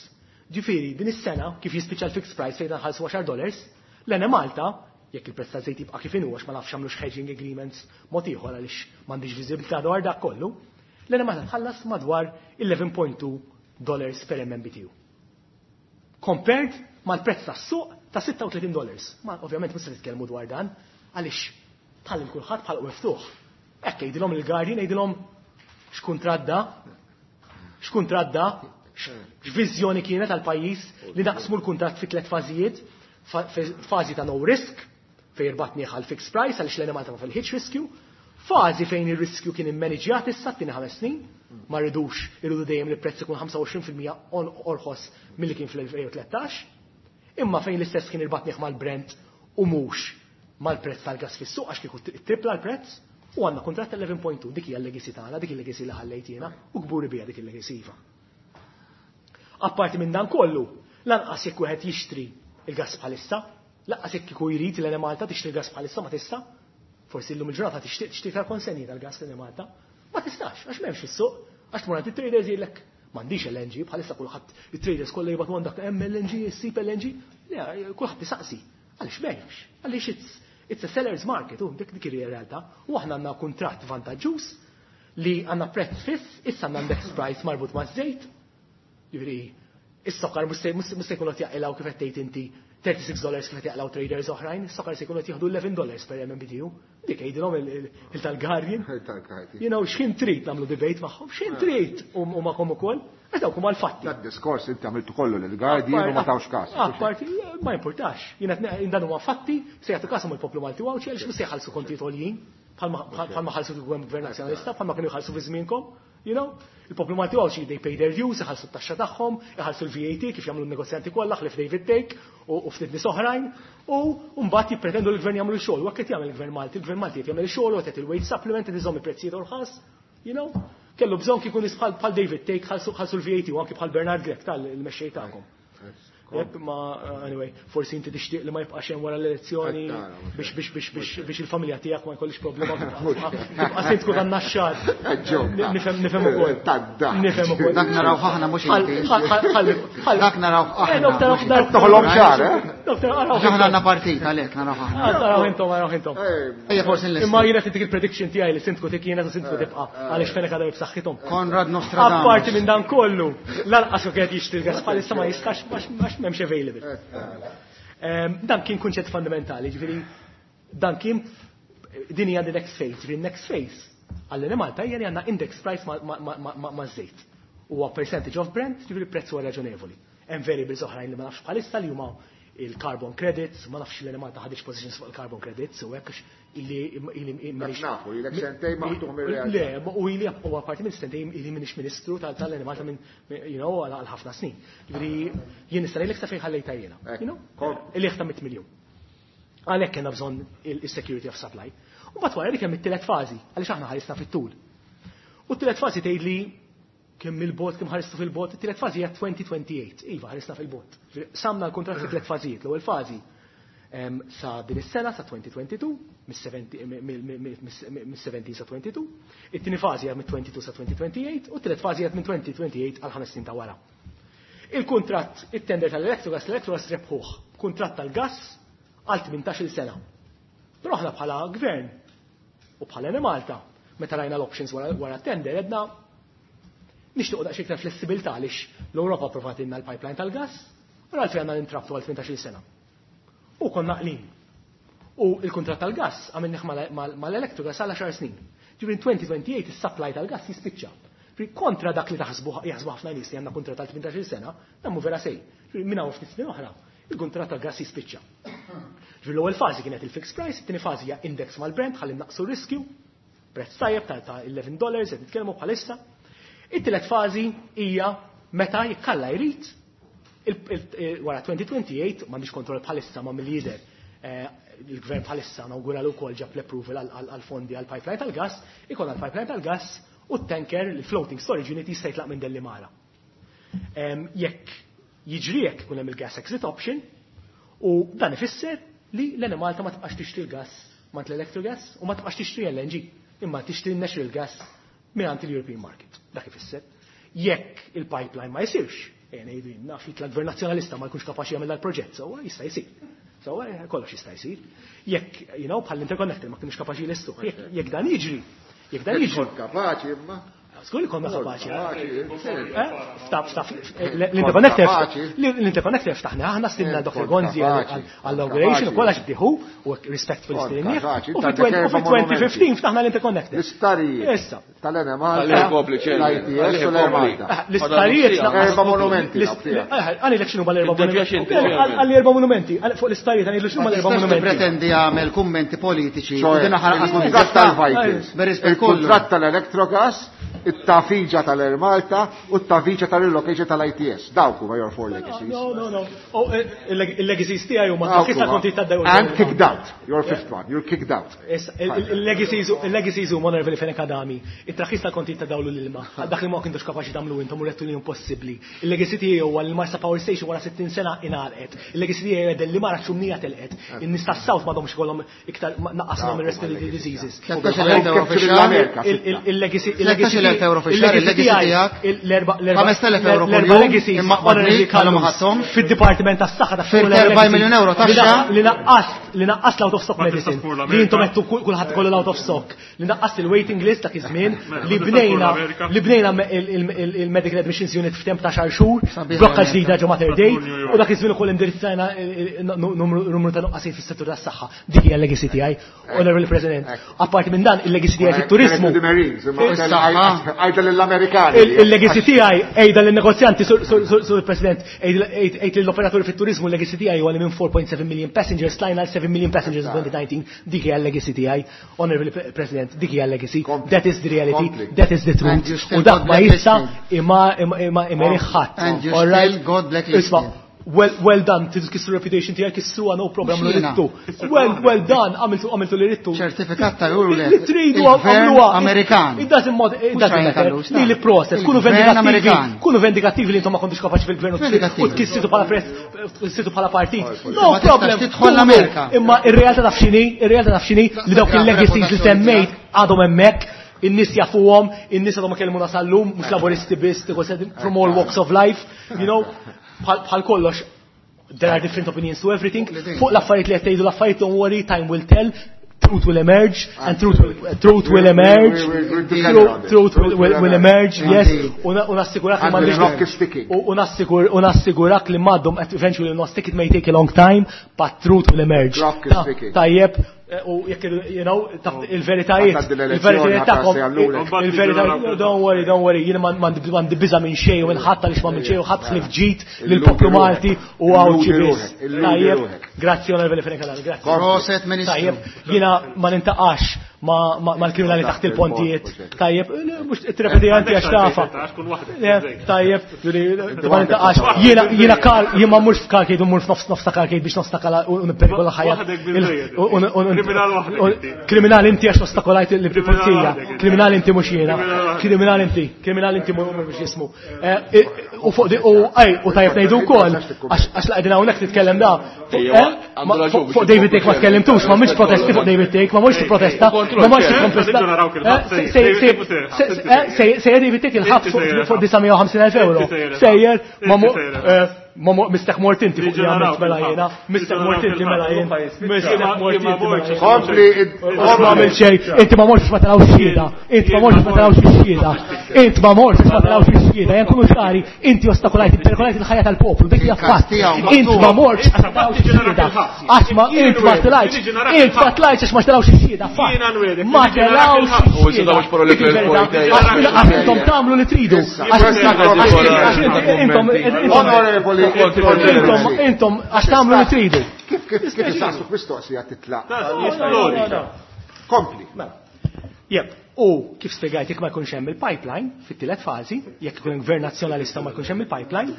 Ġifieri, din is-sena kif jispiċċa l-fixed price fejn nħallsu għaxar dollars, l-Enemalta, jekk il-prezz taż-żejt jibqa' kif inhu għax ma nafx għamlux hedging agreements mod ieħor għaliex m'għandix viżibilità dwar dak kollu, l-Enemalta tħallas madwar eleven point two dollars per M M B T U. Compared mal-prezz tas-suq ta' sitta u tletin dollars. Ma ovvjament mhux se nitkellmu dwar dan għaliex bħal kulħadd bħal miftuħ. Hekk jgħidilhom il-Guardian, jgħidilhom x'kuntratt da, x'kuntratt da, x'viżjoni kienet għall-pajjiż li naqsmu l-kuntratt fi tliet fażijiet, fa-, fażi ta' no risk fejn irbatni għal fixed price għaliex l-Enemalta ma fil-ħitx riskju, fażi fejn ir-riskju kien immaniġjat issa t-tieni ħames snin, ma rridux irridu dejjem li prezz ikun ħamsa u għoxrin fil-mija orħos milli kien fl-elfejn u tlettax, imma fejn l-istess kien irbatnieh mal-Brent u mhux mal-prezz tal-gas fis-suq għax kieku tripla l-prezz, u għandna kuntratt eleven point two, dik hija l-legacy tagħna, dik il-legacy li ħallejt jiena u kburi biha dik il-legacy iva. Apparti minn dan kollu, lanqas jekk wieħed jixtri il-gas bħalissa, lanqas jekk kieku jrid l-Enemalta tixtri il-gas bħalissa ma tista', forsi llum il-ġurnata tixtieq tixtri iktar konsenji tal-gas l-Enemalta, ma tistax għax m'hemmx fis-suq, għax tmur għand it-traders jgħidlek m'għandix L N G, bħalissa kulħadd it-traders kollha jibgħatu għandek hemm L N G, issib L N G, le, kulħadd isaqsi. Għaliex m'hemmx, għaliex it's, it's a seller's market, u dik dik ir-realtà. U aħna għandna kuntratt vantaġġuż li għandna prezz fiss, issa għandna index price marbut maż-żejt. Jiġifieri, is-sokar mhux se, mhux se jkunu qed jaqilgħu kif qed tgħid inti thirty-six dollars kif qed jaqilgħu traders oħrajn, is-sokar se jkunu qed jieħdu eleven dollars per M M B T U. Dik jgħidilhom il-, il-, il-tal-Guardian. Il-tal-Guardian. You know, x'ħin trid nagħmlu debate magħhom, x'ħin trid u, u magħhom ukoll, għax dawk huma l-fatti. Dak diskors inti għamiltu kollu lill-Guardian u ma tawx każ. Apparti, ma importax. Jiena qed ne-, dan huma fatti, se jagħtu każ il-poplu Malti u Għawdxi għaliex mhux se jħallsu kontijiet għoljin, bħalma, bħalma ħallsu kieku hemm gvern nazzjonalista, bħalma kienu jħallsu fi żmienkom. You know, il-poplu Malti u Għawdxi they pay their dues, iħallsu t-taxxa tagħhom, iħallsu l-V A T kif jagħmlu n-negozjanti kollha ħlief David Thake u, u ftit nies oħrajn, u mbagħad jippretendu l-gvern jagħmlu x-xogħol. U hekk qed jagħmel il-gvern Malti, il-gvern Malti qed jagħmel ix-xogħol u qed il-wage supplement qed iżomm il-prezzijiet orħas, you know. Kellu bżonn kieku nies bħal, bħal David Thake ħallsu, ħallsu l-V A T u anki bħal Bernard Grech tal-mexxej tagħkom. Ma anyway, forsi inti tixtieq li ma jibqax hemm wara l-elezzjoni biex biex biex biex biex il-familja tiegħek ma jkollix problema tibqa' sindku tan-Naxxar. Nifhem nifhem ukoll. Nifhem ukoll. Dak naraw aħna mhux inti. Dak naraw aħna. Toħlom ċar, eh? Aħna għandna partit għalhekk naraw aħna. Naraw intom, naraw intom. Ejja forsi nlesti. Imma jiena tintik il-prediction tiegħi li sindku tik jiena sindku tibqa' għaliex Fenech għadha b'saħħithom. Konrad Nostradamus. Apparti minn dan kollu, lanqas kienet jixtri l-gas bħalissa ma jistax għax m'hemmx available. Dan kien kunċett fundamentali, ġifieri dan kien din hija the next phase, ġifieri next phase għall-Enemalta hija li għandna index price ma' żejt. Huwa percentage of Brent, ġifieri prezz huwa raġonevoli. Hemm variables oħrajn li ma nafx bħalissa li huma il-carbon credits, ma nafx l-Enemalta ħadix positions fuq il-carbon credits, u hekk illi illi nafu, ilek sentejn maħtuħ mir-realtà. Le, u ili u apparti minn sentejn ili minix ministru tal-Enemalta minn, you know, għal ħafna snin. Ġifieri jien nista' ngħidlek sa fejn ħallejta jiena. You know? Illi ta' mitt miljun. Għalhekk kellna bżonn il-security of supply. U mbagħad wara li kemm it-tielet fażi, għaliex aħna ħarisna fit-tul. U t-tielet fażi tgħid li kemm il-bot, kemm ħaristu fil-bot, it-tielet fażi hija twenty twenty-eight. Iva, ħarisna fil-bot. Samna l-kuntratt fi tliet fażijiet. L-ewwel fażi sa din is-sena sa twenty twenty-two, mis-seventeen sa twenty-two, it-tieni fażi hija minn twenty-two sa twenty twenty-eight, u t-tielet fażi hija minn twenty twenty-eight għal ħames snin ta' wara. Il-kuntratt, it-tender tal-Electrogas, l-Electrogas rebħuh, kuntratt tal-gas għal tmintax-il sena. Però aħna bħala gvern u bħala Enemalta, meta rajna l-options wara tender, edna nixtiequ daqsxejn iktar flessibilità għaliex l-Ewropa approvatilna l-pipeline tal-gas, u għalfejn għandna nintrabtu għal tmintax-il sena. U konna qlin. U il-kuntratt tal-gas għamilnih mal-Electrogas għal għaxar snin. Ġifieri twenty twenty-eight is-supply tal-gas jispiċċa. Ġifieri kontra dak li taħsbu jaħsbu ħafna nies li għandna kuntratt tal tmintax-il sena, dan mhu vera sej. Ġifieri minn hawn ftit snin oħra, il-kuntratt tal-gas jispiċċa. Ġifieri l-ewwel fażi kienet il-fixed price, it-tieni fażi hija index mal-Brent ħalli naqsu r-riskju, prezz tajjeb ta' ta' eleven dollars qed nitkellmu bħalissa. It-tielet fażi hija meta jikkalla jrid wara twenty twenty-eight, m'għandix kontroll bħalissa ma' mill-lider, il-gvern bħalissa nawguralu wkoll ġab l-approval għal-fondi għal-pipeline tal-gas, ikollna l-pipeline tal-gas u t-tanker, il-floating storage unit jista' jitlaq minn Dellimara. Jekk jiġri jekk ikun hemm il-gas exit option, u dan ifisser li l-Enemalta ma tibqax tixtri l-gas mant l-Electrogas u ma tibqax tixtri L N G, imma tixtri natural gas mingħand il-European market. Dak ifisser. Jekk il-pipeline ma jsirx, ejja ngħidu jien naf jitla' gvern nazzjonalista ma jkunx kapaċi jagħmel dal-proġett, sewwa jista' jsir. Sewwa kollox jista' jsir. Jekk, you know, bħal interconnector ma kienux kapaċi jlestuh. Jekk, jekk dan jiġri, jekk dan jiġri. Kont kapaċi imma. Żgur li konna kapaċi. Kapaċi, Eh? Ftaf, ftaf, l-interconnector Kapaċi. l-interconnector ftaħna aħna stilna Kont Doctor Gonzi kapaċi. għall-inauguration u Kapaċi. kollax bdiħu u respectful Kont stilnieh. kapaċi. U Inta fi għandek erba' twenty fifteen monumenti. ftaħna l-interconnector. L-istarijiet. Issa. Tal-Enemalta, Tal-Kopli, ċerti. l-I T S u l-Enemalta. Eh, l-istarijiet Erba' naqqas- monumenti, l-ist- naf fiha. Eh, għalli lek x'inhu mal-erba' Id-devjaxin monumenti. tiġi. Għalli erba' monumenti. Għalli fuq l-istarijiet għalli x'inhu mal-erba' Ma tistax monumenti. tippretendi għamel kummenti politiċi u Cioè, din aħħar qatt ma il-kuntratt tiżista. tal-Vikings, Bir-rispett kollu. il-kuntratt tal-Electrogas, it-tafiġa tal-Air Malta u t-tafiġa tal-relocation tal-I T S. Dawk huma your four legacies. No, no, no. Oh, eh, il-legacies tiegħi huma Dawk issa huma. konti taddew. And kicked out. Your fifth one. You're kicked out. Issa, il-legacies, il-legacies huma Onorevoli Fenech Adami. It-traħħis tal-konti ta' dawlu l-ilma. Dak li ma kienux kapaċi tagħmlu intom u rettu li impossibbli. Il-legacy tiegħi huwa li l-Marsa Power Station wara sittin sena ingħalqet. Il-legacy tiegħi huwa li mara ċumnija telqet. In-nies tas-South m'għadhomx ikollhom iktar naqashom ir-respiratory diseases. Tlettax il-elf euro fix-xahar. L-Amerika, Il-, il-, il-legacy, Tlettax il-elf euro fix-xahar, il-legacy il-legacy tiegħi, tiegħek. il-, l-erba', l-erba', Ħames telef euro l-erba' kuljum, legacies, imma Honorable qbadni, għalhom ma Callus, ħadthomx. fid-Dipartiment tas-Saħħa ta' Firt Full erba' Legacy. miljun euro taxxa. Li naqqast, li naqqast l-out of stock Ma tista' medicine. tmur Li l-Amerika. intom għedtu kull-, kulħadd kollu l-out of stock. Li naqqast il-waiting list dak iż-żmien, Mela, li ma tista' tmur bnejna, l-Amerika. li bnejna me-, il-, il-, il-, il-medical admissions unit f'temp ta' xar xhur, Sabiħ blokka l-Amerika. ġdida ġo Mater Dei, Tmur New York. u dak iż-żmien ukoll indirizzajna il-, il-, nu-, numru, numru ta' nuqqasijiet fis-settur tas-saħħa. Dik hija l-legacy tiegħi, Honorable President. Apparti minn dan, il-legacy tiegħi fit-turizmu. The Marines, imma Is-saħħa. għajda lill-Amerikani. Il-, il-legacy tiegħi għejda lin-negozjanti, sur, sur, sur, sur President, għejd lill-operaturi fit-turizmu, l-legacy tiegħi huwa li minn four point seven million passengers tlajna għal seven million passengers in twenty nineteen. Dik hija l-legacy tiegħi, Honorable Pre-, President, dik hija l-legacy. Kompli. That is the reality, Kompli. that is the truth. And you still U dak got ma jista' blacklisted. imma, imma, imma imeri ħadd. And you All right? still got blacklisted. Isma', Well, well done, tridu tkissru reputation tiegħek kissruha, no problem, li rittu. Well, well done, għamiltu għamiltu li rittu. Ċertifikat ta' juru Li tridu għamluha. Amerikan. It doesn't matter, it doesn't matter. Li li process, kunu vendikattivi, kunu vendikattivi li intom ma kontux kapaċi fil-gvern u tkissritu bħala press, tkissritu bħala partit. No problem. Tidħol l-Amerika. Imma ir-realtà taf x'inhi, ir-realtà taf x'inhi li dawk il-legacies li semmejt għadhom hemmhekk, in-nies jafuhom, in-nies għadhom ma kellmuna sal-lum, mhux laboristi biss, from all walks of life, you know, bħal kollox, there are different opinions to everything. Fuq l-affarijiet li qed tgħidu l-affarijiet, don't worry, time will tell, truth will emerge, and truth will, truth will emerge, truth will, will, will emerge, yes, u nassigurak li m'għandix u nassigur u nassigurak li m'għadhom eventually not stick, it may take a long time, but truth will emerge. Tajjeb, u jekk, you know, il-veritajiet, il-veritajiet tagħhom, il-veritajiet, don't worry, don't worry, jiena m'għandi biża' minn xejn u minn ħadd għaliex ma minn xejn u ħadd ħlief ġid lill-poplu Malti u Għawdxi biss. Tajjeb, grazzi Onorevoli Fenech Adami, grazzi. Proset Ministru. Tajjeb, jiena ma nintaqax mal-kriminali taħt il-pontijiet. Tajjeb, mhux tirrepeti anti għax tafa. Tajjeb, ma nintaqax. Jiena jiena kar, jien ma mmurx f'karkejt u mmur f'nofs nofs ta' karkejt biex nostakala u nipperikola ħajja. Kriminali inti għax ostakolajt il-pulizija. Kriminali inti mhux jiena. Kriminali inti, kriminali inti mhux jismu. U fuq u ej, u tajjeb ngħidu wkoll għax la qegħdin hawnhekk titkellem da. Fuq David Thake ma tkellimtux, ma mhux protesti fuq David Thake, ma mhux protesta. Ma mhux protesta. Sejjer David Thake il-ħabs fuq disa' mija u ħamsin elf euro. Sejjer ma ma mistek mort inti fuq li għamilt mela jiena, mistek mort inti mela jien, mistek mort inti mela jien. Kompli, ma għamilt xejn, inti ma mortx ma tarawx xhieda, inti ma mortx ma tarawx xhieda, inti ma mortx ma tarawx xhieda, jen kunu ċari, inti ostakolajt, perikolajt il-ħajja tal-poplu, dik hija fatt. Inti ma mortx ma tarawx xhieda, għax ma inti ma tlajtx, inti ma tlajtx għax ma tarawx xhieda, fatt. Ma tarawx xhieda. Għax intom tagħmlu li tridu. Għax intom Onorevoli, intom, intom, għax tagħmlu li tridu. Kif kif kif isaqsuk mistoqsija titlaq? Kompli. Jep, u kif spjegajt jekk ma jkunx hemm il-pipeline fit-tielet fażi, jekk ikun gvern nazzjonalista ma jkunx hemm il-pipeline,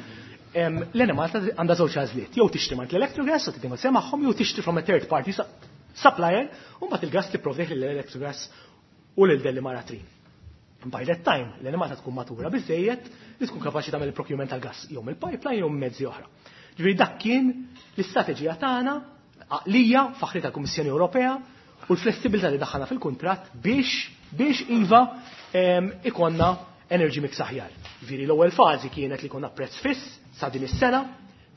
l-Enemalta għandha żewġ għażliet, jew tixtri mant l-Electrogas u tinnegozja magħhom, jew tixtri from a third party supplier, u mbagħad il-gas tipprovdih lill-Electrogas u lil Delimara Trin. By that time, l-Enemalta tkun matura biżejjed li tkun kapaċi tagħmel il-procurement tal-gas jew mill-pipeline jew mezzi oħra. Ġifieri dak kien l-istrateġija tagħna għaqlija faħri tal-Kummissjoni Ewropea u l-flessibilità li daħħalna fil-kuntratt biex biex iva ikonna energy mix aħjar. Ġifieri l-ewwel fażi kienet li konna prezz fiss sa din is-sena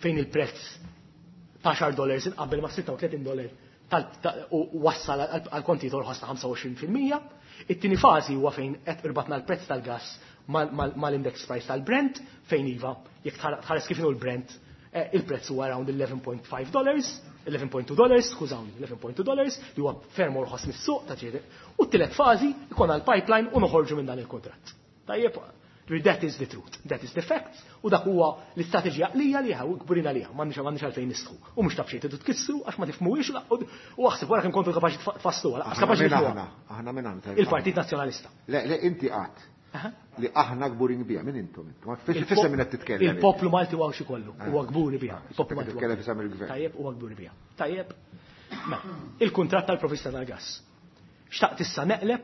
fejn il-prezz ta' għaxar dollars inqabbel ma' sitta u tletin dollar u wassal għal kontijiet orħos ta' ħamsa u għoxrin fil-mija. It-tieni fażi huwa fejn qed irbatna l-prezz tal-gas mal-index price tal-Brent, fejn iva jekk tħares kif inhu l-Brent, il-prezz huwa around eleven point five dollars, eleven point two dollars, skużawni, eleven point two dollars, li huwa ferm orħos mis-suq ta' ġieli. U t-tielet fażi ikun għall-pipeline u noħorġu minn dan il-kuntratt. Tajjeb, that is the truth, that is the facts, u dak huwa l-istrateġija għalija li u kburin għalija, m'għandniex m'għandniex għalfejn nistħu. U mhux taf xejn tridu tkissru għax ma tifhmuhiex u aħseb wara kemm kontu kapaċi tfassluha, lanqas kapaċi tifhmuha. Aħna minn aħna. Il-Partit Nazzjonalista. Le, le, inti qatt li aħna kburin biha, minn intom intom. Ma fis-, fis-, minn qed titkellem. Il-poplu Malti huwa xi kollu, huwa kburi biha. Il-poplu Malti huwa Titkellem fisem il-gvern. Tajjeb, huwa kburi biha. Tajjeb. Mela, il-kuntratt tal-provvista tal-gas. Xtaqt issa neqleb,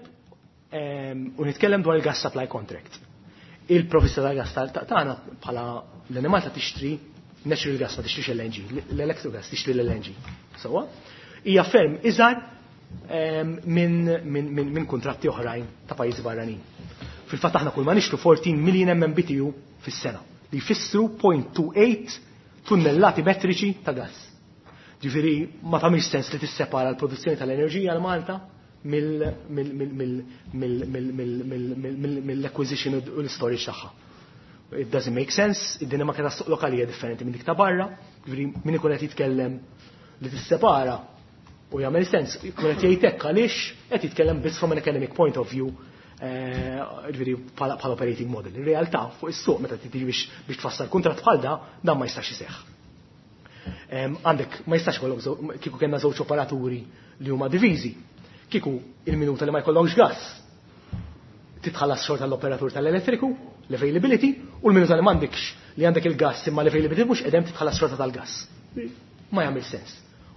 ehm, u nitkellem dwar il-gas supply contract. Il-provvista tal-gas tagħna bħala l-Enemalta tixtri natural gas, ma tixtrix L N G, l-electrogas tixtri l-L N G. Sewwa? Hija ferm iżgħar, ehm, minn, minn, minn, minn kuntratti oħrajn ta' pajjiżi barranin. Fil-fatt aħna kull ma nixtru fourteen million M M B T U fis-sena, li jfissru point two eight tunnellati metriċi ta' gas. Ġifieri ma tagħmilx sens li tissepara l-produzzjoni tal-enerġija għal Malta mill-, mill-, mill-, mill-, mill-, mill-, mill-, mill-, mill-, mill-acquisition u l-storage tagħha. It doesn't make sense, id-dinamika tas-suq lokali hija differenti minn dik ta' barra, ġifieri min ikun qed jitkellem li tissepara u jagħmel sens, ikun qed jgħid hekk għaliex qed jitkellem biss from an academic point of view, eh, ġifieri bħala, bħala operating model. In realtà fuq is-suq meta tiġi biex, biex tfassal kuntratt bħal da, dan ma jistax iseħħ. Em, għandek ma jistax ikollok żew-, kieku kellna żewġ operaturi li huma diviżi, kieku il-minuta li ma jkollokx gas titħallas xorta l-operatur tal-elettriku, l-availability, u l-minuta li m'għandekx li għandek il-gas imma l-availability mhux qedem titħallas xorta tal-gas. Ma jagħmel sens.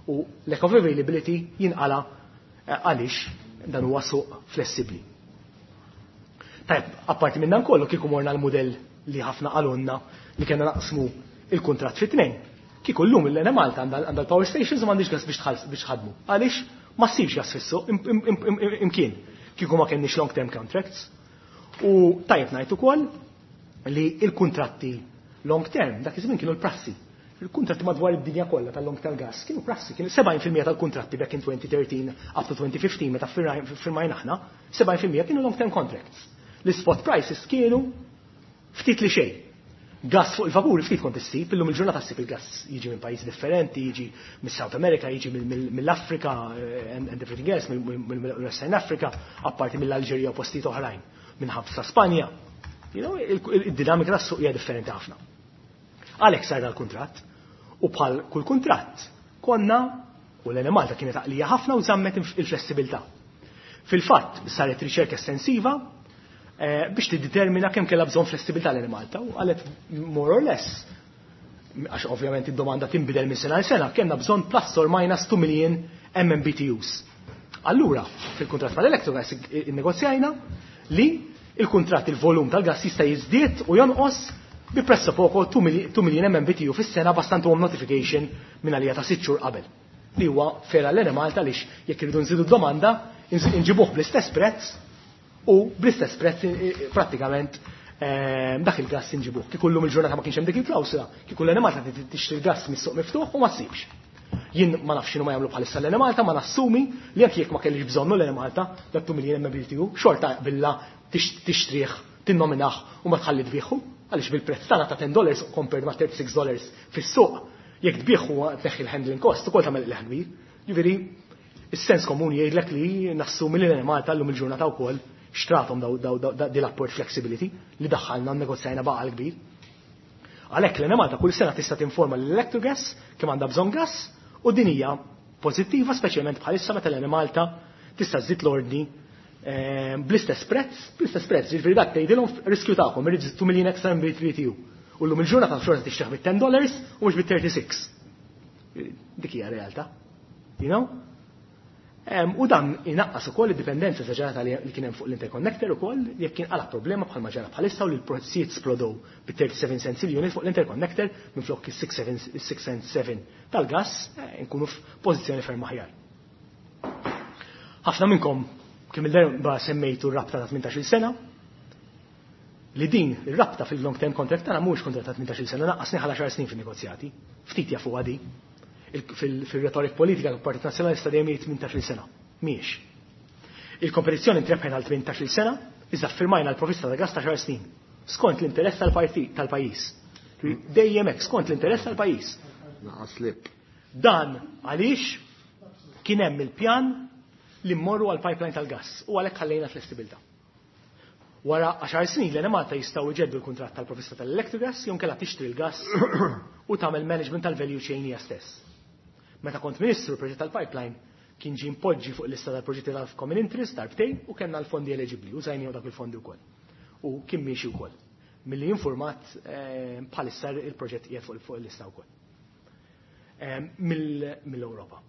U lack of availability jinqala għaliex dan huwa suq flessibbli. Tajb, apparti minn dan kollu kieku morna l-mudell li ħafna qalulna li kellna naqsmu il-kuntratt fi tnejn. Kieku llum l-Enemalta għandha l-power stations u m'għandix gas biex tħadmu. Għaliex ma ssibx gas fis-suq imkien. Kieku ma kenniex long term contracts. U tajjeb ngħid ukoll li il-kuntratti long term dak iż-żmien kienu l-prassi. Il-kuntratti madwar id-dinja kollha tal-long term gas kienu prassi, kienu sebgħin fil-mija tal-kuntratti back in twenty thirteen up to twenty fifteen meta firmajna aħna, sebgħin fil-mija kienu long term contracts. L-spot prices kienu ftit li xejn. Gas fuq il-vapur ftit kont issib, illum il-ġurnata ssib il-gas jiġi minn pajjiż differenti, jiġi mis-South America, jiġi mill-Afrika and everything else, mill-Western Africa, apparti mill-Alġerija u postijiet oħrajn, minn ħabsa Spanja. You know, id-dinamika tas-suq hija differenti ħafna. Għalhekk sar dal-kuntratt u bħal kull kuntratt konna u l-Enemalta kienet għaqlija ħafna u żammet il-flessibilità. Fil-fatt saret riċerka estensiva biex tiddetermina kemm kellha bżonn flessibilità l-Enemalta u qalet more or less, għax ovvjament id-domanda tinbidel minn sena għal sena, kellna bżonn plus or minus two million M M B T Us. Allura, fil-kuntratt mal-Electrogas innegozjajna li il-kuntratt il-volum tal-gas jista' jiżdied u jonqos bi presso poco two million M M B T U fis-sena bastant hom notification minn għalija ta' sitt xhur qabel. Li huwa fera l-Enemalta għaliex jekk irridu nżidu d-domanda inġibuh bl-istess prezz u bl-istess prezz prattikament dak il-gas inġibuh. Kieku llum il-ġurnata ma kienx hemm dik il-klawsula, kieku l-Enemalta tixtri l-gas mis-suq miftuħ u ma ssibx. Jien ma nafx x'inhu ma jagħmlu bħalissa l-Enemalta, ma nassumi li anke jekk ma kellix bżonnu l-Enemalta dak two million M M B T U, xorta billa tixtrih, tinnominah u ma tħalli tbieħu, għaliex bil-prezz tagħna ta' ten dollars compared ma' thirty-six dollars fis-suq, jekk tbieħu tneħħi l-handling cost ukoll tagħmel il-leħ kbir. Jiġifieri, is-sens komuni jgħidlek li nassumi li l-Enemalta llum il-ġurnata wkoll xtratom daw, daw, daw, daw, di l-upward flexibility li daħħalna nnegozjajna baqa l-kbir. Għalhekk l-Enemalta kull sena tista' tinforma l-Electrogas kemm għandha bżonn gas u din hija pożittiva speċjalment bħalissa meta l-Enemalta tista' żżid l-ordni bl-istess prezz, bl-istess prezz, jiġifieri dak tgħidilhom riskju tagħkom, irid two million extra M B T U. U llum il-ġurnata xorta tixtieq bit ten dollars u mhux bit thirty-six. Dik hija realtà. You know? U dan inaqqas ukoll id-dipendenza esaġerata li kien hemm fuq l-interconnector ukoll jekk kien qala problema bħalma ġara bħalissa u li l-prezzijiet splodow bi thirty-seven cents il-unit fuq l-interconnector minflok is-six seven, is-six cents seven tal-gas, nkunu f'pożizzjoni ferm aħjar. Ħafna minnkom kemm il-darba semmejtu r-rabta ta' tmintax-il sena, li din ir-rabta fil-long term contract tagħna mhuwiex kuntratt ta' tmintax-il sena, naqqasni ħala xar snin fin-negozjati, ftit jafu għadi. Fil-retorik politika tal-Partit Nazzjonalista dejjem jgħid tmintax-il sena. Mhijiex. Il-kompetizzjoni ntrebħet għal tmintax-il sena, iżda ffirmajna l-provvista ta' gas ta' xar snin, skont l-interess tal-partit tal-pajjiż. Dejjem hekk, skont l-interess tal-pajjiż. Naqas lip. Dan għaliex kien hemm il-pjan li mmorru għal pipeline tal-gas u għalhekk ħallejna flessibilità. Wara għaxar snin l-Enemalta jistgħu jġeddu l-kuntratt tal-provvista tal-Electrogas jew inkella tixtri l-gas u tagħmel management tal-value chain hija stess. Meta kont ministru l-proġett tal-pipeline kien ġie mpoġġi fuq lista tal-proġetti tal-common interest darbtejn u kellna l-fondi eligibbli, użajniew dak il-fondi wkoll. U kien miexi wkoll. Milli informat bħalissa il-proġett qiegħed fuq, fuq il-lista wkoll. Mill-Ewropa.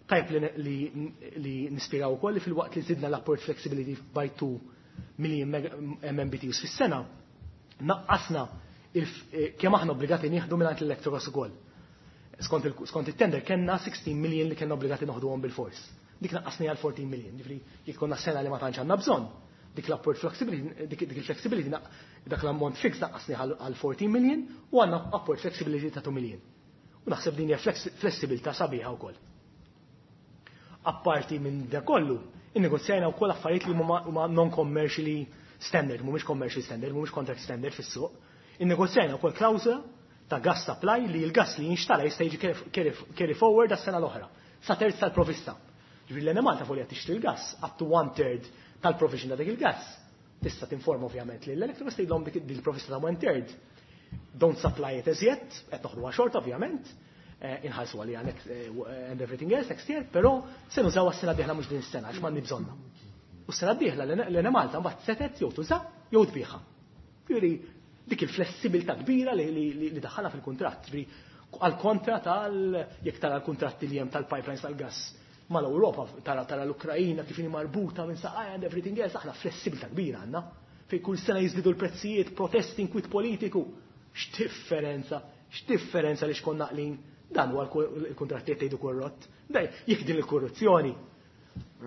Tajb li, li, li nispjegaw ukoll li fil-waqt li żidna l-upward flexibility by two million M M B T Us fis-sena, naqqasna kemm aħna obbligati nieħdu mingħand l-Electrogas ukoll. Skont il-, skont it-tender kellna sixteen million li kellna obbligati noħduhom bil-fors. Dik naqqasni għal fourteen million, ġifieri jekk konna sena li ma tantx għandna bżonn, dik l-upward flexibility, dik, dik il-flexibility naq-, dak l-ammont fix naqqasni għal, għal fourteen million u għandna upward flexibility ta' two million. U naħseb din hija flex-, flessibilità sabiħa wkoll. Apparti minn da kollu, innegozjajna wkoll affarijiet li huma, huma non-commercially standard, mhumiex commercial standard, mhumiex contract standard fis-suq. Innegozjajna wkoll klawżola ta' gas supply li l-gas li jinxtara jista' jiġi carry, carry, carry forward għas-sena l-oħra, sa terz tal-provvista. Ġifieri l-Enemalta fuq li qed tixtri l-gas up to one third tal-provision ta' dik il-gas. Tista' tinforma ovvjament li l-Electrogas tgħidlhom dik il-provvista ta' one third. Don't supply it as yet, qed noħduha xorta ovvjament, eh, inħallsu għaliha next, eh, and everything else next year, però se nużaw għas-sena d-dieħla mhux din is-sena għax m'għandni bżonnha. U s-sena d-dieħla l-Enemalta mbagħad setet jew tuża jew tbieħha. Ġifieri Dik il-flessibilità kbira li daħħalha fil-kuntratt. Għal kontra tal jekk tara l-kuntratti li hemm tal-pipelines tal-gas mal-Ewropa, tara tara l-Ukrajina kif inhi marbuta minn saqajja and everything else, aħna flessibilità kbira għandna. Fejn kull sena jiżdiedu l-prezzijiet, protesti, inkwit politiku. X'differenza, x'differenza li xkonna naqlin. Dan huwa l-kuntratti qed tgħidu korrott. Dej, jekk din il-korruzzjoni,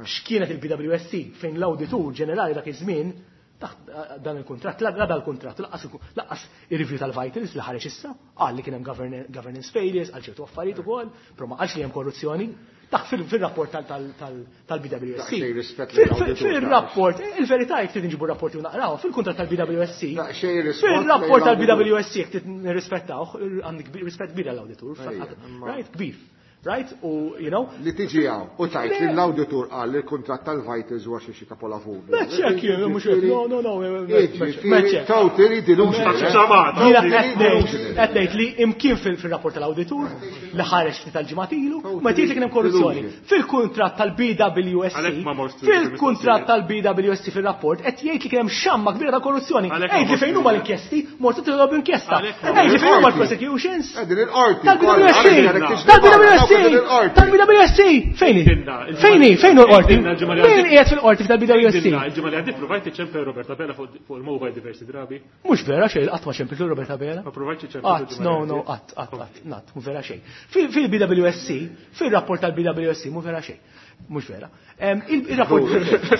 x'kienet il-B W S C fejn l-awditur ġenerali dak iż-żmien taħt dan il-kuntratt, la dan il-kuntratt, laqqas ir-review tal-Vitals li ħareġ issa, qal li kien hemm governance failures, għal ċertu affarijiet ukoll, però ma qalx li hemm korruzzjoni. Taħt fil-rapport tal-B W S C. Fil-rapport, il-verità jekk trid nġibu rapporti u naqraw, fil-kuntratt tal-B W S C. Fil-rapport tal-B W S C jekk trid nirrispettawh, għandek rispett kbir għall-awditur, right, kbir. Right? U, you know? Li tiġi hawn, u tajt li l-awditur qal li l-kuntratt tal-Vitals huwa xi xi kapolavur. Meċċek, mhux hekk, no, no, no, meċċek. Totally delusional. Jiena qed ngħid li imkien fil-rapport tal-awditur li ħareġ ftit tal-ġimgħat ilu, ma tgħid li kien hemm korruzzjoni. Fil-kuntratt tal-B W S C, fil-kuntratt tal-B W S C fil-rapport qed jgħid li kien hemm xamma kbira ta' korruzzjoni. Għid li fejn huma l-inkjesti, mortu tilgħob inkjesta. Għid li fejn huma l-prosecutions. Tal-B W S C. Tal-B W S C. Tal-B W S C! Fejni? Fejni? Fejn hu l-qorti? Fejn qiegħed fil-qorti tal-B W S C? Il-ġimgħa li għaddiet provajt iċċempel Robert Abela fuq il-mobile diversi drabi. Mhux vera xejn, qatt ma ċempiltu Robert Abela. Ma provajtx iċċempel. Qatt, no, no, qatt, qatt, qatt, qatt, mhu vera xejn. Fil-B W S C, fil-rapport tal-B W S C mhu vera xejn. Mhux vera. Il-rapport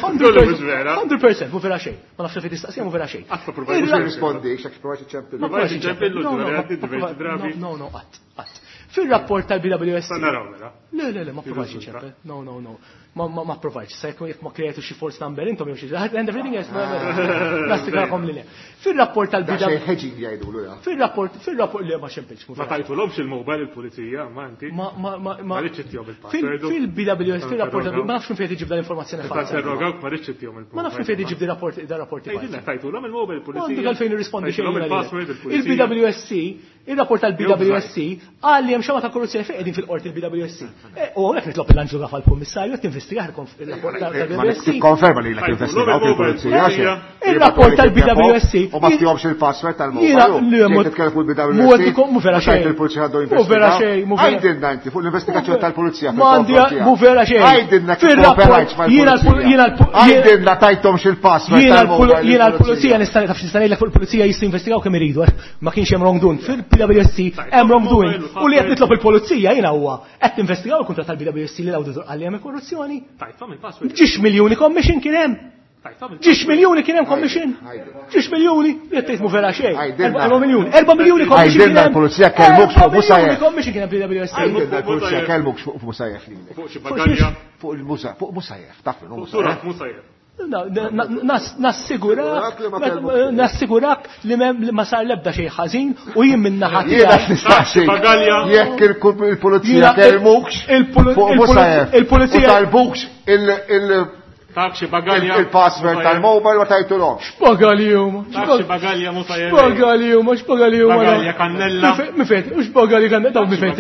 hundred percent mhu vera xejn. Ma nafx fejn tistaqsija mhu vera xejn. Qatt ma provajtx nirrispondi, x'hekk provajtx iċċempel. Ma provajtx iċċempillu l-ġimgħa li għaddiet diversi drabi. No, no, qatt, qatt. Fil-rapport tal-B W S C. Naraw mela. Le, le, le, ma provajtx iċċempel. No, no, no. Ma, ma, ma provajtx. Sa jekk ma kreatu xi false number intom jew xi and everything else. Nastigrakom li le. Fil-rapport tal-B W Xejn hedging jgħidulu ja. Fil-rapport, fil-rapport le ma xempilx. Ma tajtulhomx il-mobile il-pulizija, ma inti. Ma, ma, ma, ma. Ma rridx ittihom il-password. Fil-B W S, fil-rapport tal-B W S, ma nafx minn fejn tiġib dan l-informazzjoni falsa. Interrogawk ma rridx ittihom il-mobile. Ma nafx minn fejn tiġib di rapport, dan rapporti falsi. Tgħidilna tajtulhom il-mobile il-pulizija. Għandu għalfejn irrispondi xejn. Il-password il-pulizija. Il-B W S C, il-rapport tal-B W S C qal li hemm xama ta' korruzzjoni fejn qegħdin fil-qorti il-B W S C. U hawnhekk nitlob il-Anġlu Gafa l-Kummissarju qed tinvestigah il-rapport tal-B W S C. Tikkonferma li lek investigaw il-pulizija. Il-rapport tal-B W S C. U ma tihomx il-password tal-mobile. Titkellem fuq il-B W S C. Mhu vera xejn. Il-pulizija għandu Mhu vera xejn, mhu vera. Għidilna inti fuq l-investigazzjoni tal-pulizija. M'għandi mhu vera xejn. Għidilna kif kooperajtx mal-pulizija. Għidilna tajthomx il-password tal-mobile. Jiena l-pulizija nista' taf x'nista' ngħidlek fuq il-pulizija jistgħu investigaw kemm iridu. Ma kienx hemm wrongdoing. Fil-B W S C hemm wrongdoing. U li qed nitlob il-pulizija jiena huwa qed tinvestigaw il-kuntratt tal-B W S C li l-awditur qal li hemm korruzzjoni. Tajthom il-password. Ġiex miljuni commission kien hemm. Ġiex miljuni kien hemm commission. Ġiex miljuni, qed tgħid mhu vera xejn. Erba' miljuni, erba' miljuni commission. Għidilna l-pulizija kellmuk fuq Musajef. Commission kien hemm B W S C. Għidilna l-pulizija kellmuk fuq Musajef lilek. Fuq xi bagalja. Fuq il-Musa, fuq Musajef, taf min hu Musajef. Musajef. Nassigurak, nassigurak li ma sar lebda xejn ħażin u jien minn naħa tiegħi. Jiena nistaqsi. Jekk il-pulizija kellmukx fuq Musajef. Il-pulizija u talbukx il Taxi bagalja. Il-password tal-mobile ma tajtulhomx. X'bagalji huma? Taxi bagalja Musajef. X'bagalji huma? X'bagalji huma? Bagalja kannella. Mifejt, u x'bagalji kannella dawn mifejt.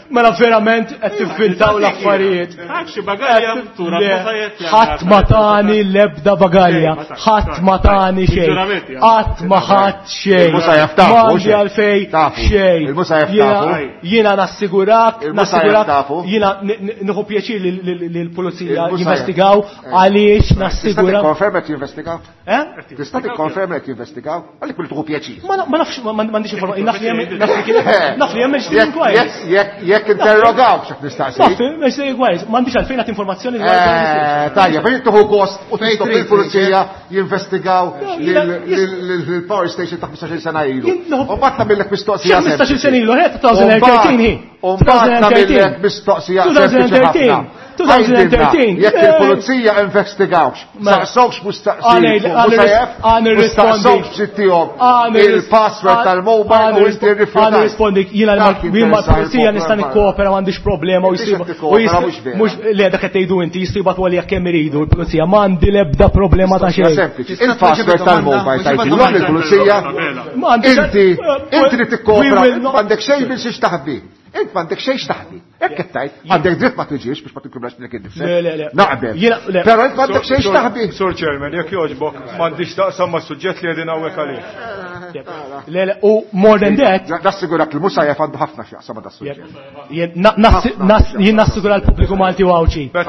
Mela verament qed tivvintaw l-affarijiet. Taxi bagalja tura Musajef. Ħadd ma tani l-ebda bagalja, ħadd ma tani xejn. Qatt ma ħadd xejn. Il-Musajef tafu. M'għandi għalfejn xejn. Il-Musajef tafu. Jiena nassigurak, nassigurak, jiena nieħu pjaċir li l-pulizija jinvestigaw għaliex Tista' nassigura. tikkonferma qed jinvestigaw? Eh? Tista' tikkonferma qed jinvestigaw? Għalik kull tuħu pjaċir. Ma nafx m'għandix informazzjoni, naf li hemm naf li hemm inquiries. Jekk jekk interrogaw x'qed nistaqsi. Naf hemm inquiries, m'għandix għalfejn nagħti informazzjoni dwar. Tajjeb, fejn tuħu gost u titlob il-pulizija jinvestigaw lill-power station ta' ħmistax-il sena ilu. U mbagħad tagħmillek mistoqsija. ħmistax-il sena ilu, ħed twenty thirteen hi. U mbagħad tagħmillek mistoqsija sempliċi ħafna. twenty thirteen. Jekk il-pulizija investigawx, saqsawx mustaqsijiet, mustaqsawx ġittihom il-password tal-mobile u inti rrifjutat. Għan nirrispondi, jiena mal-pulizija nista' nikkoopera m'għandix problema u jsibu. Mhux le dak qed tgħidu inti jistgħu jibgħatu għalija kemm iridu l-pulizija, m'għandi l-ebda problema ta' xejn. Sempliċi, il-password tal-mobile tajtilhom lill-pulizija. Inti inti li tikkoopera, m'għandek xejn biex taħbi. Int m'għandek xejn x'taħbi. Hekk qed tgħid, għandek dritt ma tiġix biex ma tikkublax lilek innifsek. Le, le, le. Naqbel. Però int m'għandek xejn x'taħbi. Sur Chairman, jekk jogħġbok, m'għandix taqsam mas-suġġett li qegħdin hawnhekk għalih. Le, le, u more than that. Nassigurak li Musajef għandu ħafna x'jaqsam ma' das-suġġett. Jien nassigura l-pubbliku Malti u Għawdxi. Le,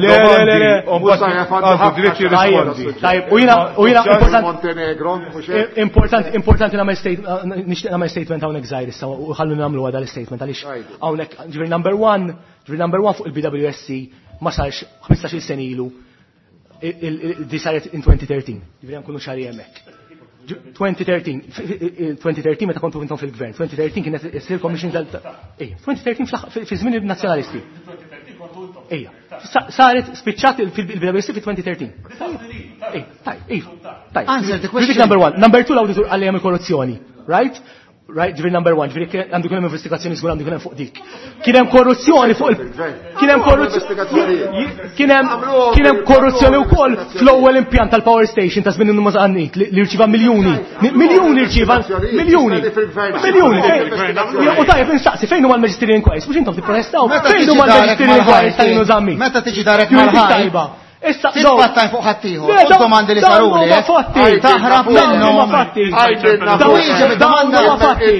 le, le, Musajef għandu ħafna jirrispondi. Tajjeb, u jiena u jiena Montenegro, importanti importanti nagħmel statement, nixtieq nagħmel statement hawnhekk żgħir issa u ħallu nagħmlu għada l-statement għaliex hawnhekk ġifieri number one, ġifieri number one fuq il-B W S C ma sarx ħmistax-il sena ilu, di saret in twenty thirteen, ġifieri nkunu ċari hemmhekk. twenty thirteen, twenty thirteen meta kontu intom fil-gvern, twenty thirteen kienet issir commission tal ejja, twenty thirteen fi żmien il-nazzjonalisti. Ejja, saret spiċċat il-B W S C fi twenty thirteen. Ejja, tajjeb, ejja, tajjeb. Answer the question. Number one, number two l-awditur għalli hemm il-korruzzjoni, right? Right, ġifieri number one, ġifieri għandu kien hemm investigazzjoni żgur għandu kien hemm fuq dik. Kien hemm korruzzjoni fuq il kien hemm korruzzjoni kien hemm kien hemm korruzzjoni wkoll fl-ewwel impjant tal-power station ta' żmien Numa Zammit li rċieva miljuni. Miljuni rċieva, miljuni. Miljuni. U tajjeb insaqsi fejn huma l-Magisterial Inquiries, mhux intom tipprotestaw. Fejn huma l-Magisterial Inquiries ta' Nino Zammit? Meta tiġi darek mal-ħajt. Issa titfattaj fuq ħaddieħor, u domandi li saruli, taħrab minnhom. Dawn huma fatti.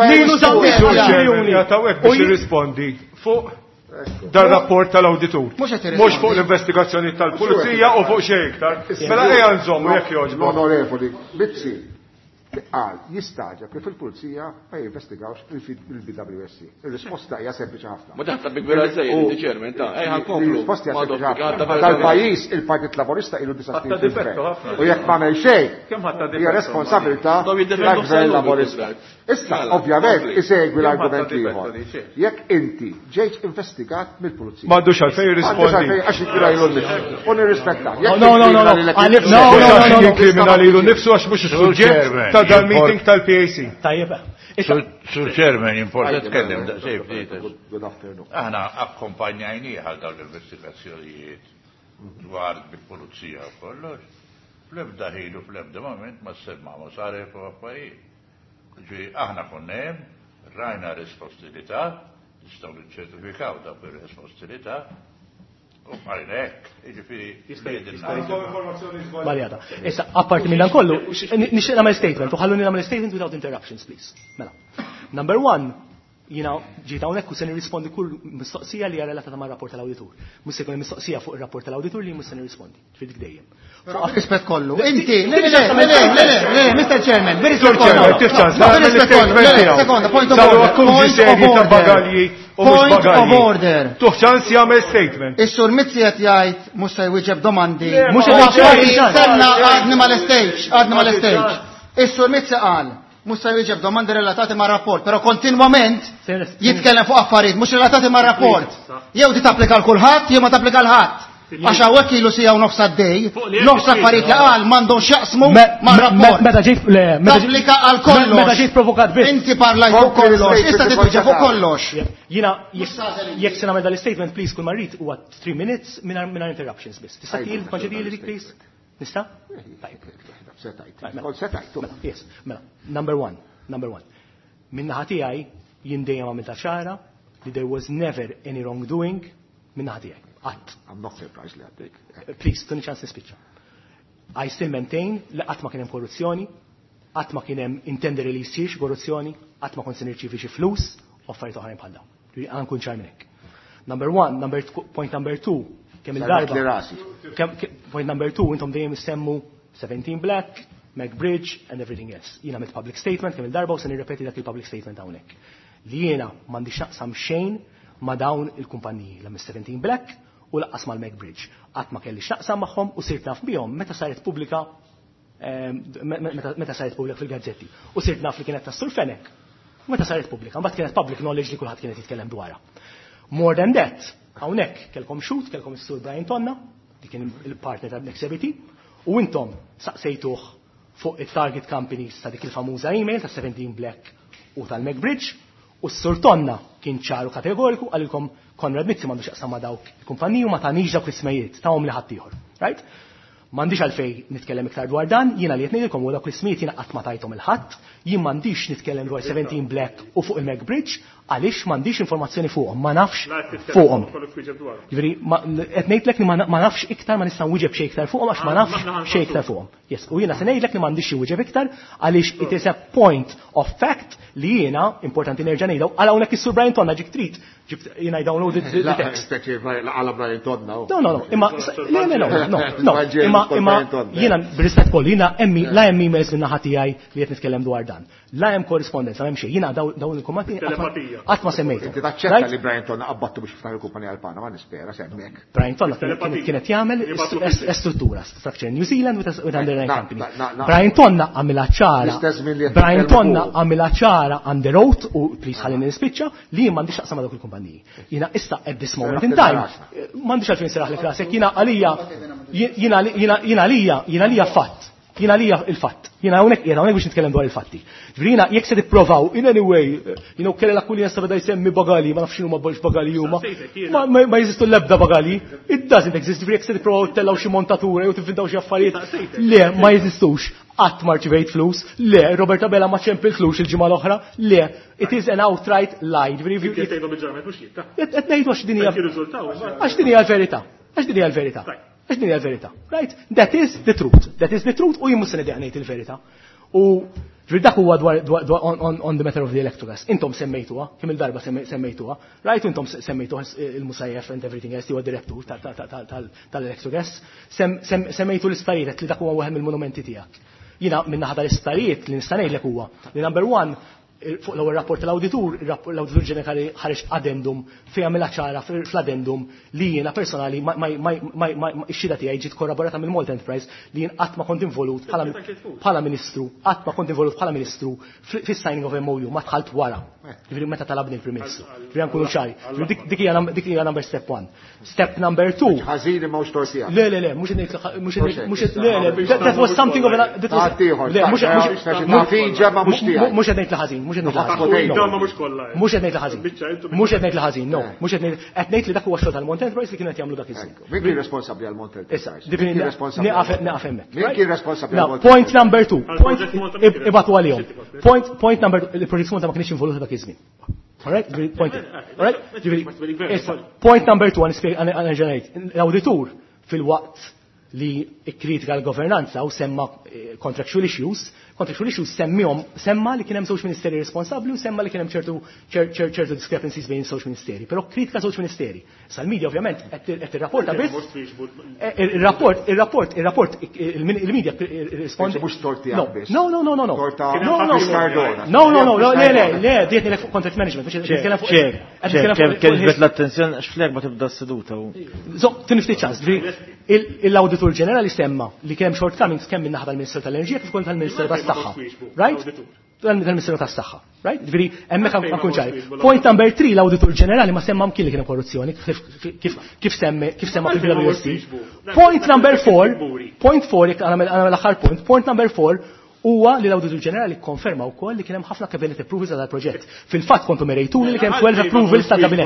Ninu Zammit Jatawek biex jirrispondi fuq dar-rapport tal-awditur. Mhux fuq l-investigazzjoni tal-pulizija u fuq xejn iktar. Mela ejja nżommu jekk jogħġbok. L-Onorevoli Mizzi qal jistaġa kif il-pulizija ma jinvestigawx il-B W S C. Il-risposta hija sempliċi ħafna. Ma taħta bi kbira żejjed, inti chairman, ta' ejja nkomplu. Il-risposta hija sempliċi ħafna. Dal-pajjiż il-Partit Laburista ilu disa' snin fil-gvern. U jekk m'għamel xejn, hija responsabilità tal-Gvern Laburista. Issa, ovvjament, isegwi l-argument ieħor. Jekk inti ġejt investigat mill-pulizija. M'għandux għalfejn jirrispondi. Għax jikkriminali lilu nnifsu. U nirrispetta. No, no, no, no. No, no, no. Jikkriminali lilu nnifsu għax mhux is-suġġett ta' dal-meeting tal-P A C. Tajjeb. Sur Chairman, importa tkellem daqsxejn ftit. Good afternoon. Aħna akkompanjajnieh għal dawn l-investigazzjonijiet dwar bil-pulizija u kollox. Fl-ebda ħin u fl-ebda moment ma semma ma saret fuq affarijiet. Ġifieri aħna konna hemm, rajna risposti li ta, nistgħu niċċertifikaw dawk ir-risposti li ta, u bqajna hekk, jiġifieri Żbaljata. Issa, apparti minn dan kollu, nixtieq nagħmel statement, u ħalluni nagħmel statement without interruptions, please. Mela. Number one, jiena ġejt hawnhekk u se nirrispondi kull mistoqsija li hija relatata mar-rapport tal-awditur. Mhux se jkun hemm mistoqsija fuq ir-rapport tal-awditur li mhux se nirrispondi. Ġifieri dik dejjem. Rispett kollu. Inti, le, le, le, le, le, Mister Chairman, bir-rispett kollu. Bir-rispett kollu. Sekonda, point of order. Point of order. Point of order. Tuħ ċans jagħmel statement. Is-sur Mizzi qed jgħid mhux se jwieġeb domandi. Mhux qed Stenna għadni mal-stage, għadni mal-stage. Is-sur Mizzi qal mhux se jwieġeb domandi relatati mar-rapport, però kontinwament jitkellem fuq affarijiet mhux relatati mar-rapport. Jew di tapplika l kulħadd jew ma tapplika l ħadd. Għax hawnhekk ilu sija u nofs għaddej, nofs affarijiet li qal m'għandhom x'jaqsmu mar-rapport. Meta ġejt le, tapplika għal kollox. Meta ġejt provokat biss. Inti parlajt fuq kollox, issa titwieġeb fuq kollox. Jiena jekk se nagħmel dal-statement please kull ma rrid huwa three minutes mingħajr interruptions biss. Tista' tgħid dik please? Nista'? Yes, mela, number one, number one. Min-naħa tiegħi jien dejjem għamilta ċara li there was never any wrongdoing min-naħa tiegħi. Qatt. I'm not surprised li għaddejk. Please, tuni ċans nispiċċa. I still maintain li qatt ma kien hemm korruzzjoni, qatt ma kien hemm intended li jsir xi korruzzjoni, qatt ma kont se nirċievi xi flus u affarijiet oħrajn bħal dawn. Għan kun ċar minn hekk. Number one, number point number two, kemm il-darba. Point number two, intom dejjem issemmu seventeen Black, MacBridge and everything else. Jiena għamilt public statement kemm il-darba u se nirrepeti dak il-public statement hawnhekk. Li jiena m'għandix naqsam xejn ma' dawn il-kumpaniji, la mis seventeen Black u laqqas mal-MacBridge. Qatt ma kellix naqsam magħhom u sirt naf bihom meta saret pubblika meta saret pubblika fil-gazzetti. U sirt naf li kienet tas-Sur Fenech. Meta saret pubblika, mbagħad kienet public knowledge li kulħadd kienet jitkellem dwarha. More than that, hawnhekk kellkom shoot, kellkom is-Sur Brian Tonna, li kien il-partner ta' Next E B T, u intom saqsejtuh fuq it-target companies ta' dik il-famuża email ta' seventeen Black u tal-MacBridge, u s-Sur Tonna kien ċaru kategoriku għalilkom Konrad Mizzi m'għandux jaqsam ma' dawk il-kumpaniji u ma tagħnix dawk l-ismijiet, tawhom li ħaddieħor. Right? M'għandix għalfej nitkellem iktar dwar dan, jiena li qed ngħidilkom huwa dawk l-ismijiet jiena qatt ma tajthom il-ħadd, jien m'għandix nitkellem dwar seventeen Black u fuq il-MacBridge, Għaliex m'għandix informazzjoni fuqhom, ma nafx fuqhom. Jiġifieri qed ngħidlek li ma nafx iktar, ma nista' nwieġeb xejn iktar fuqhom għax ma nafx xejn iktar fuqhom. Yes, u jiena se ngħidlek li m'għandix xi wieġeb iktar għaliex it is a point of fact li jiena importanti nerġa' ngħidha għal hawnhekk is-Sur Brian Tonna ġik trid jiena I downloaded the text. Għala Brian Tonna. No, no, no, imma le, le, no, no, no, imma imma jiena b'rispett kollu jiena hemm la hemm emails minn naħa tiegħi li qed nitkellem dwar dan. La hemm korrispondenza, m'hemm xejn. Jiena dawn il-kumati qatt ma semmejthom. Inti taċċetta li Brian Tonna qabbattu biex jiftaħ il-kumpanija għal-Panama, nispera semmek. Brian Tonna kienet jagħmel struttura, structure in New Zealand with underlying company. Brian Tonna għamilha ċara. Brian Tonna għamilha ċara under oath u please ħallini nispiċċa li jien m'għandix x'aqsam ma' dawk il-kumpaniji. Jiena issa at this moment in time m'għandix għalfejn seraħlek rasek, jiena għalija jiena għalija jiena għalija fatt. Jiena għalija il-fatt. Jiena hawnhekk jiena hawnhekk biex nitkellem dwar il-fatti. Ġifieri jekk se tipprovaw in any way, you know, kellha kull jista' beda jsemmi bagali, ma nafx x'inhuma bagali huma. Ma jeżistu l-ebda bagali. It doesn't exist. Ġifieri jekk se tipprovaw tellgħu xi montatura jew tivvintaw xi affarijiet. Le, ma jeżistux. Qatt ma rċivejt flus. Le, Robert Abela ma ċempil flus il-ġimgħa l-oħra. Le, it is an outright lie. Qed ngħidu għax din hija għax din hija l-verità. Għax din hija l-verità. Għax din hija l-verità. Right? That is the truth. That is the truth u jien mhux se nidejaq ngħid il-verità. U ġifieri dak huwa dwar on the matter of the Electrogas. Intom semmejtuha, kemm il-darba semmejtuha, right? Intom semmejtuha il-Musajef and everything else, huwa direttur tal-Electrogas. Semmejtu l-isptarijiet li dak huwa wieħed mill-monumenti tiegħek. Jiena minn naħa tal-isptarijiet li nista' ngħidlek huwa li number one fuq l-ewwel rapport tal-awditur, l-awditur ġenerali ħareġ addendum fejn għamilha ċara fl-addendum li jiena personali ix-xhieda tiegħi ġiet korroborata mill-Malta Enterprise li jien qatt ma kont involut bħala ministru, qatt ma kont involut bħala ministru fis-signing of M O U, ma dħalt wara. Ġifieri meta talabni l-Prim Ministru. Ġifieri nkunu ċari. Dik hija number step one. Step number two. Ħażin imma mhux torsija. Le, le, le, mhux mhux mhux le, le, that was something of an le, mhux mhux qed ngħid li ħażin. Mhux qed ngħid li ħażin. Mhux qed ngħid li ħażin, no. Mhux qed ngħid li dak huwa xogħol tal-Malta Enterprise li kienu qed jagħmlu dak iż-żmien. Min kien responsabbli għal Malta Enterprise? Nieqaf hemmhekk. Min kien responsabbli għal Malta? Point number two. Ibatu għalihom. Point point number il-Project Malta ma kienx involuta dak iż-żmien. All right? Point. All right? Point number two għan ngħid. L-awditur fil-waqt li kritika l-governanza u semma contractual issues, contractual issues semmihom semma li kien hemm żewġ ministeri responsabbli u semma li kien hemm ċertu ċertu discrepancies bejn żewġ ministeri, però kritika żewġ ministeri. Issa l-media ovvjament qed tirrapporta biss. Ir-rapport, ir-rapport, ir-rapport il-media rispondi. Mhux tort tiegħek biss. No, no, no, no, no. No, no, no, no, le, le, le, dietni fuq contract management, biex nitkellem fuq. Kemm ġbet l-attenzjoni għax fl-erba' tibda s-seduta. Żomm, tinifti ċans, l-Awditur Ġenerali semma li kemm shortcomings kemm min-naħa tal-Ministeru tal-Enerġija kif ukoll tal-Ministeru tas-Saħħa. Right? Tal-Ministeru tas-Saħħa. Right? Ġifieri hemmhekk nkun ċari. Point number three, l-Awditur Ġenerali ma semma mkien li kien korruzzjoni kif kif semma kif semma fil-P W S C. Point number four, point four jekk għamel l-aħħar point, point number four huwa li l-Awditur Ġenerali kkonferma wkoll li kien hemm ħafna cabinet approvals għal proġett. Fil-fatt kontu merejtuni li kien hemm twelve approvals tal-kabinet.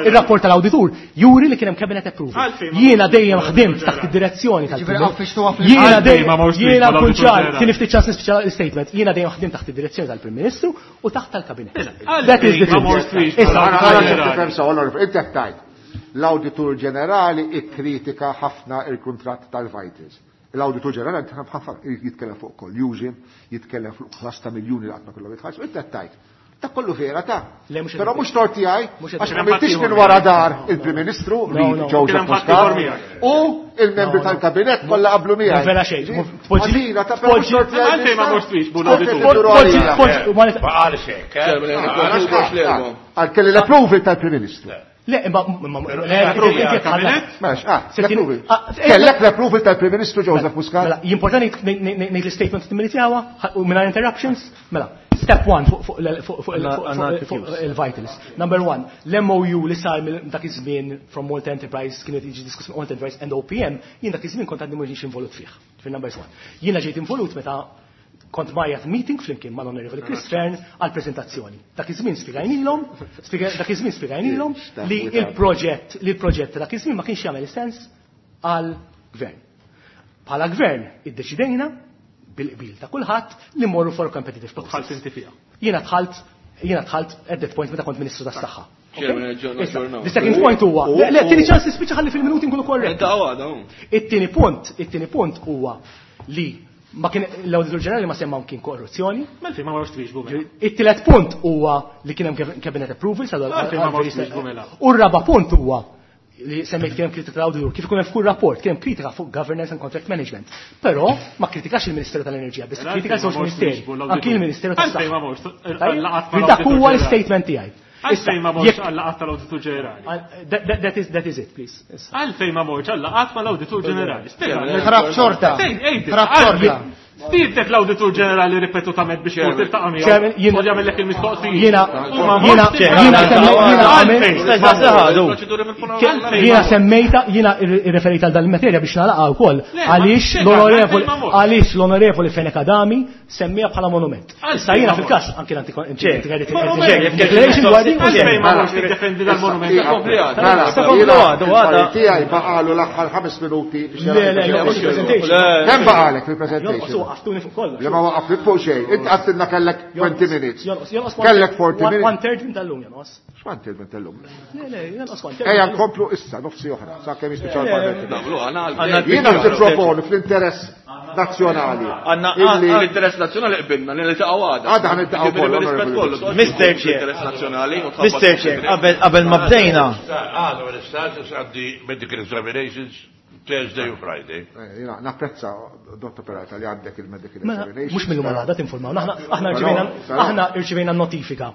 Ir-rapport tal-awditur juri li kien hemm cabinet approval. Jiena dejjem ħdimt taħt id-direzzjoni tal-Prim. Jiena dejjem jiena nkun ċar, kien ftit ċans nispiċċa l-statement, jiena dejjem ħdimt taħt id-direzzjoni tal-Prim Ministru u taħt tal-kabinet. That is the truth. Issa l-Awditur Ġenerali ikkritika ħafna il-kuntratt tal-Vitals. L-Awditur Ġenerali jitkellem fuq collusion, jitkellem fuq ħlas ta' miljuni li qatt ma kellhom jitħallsu, inti qed tgħid. Dak kollu vera ta'. Però mhux tort tiegħi għax ma mintix minn wara dar il-Prim Ministru Joseph Muscat u il-membri tal-kabinett kollha qablu miegħi. Vera xejn. Ħażina ta' però mhux tort tiegħi. Għalfejn ma mhux l-awditur. Għal kelli l-approval tal-Prim Ministru. Le, imma Kellek l-approval tal-Prim Ministru Joseph Muscat. Mela, jimportani ngħid l-statement timminitjawa u mingħajr interruptions? Mela, step one fuq il-Vitals. Number one, l-M O U li sar dak iż-żmien from Malta Enterprise kienet jiġi diskuss Malta Enterprise and O P M, jien dak iż-żmien kont għadni mhux involut fih. Fil-number one. Jiena ġejt involut meta kont majjat meeting flimkien mal-Onorevoli Chris Fearne għal-prezentazzjoni. Dak iż-żmien spjegajnilhom, dak iż-żmien spjegajnilhom li il-proġett li l-proġett dak iż-żmien ma kienx jagħmel sens għall-gvern. Bħala gvern iddeċidejna bil-qbil ta' kulħadd li mmorru for competitive process. Dħalt inti fiha. Jiena dħalt Jiena dħalt at that point meta kont Ministru tas-Saħħa. The second point huwa, le, tieni ċans nispiċċa ħalli fil-minuti nkunu korrett. It-tieni punt, it-tieni punt huwa li ma kien l-Awditur Ġenerali ma semma kien korruzzjoni. Mela ma marrux twieġbu mela. It-tielet punt huwa li kien hemm cabinet approval sa U r-raba' punt huwa li semmejt kien hemm kritika tal-awditur, kif ikun hemm f'kull rapport, kien hemm kritika fuq governance and contract management. Però ma kritikax il-Ministeru tal-Enerġija, biss kritika żewġ ministeri, anki il-Ministeru tas-Saħħa. Dak huwa l-statement tiegħi. Għalfejn ma morx għal-laqgħat tal-Awditur Ġenerali. That is that is it, please. Għalfejn ma morx għal-laqgħat mal-Awditur Ġenerali. Ħrab xorta. Ħrab xorta. Stiednek l-Awditur Ġenerali ripetutament biex tmur tiltaqa' miegħu. U jagħmellek il-mistoqsijiet. Jiena jiena jiena jiena semmejta, jiena irreferejt għal dan il-materja biex nagħlaqha wkoll għaliex l-onorevoli għaliex l-onorevoli Fenech Adami semmija bħala monument. Issa jiena fil-każ anke l-anti-declaration dwar din. Għalfejn ma morx tiddefendi dal-monument. Tiegħi baqalu l-aħħar ħames minuti biex Le, le, le, mhux presentation. Kemm baqalek fil-presentation? Waqqaftuni fuq kollox. Le ma waqqafnik fuq xejn. Int għattilna kellek twenty minutes. Kellek forty minutes. One third minn tal-lum jonqos. X'one third minn tal-lum? Le, le, jonqos one third. Ejja nkomplu issa nofsi oħra, sa kemm jispiċċaw il-parlament. Jiena nipproponi fl-interess nazzjonali. Għandna l-interess nazzjonali qbilna li niltaqgħu għada. Għada ħaniltaqgħu kollu. Mister Chair. Mister Chair, qabel qabel ma bdejna. Għada ma nistax għandi medical examinations Thursday u Friday. Jiena napprezza Dottor Peralta li għandek il-medical examination. Mhux mill-lum għal għada tinformaw. Aħna rċivejna aħna rċivejna notifika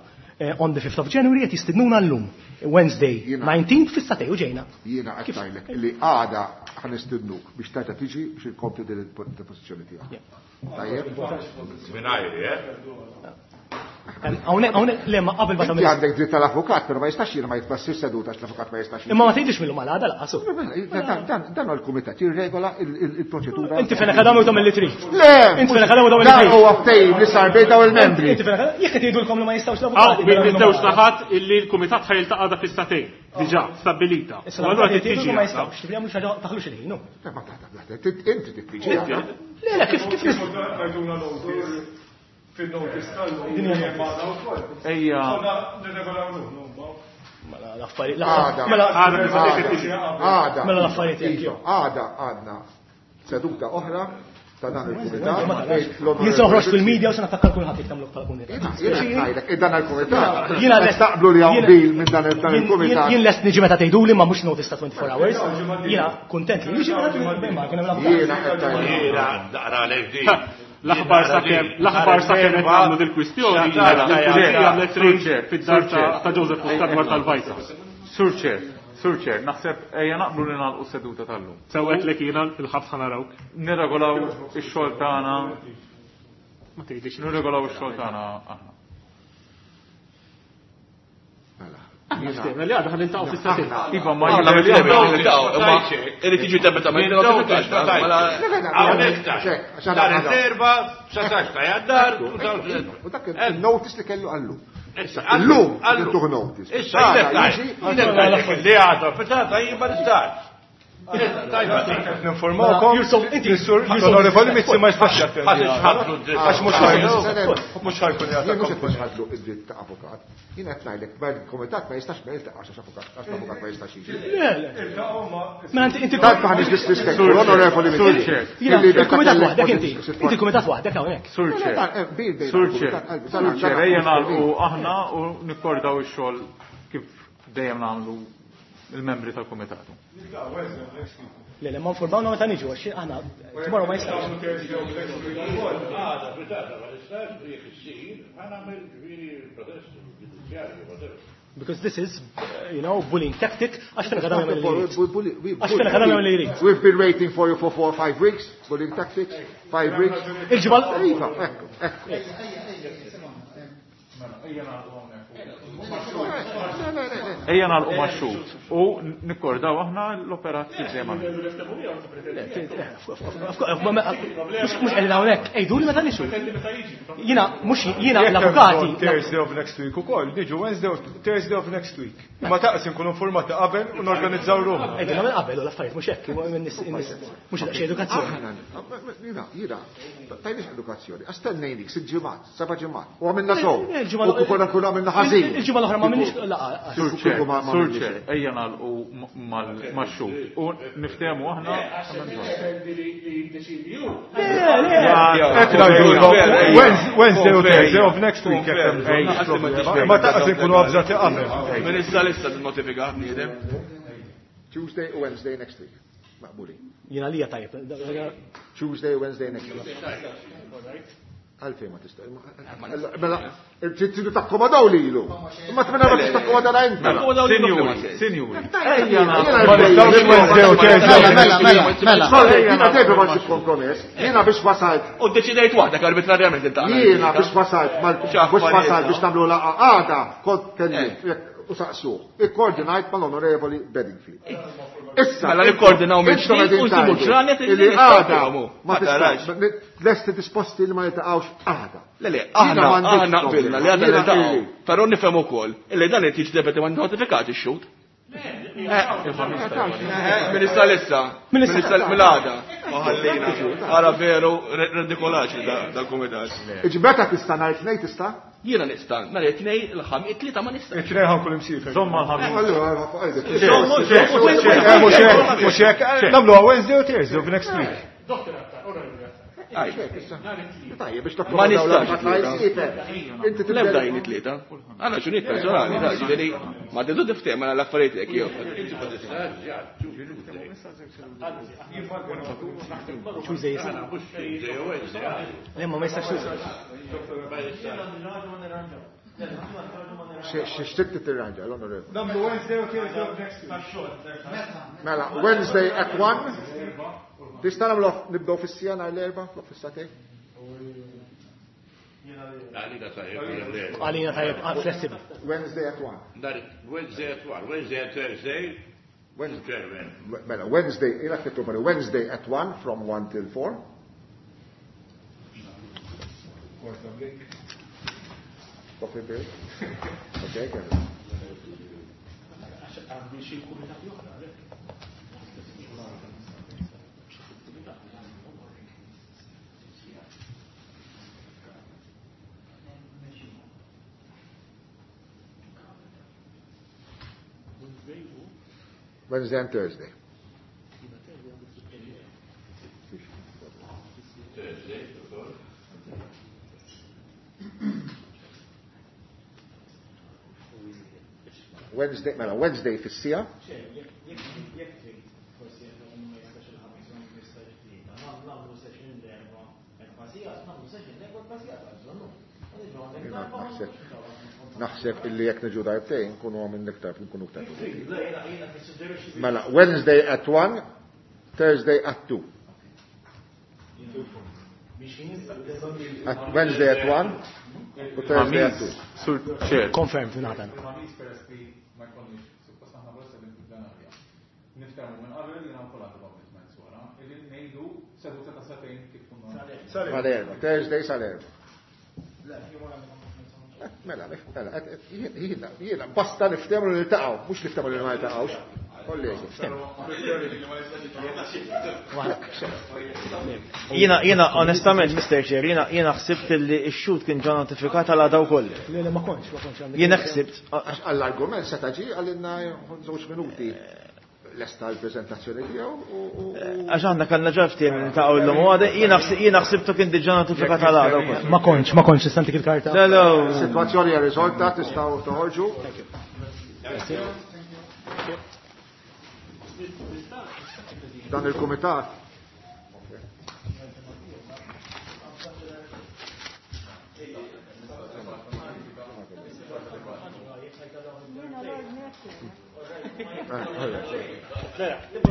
on the fifth of January qed jistidnuna llum. Wednesday nineteenth fis-satej u ġejna. Jiena qed ngħidlek li għada ħanistidnuk biex terġa' tiġi biex inkompli din il-pożizzjoni tiegħek. Tajjeb? Mingħajri, eh? Hawnhekk hawnhekk le ma qabel ma tagħmel. Inti għandek dritt tal-avukat, però ma jistax jiena ma jitbassir seduta għax l-avukat ma jistax. Imma ma tgħidix mill-lum għal għada laqas. Dan huwa l-kumitat jirregola il-proċedura. Inti Fenech Adami u tagħmel li trid. Le! Inti Fenech Adami u tagħmel li trid. Dan huwa ftehim li sar bejn dawn il-membri. Inti Fenech Adami, jekk qed jgħidulkom li ma jistgħux l-avukati. Hawn bejn taħat illi l-kumitat ħajltaqa' għada fis-satejn. Diġà stabbilita. U allura trid tiġi ma jistgħux, jagħmlu xi ħaġa taħlux il-ħin. Inti trid tiġi. Le, le, kif kif fil-notice tal-lum. Ejja. Nirregolaw ruħna. Mela l-affarijiet. Mela għada. Mela l-affarijiet jekk. Għada għadna seduta oħra ta' dan il-kumitat. Jien se noħroġ fil-media u se nattakka kulħadd jekk tagħmlu bħala kumitat. Jiena ngħidlek, dan il-kumitat. Jiena lest taqblu li hawn qbil minn dan il-kumitat. Jien lest niġi meta tgħiduli ma mhux notice ta' twenty-four hours. Jiena kuntent li niġi meta tgħiduli ma kien hemm l-avukat. Jiena qed Jiena naqra għalek din. L-aħbar sakemm l-aħbar sakemm qed nagħmlu dil-kwistjoni il-pulizija għamlet rejn fid-dar ta' Joseph Muscat dwar tal-Vajsa. Sur Chair, Sur Chair, naħseb ejja naqblu li nagħlqu s-seduta tal-lum. Sewwet lek jiena il-ħabs ħa narawk. Nirregolaw ix-xogħol tagħna. Ma tgħidlix. Nirregolaw ix-xogħol tagħna aħna. Mela, li għadha ħaniltaqgħu fis-satejn. Iva, ma jiena imma irid jiġi debitament notifikat. Hawnhekk Nhar it-erba' satax ta' Jannar. U dak il-notice li kellu għallu. Illum intuh notice. Issa li għadha fitata jien ma nistax. Ninformawkom, l-onorevoli Mizzi ma jistax jattendi. Għax mhux mhux ħajkun jagħti. Mhux qed nħadlu id-dritt ta' avukat. Jien qed ngħidlek il-kumitat ma jistax ma jiltaqax għax avukat għax l-avukat ma jistax jiġi. Le, le. Mela inti Tant maħniex disrispettu l-onorevoli Mizzi. Il-kumitat waħdek inti. Inti il-kumitat waħdek hawnhekk. Sur Chair. Sur Chair. Sur Chair, ejja nagħlqu aħna u nikkordaw ix-xogħol kif dejjem nagħmlu il-membri tal-kumitat. Le, le, ma nformawna meta niġu, għax aħna tomorrow ma jistax. Għada, fitata, ma nistax, jekk issir, ħa nagħmel ġifieri protest ġudizzjarju, whatever. Because this is, you know, bullying tactic, għax Fenech Adami jagħmel li jrid. Għax Fenech Adami jagħmel li jrid. We've been waiting for you for four or five weeks, bullying tactics, five weeks. Il-ġibal. Iva, ekku, ekku. Ejja nagħlqu max-xhud u nikkordaw aħna l-operat kif dejjem għamilna. Mhux qegħdin hawnhekk, għiduli meta niġu. Jiena mhux jiena l-avukati. Thursday of next week ukoll, niġu Wednesday Thursday of next week. Ma taqs inkunu informati qabel u norganizzaw ruħna. Għedna minn qabel u l-affarijiet mhux hekk, mhux daqsxejn edukazzjoni. Jiena, jiena, tajniex edukazzjoni. Astennejnik sitt ġimgħat, seba' ġimgħat. U għamilna sew. U kieku nkunu għamilna ħażin. Il-ġimgħa l-oħra ma minniex laqgħa. Sur Chair, ejja nagħlqu max-xhud u niftehmu aħna. Wednesday u Thursday of next week. Ma taqs inkunu avżati qabel. Issa notifika bniedem. Tuesday u Wednesday next week. Maqbuli. Jiena lija tajjeb. Tuesday u Wednesday next week. Għalfejn ma tista'. Mela, tridu takkomodaw lilu. Imma tmena ma tista' takkomodaw inti. Sinjuri, sinjuri. Ma nistgħux Wednesday u Thursday. Mela, mela, mela. Sorry, jiena dejjem ma nsib kompromess. Jiena biex wasalt. U ddeċidejt waħdek arbitrarjament inta. Jiena biex wasalt biex wasalt biex nagħmlu laqgħa għada kont kellimt u saqsuh. Ikkoordinajt mal-Onorevoli Bedingfield. Issa. Mela nikkoordinaw minn ġdid u nsibu ġranet li għada ma tistax. Lesti disposti li ma niltaqgħux għada. Le le, aħna aħna qbilna li għada niltaqgħu. Però nifhem ukoll illi dan qed jiġi debeti ma notifikat ix-xhud. Min issa lissa, min issa mill-għada. Ħallina. Ara veru redikolaċi dal-kumitat. Iġi meta tista' nhar it-tnejn tista'? Jiena nista' nhar it-tnejn il-ħamis, it-tlieta ma nista'. It-tnejn ħankun imsiefer. Żomma l-ħamis. Mhux hekk, nagħmluha Wednesday u Thursday of next week. Ma nistax. L-ebda jien it-tlieta. Għandna xunijiet personali, ġifieri ma tidu tiftehim għal l-affarijiet hekk jew. Tuesday jista'. Le ma jistax Tuesday. X'trid tirranġa l-Onorevoli? Nagħmlu Wednesday u Thursday of next week. Mela, Wednesday at one. Tista' nagħmlu nibdew fis-sija nhar l-erba' flok fis-satej? Għalina tajjeb. Għalina tajjeb, flessibbli. Wednesday at one. Wednesday at one, Wednesday at Thursday. Wednesday. Mela, Wednesday, ilha tipproponi Wednesday at one from one till four. Coffee break. Okay, Kevin. Wednesday and Thursday. Thursday, Wednesday, mela, Wednesday fis-sija. Naħseb naħseb illi jekk niġu darbtejn nkunu għamil iktar, nkunu iktar. Mela, Wednesday at one, Thursday at two. At Wednesday at one u Thursday at two. Sur Chair. Confirmed, Nathan. Sal-erba, Thursday sal-erba. Mela, mela, jiena, jiena, basta niftehmu li niltaqgħu, mhux niftehmu li ma niltaqgħux. Kollegi. Jiena, jiena, onestament, Mister Chair, jiena, jiena ħsibt li x-xhud kien ġa notifikat għal għada wkoll. Le, le, ma kontx, ma kontx għandi. Jiena ħsibt. Għall-argument seta' ġie għalinna żewġ minuti. Lesta l-prezentazzjoni tiegħu u Għax aħna kellna ġa ftehim li niltaqgħu llum u għada, jiena ħsibtu kien diġà notifikat għal għada wkoll. Ma kontx, ma kontx, nista' ntik il-karta. Le, le. Is-sitwazzjoni hija riżolta, tistgħu toħorġu. Dan il-kumitat.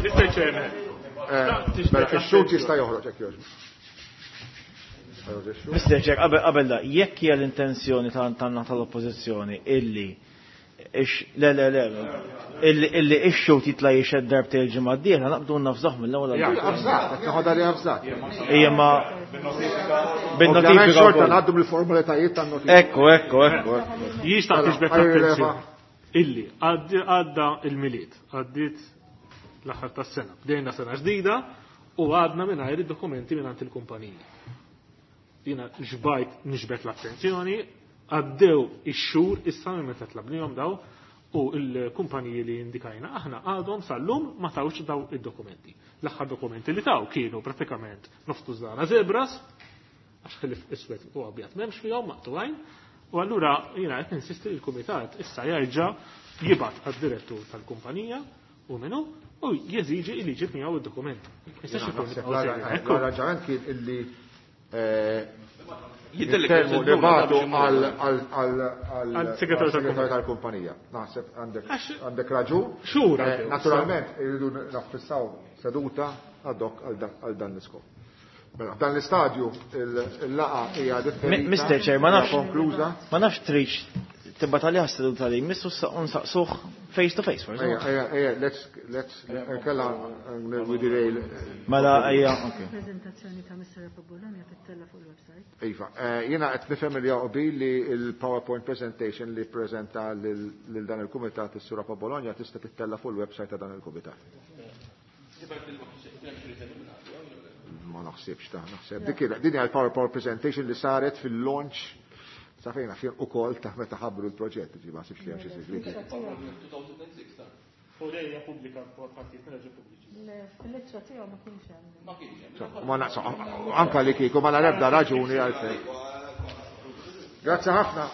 Mister Chairman. Mela, ix-xhud jista' joħroġ hekk jogħġbu. Mister Chair, qabel qabel da, jekk hija l-intenzjoni tan-naħa tal-Oppożizzjoni illi ix le le le illi illi ix-xhud jitla' jixhed darbtejn il-ġimgħa d-dieħla naqbdu nafżah mill-ewwel għal Ija, avżat, qed noħodha li avżat. Ija, ma bin-notifika Ovvjament xorta wkoll. ngħaddu mill-formalitajiet tan-notifika. Ekku, ekku, ekku, ekku. Jista' Mela, tiġbed għajr l-attenzjoni. leva. Illi għadda il-Milied, għaddiet l-aħħar tas-sena, bdejna sena ġdida u għadna mingħajr id-dokumenti mingħand il-kumpaniji. Jiena ġbajt nixbet l-attenzjoni, għaddew ix-xhur issa minn meta tlabnihom daw u l-kumpaniji li indikajna aħna għadhom sal-lum ma tawx daw id-dokumenti. L-aħħar dokumenti li taw kienu pratikament noftu żana zebras, għax ħilif iswed u abjad m'hemmx fihom maqtugħin, u allura jiena qed ninsisti li l-kumitat issa jerġa' jibgħat għad-direttur tal-kumpanija u minnu u jeżiġi li jġib miegħu id-dokumenti. L-arranġament kien illi jitkellmu nibatu għal-segretarju tal-kumpanija. Naħseb għandek raġun. Xhur. Naturalment irridu naffissaw seduta ad hoc għal dan l-iskop. Mela, f'dan l-istadju il-laqa hija differenti. Mister Chair, ma nafx konkluża. Ma nafx tridx tibgħat għalih seduta li jmissu nsaqsuh face to face, forsi. Ejja, ejja, let's let's kella we derail. Mela ejja, okay. Prezentazzjoni ta' Mister Bologna tittella fuq il-website. Iva, jiena qed nifhem li jaqbil li l-PowerPoint presentation li ppreżenta lil dan il-kumitat is-Sura Bologna tista' tittella fuq il-website ta' dan il-kumitat. Ma naħsibx ta' naħseb. Dik din hija l-PowerPoint presentation li saret fil-launch sa fejn fien ukoll ta' meta ħabbru l-proġett, ġi ma ħsibx li hemm xi segreti. U lejja pubblika partijiet mill-ġi pubbliċi. Le, fil-ittra tiegħu ma kienx hemm. Ma kienx hemm. Ma naqsa anka li kieku ma nara ebda raġuni għalfejn. Grazzi ħafna.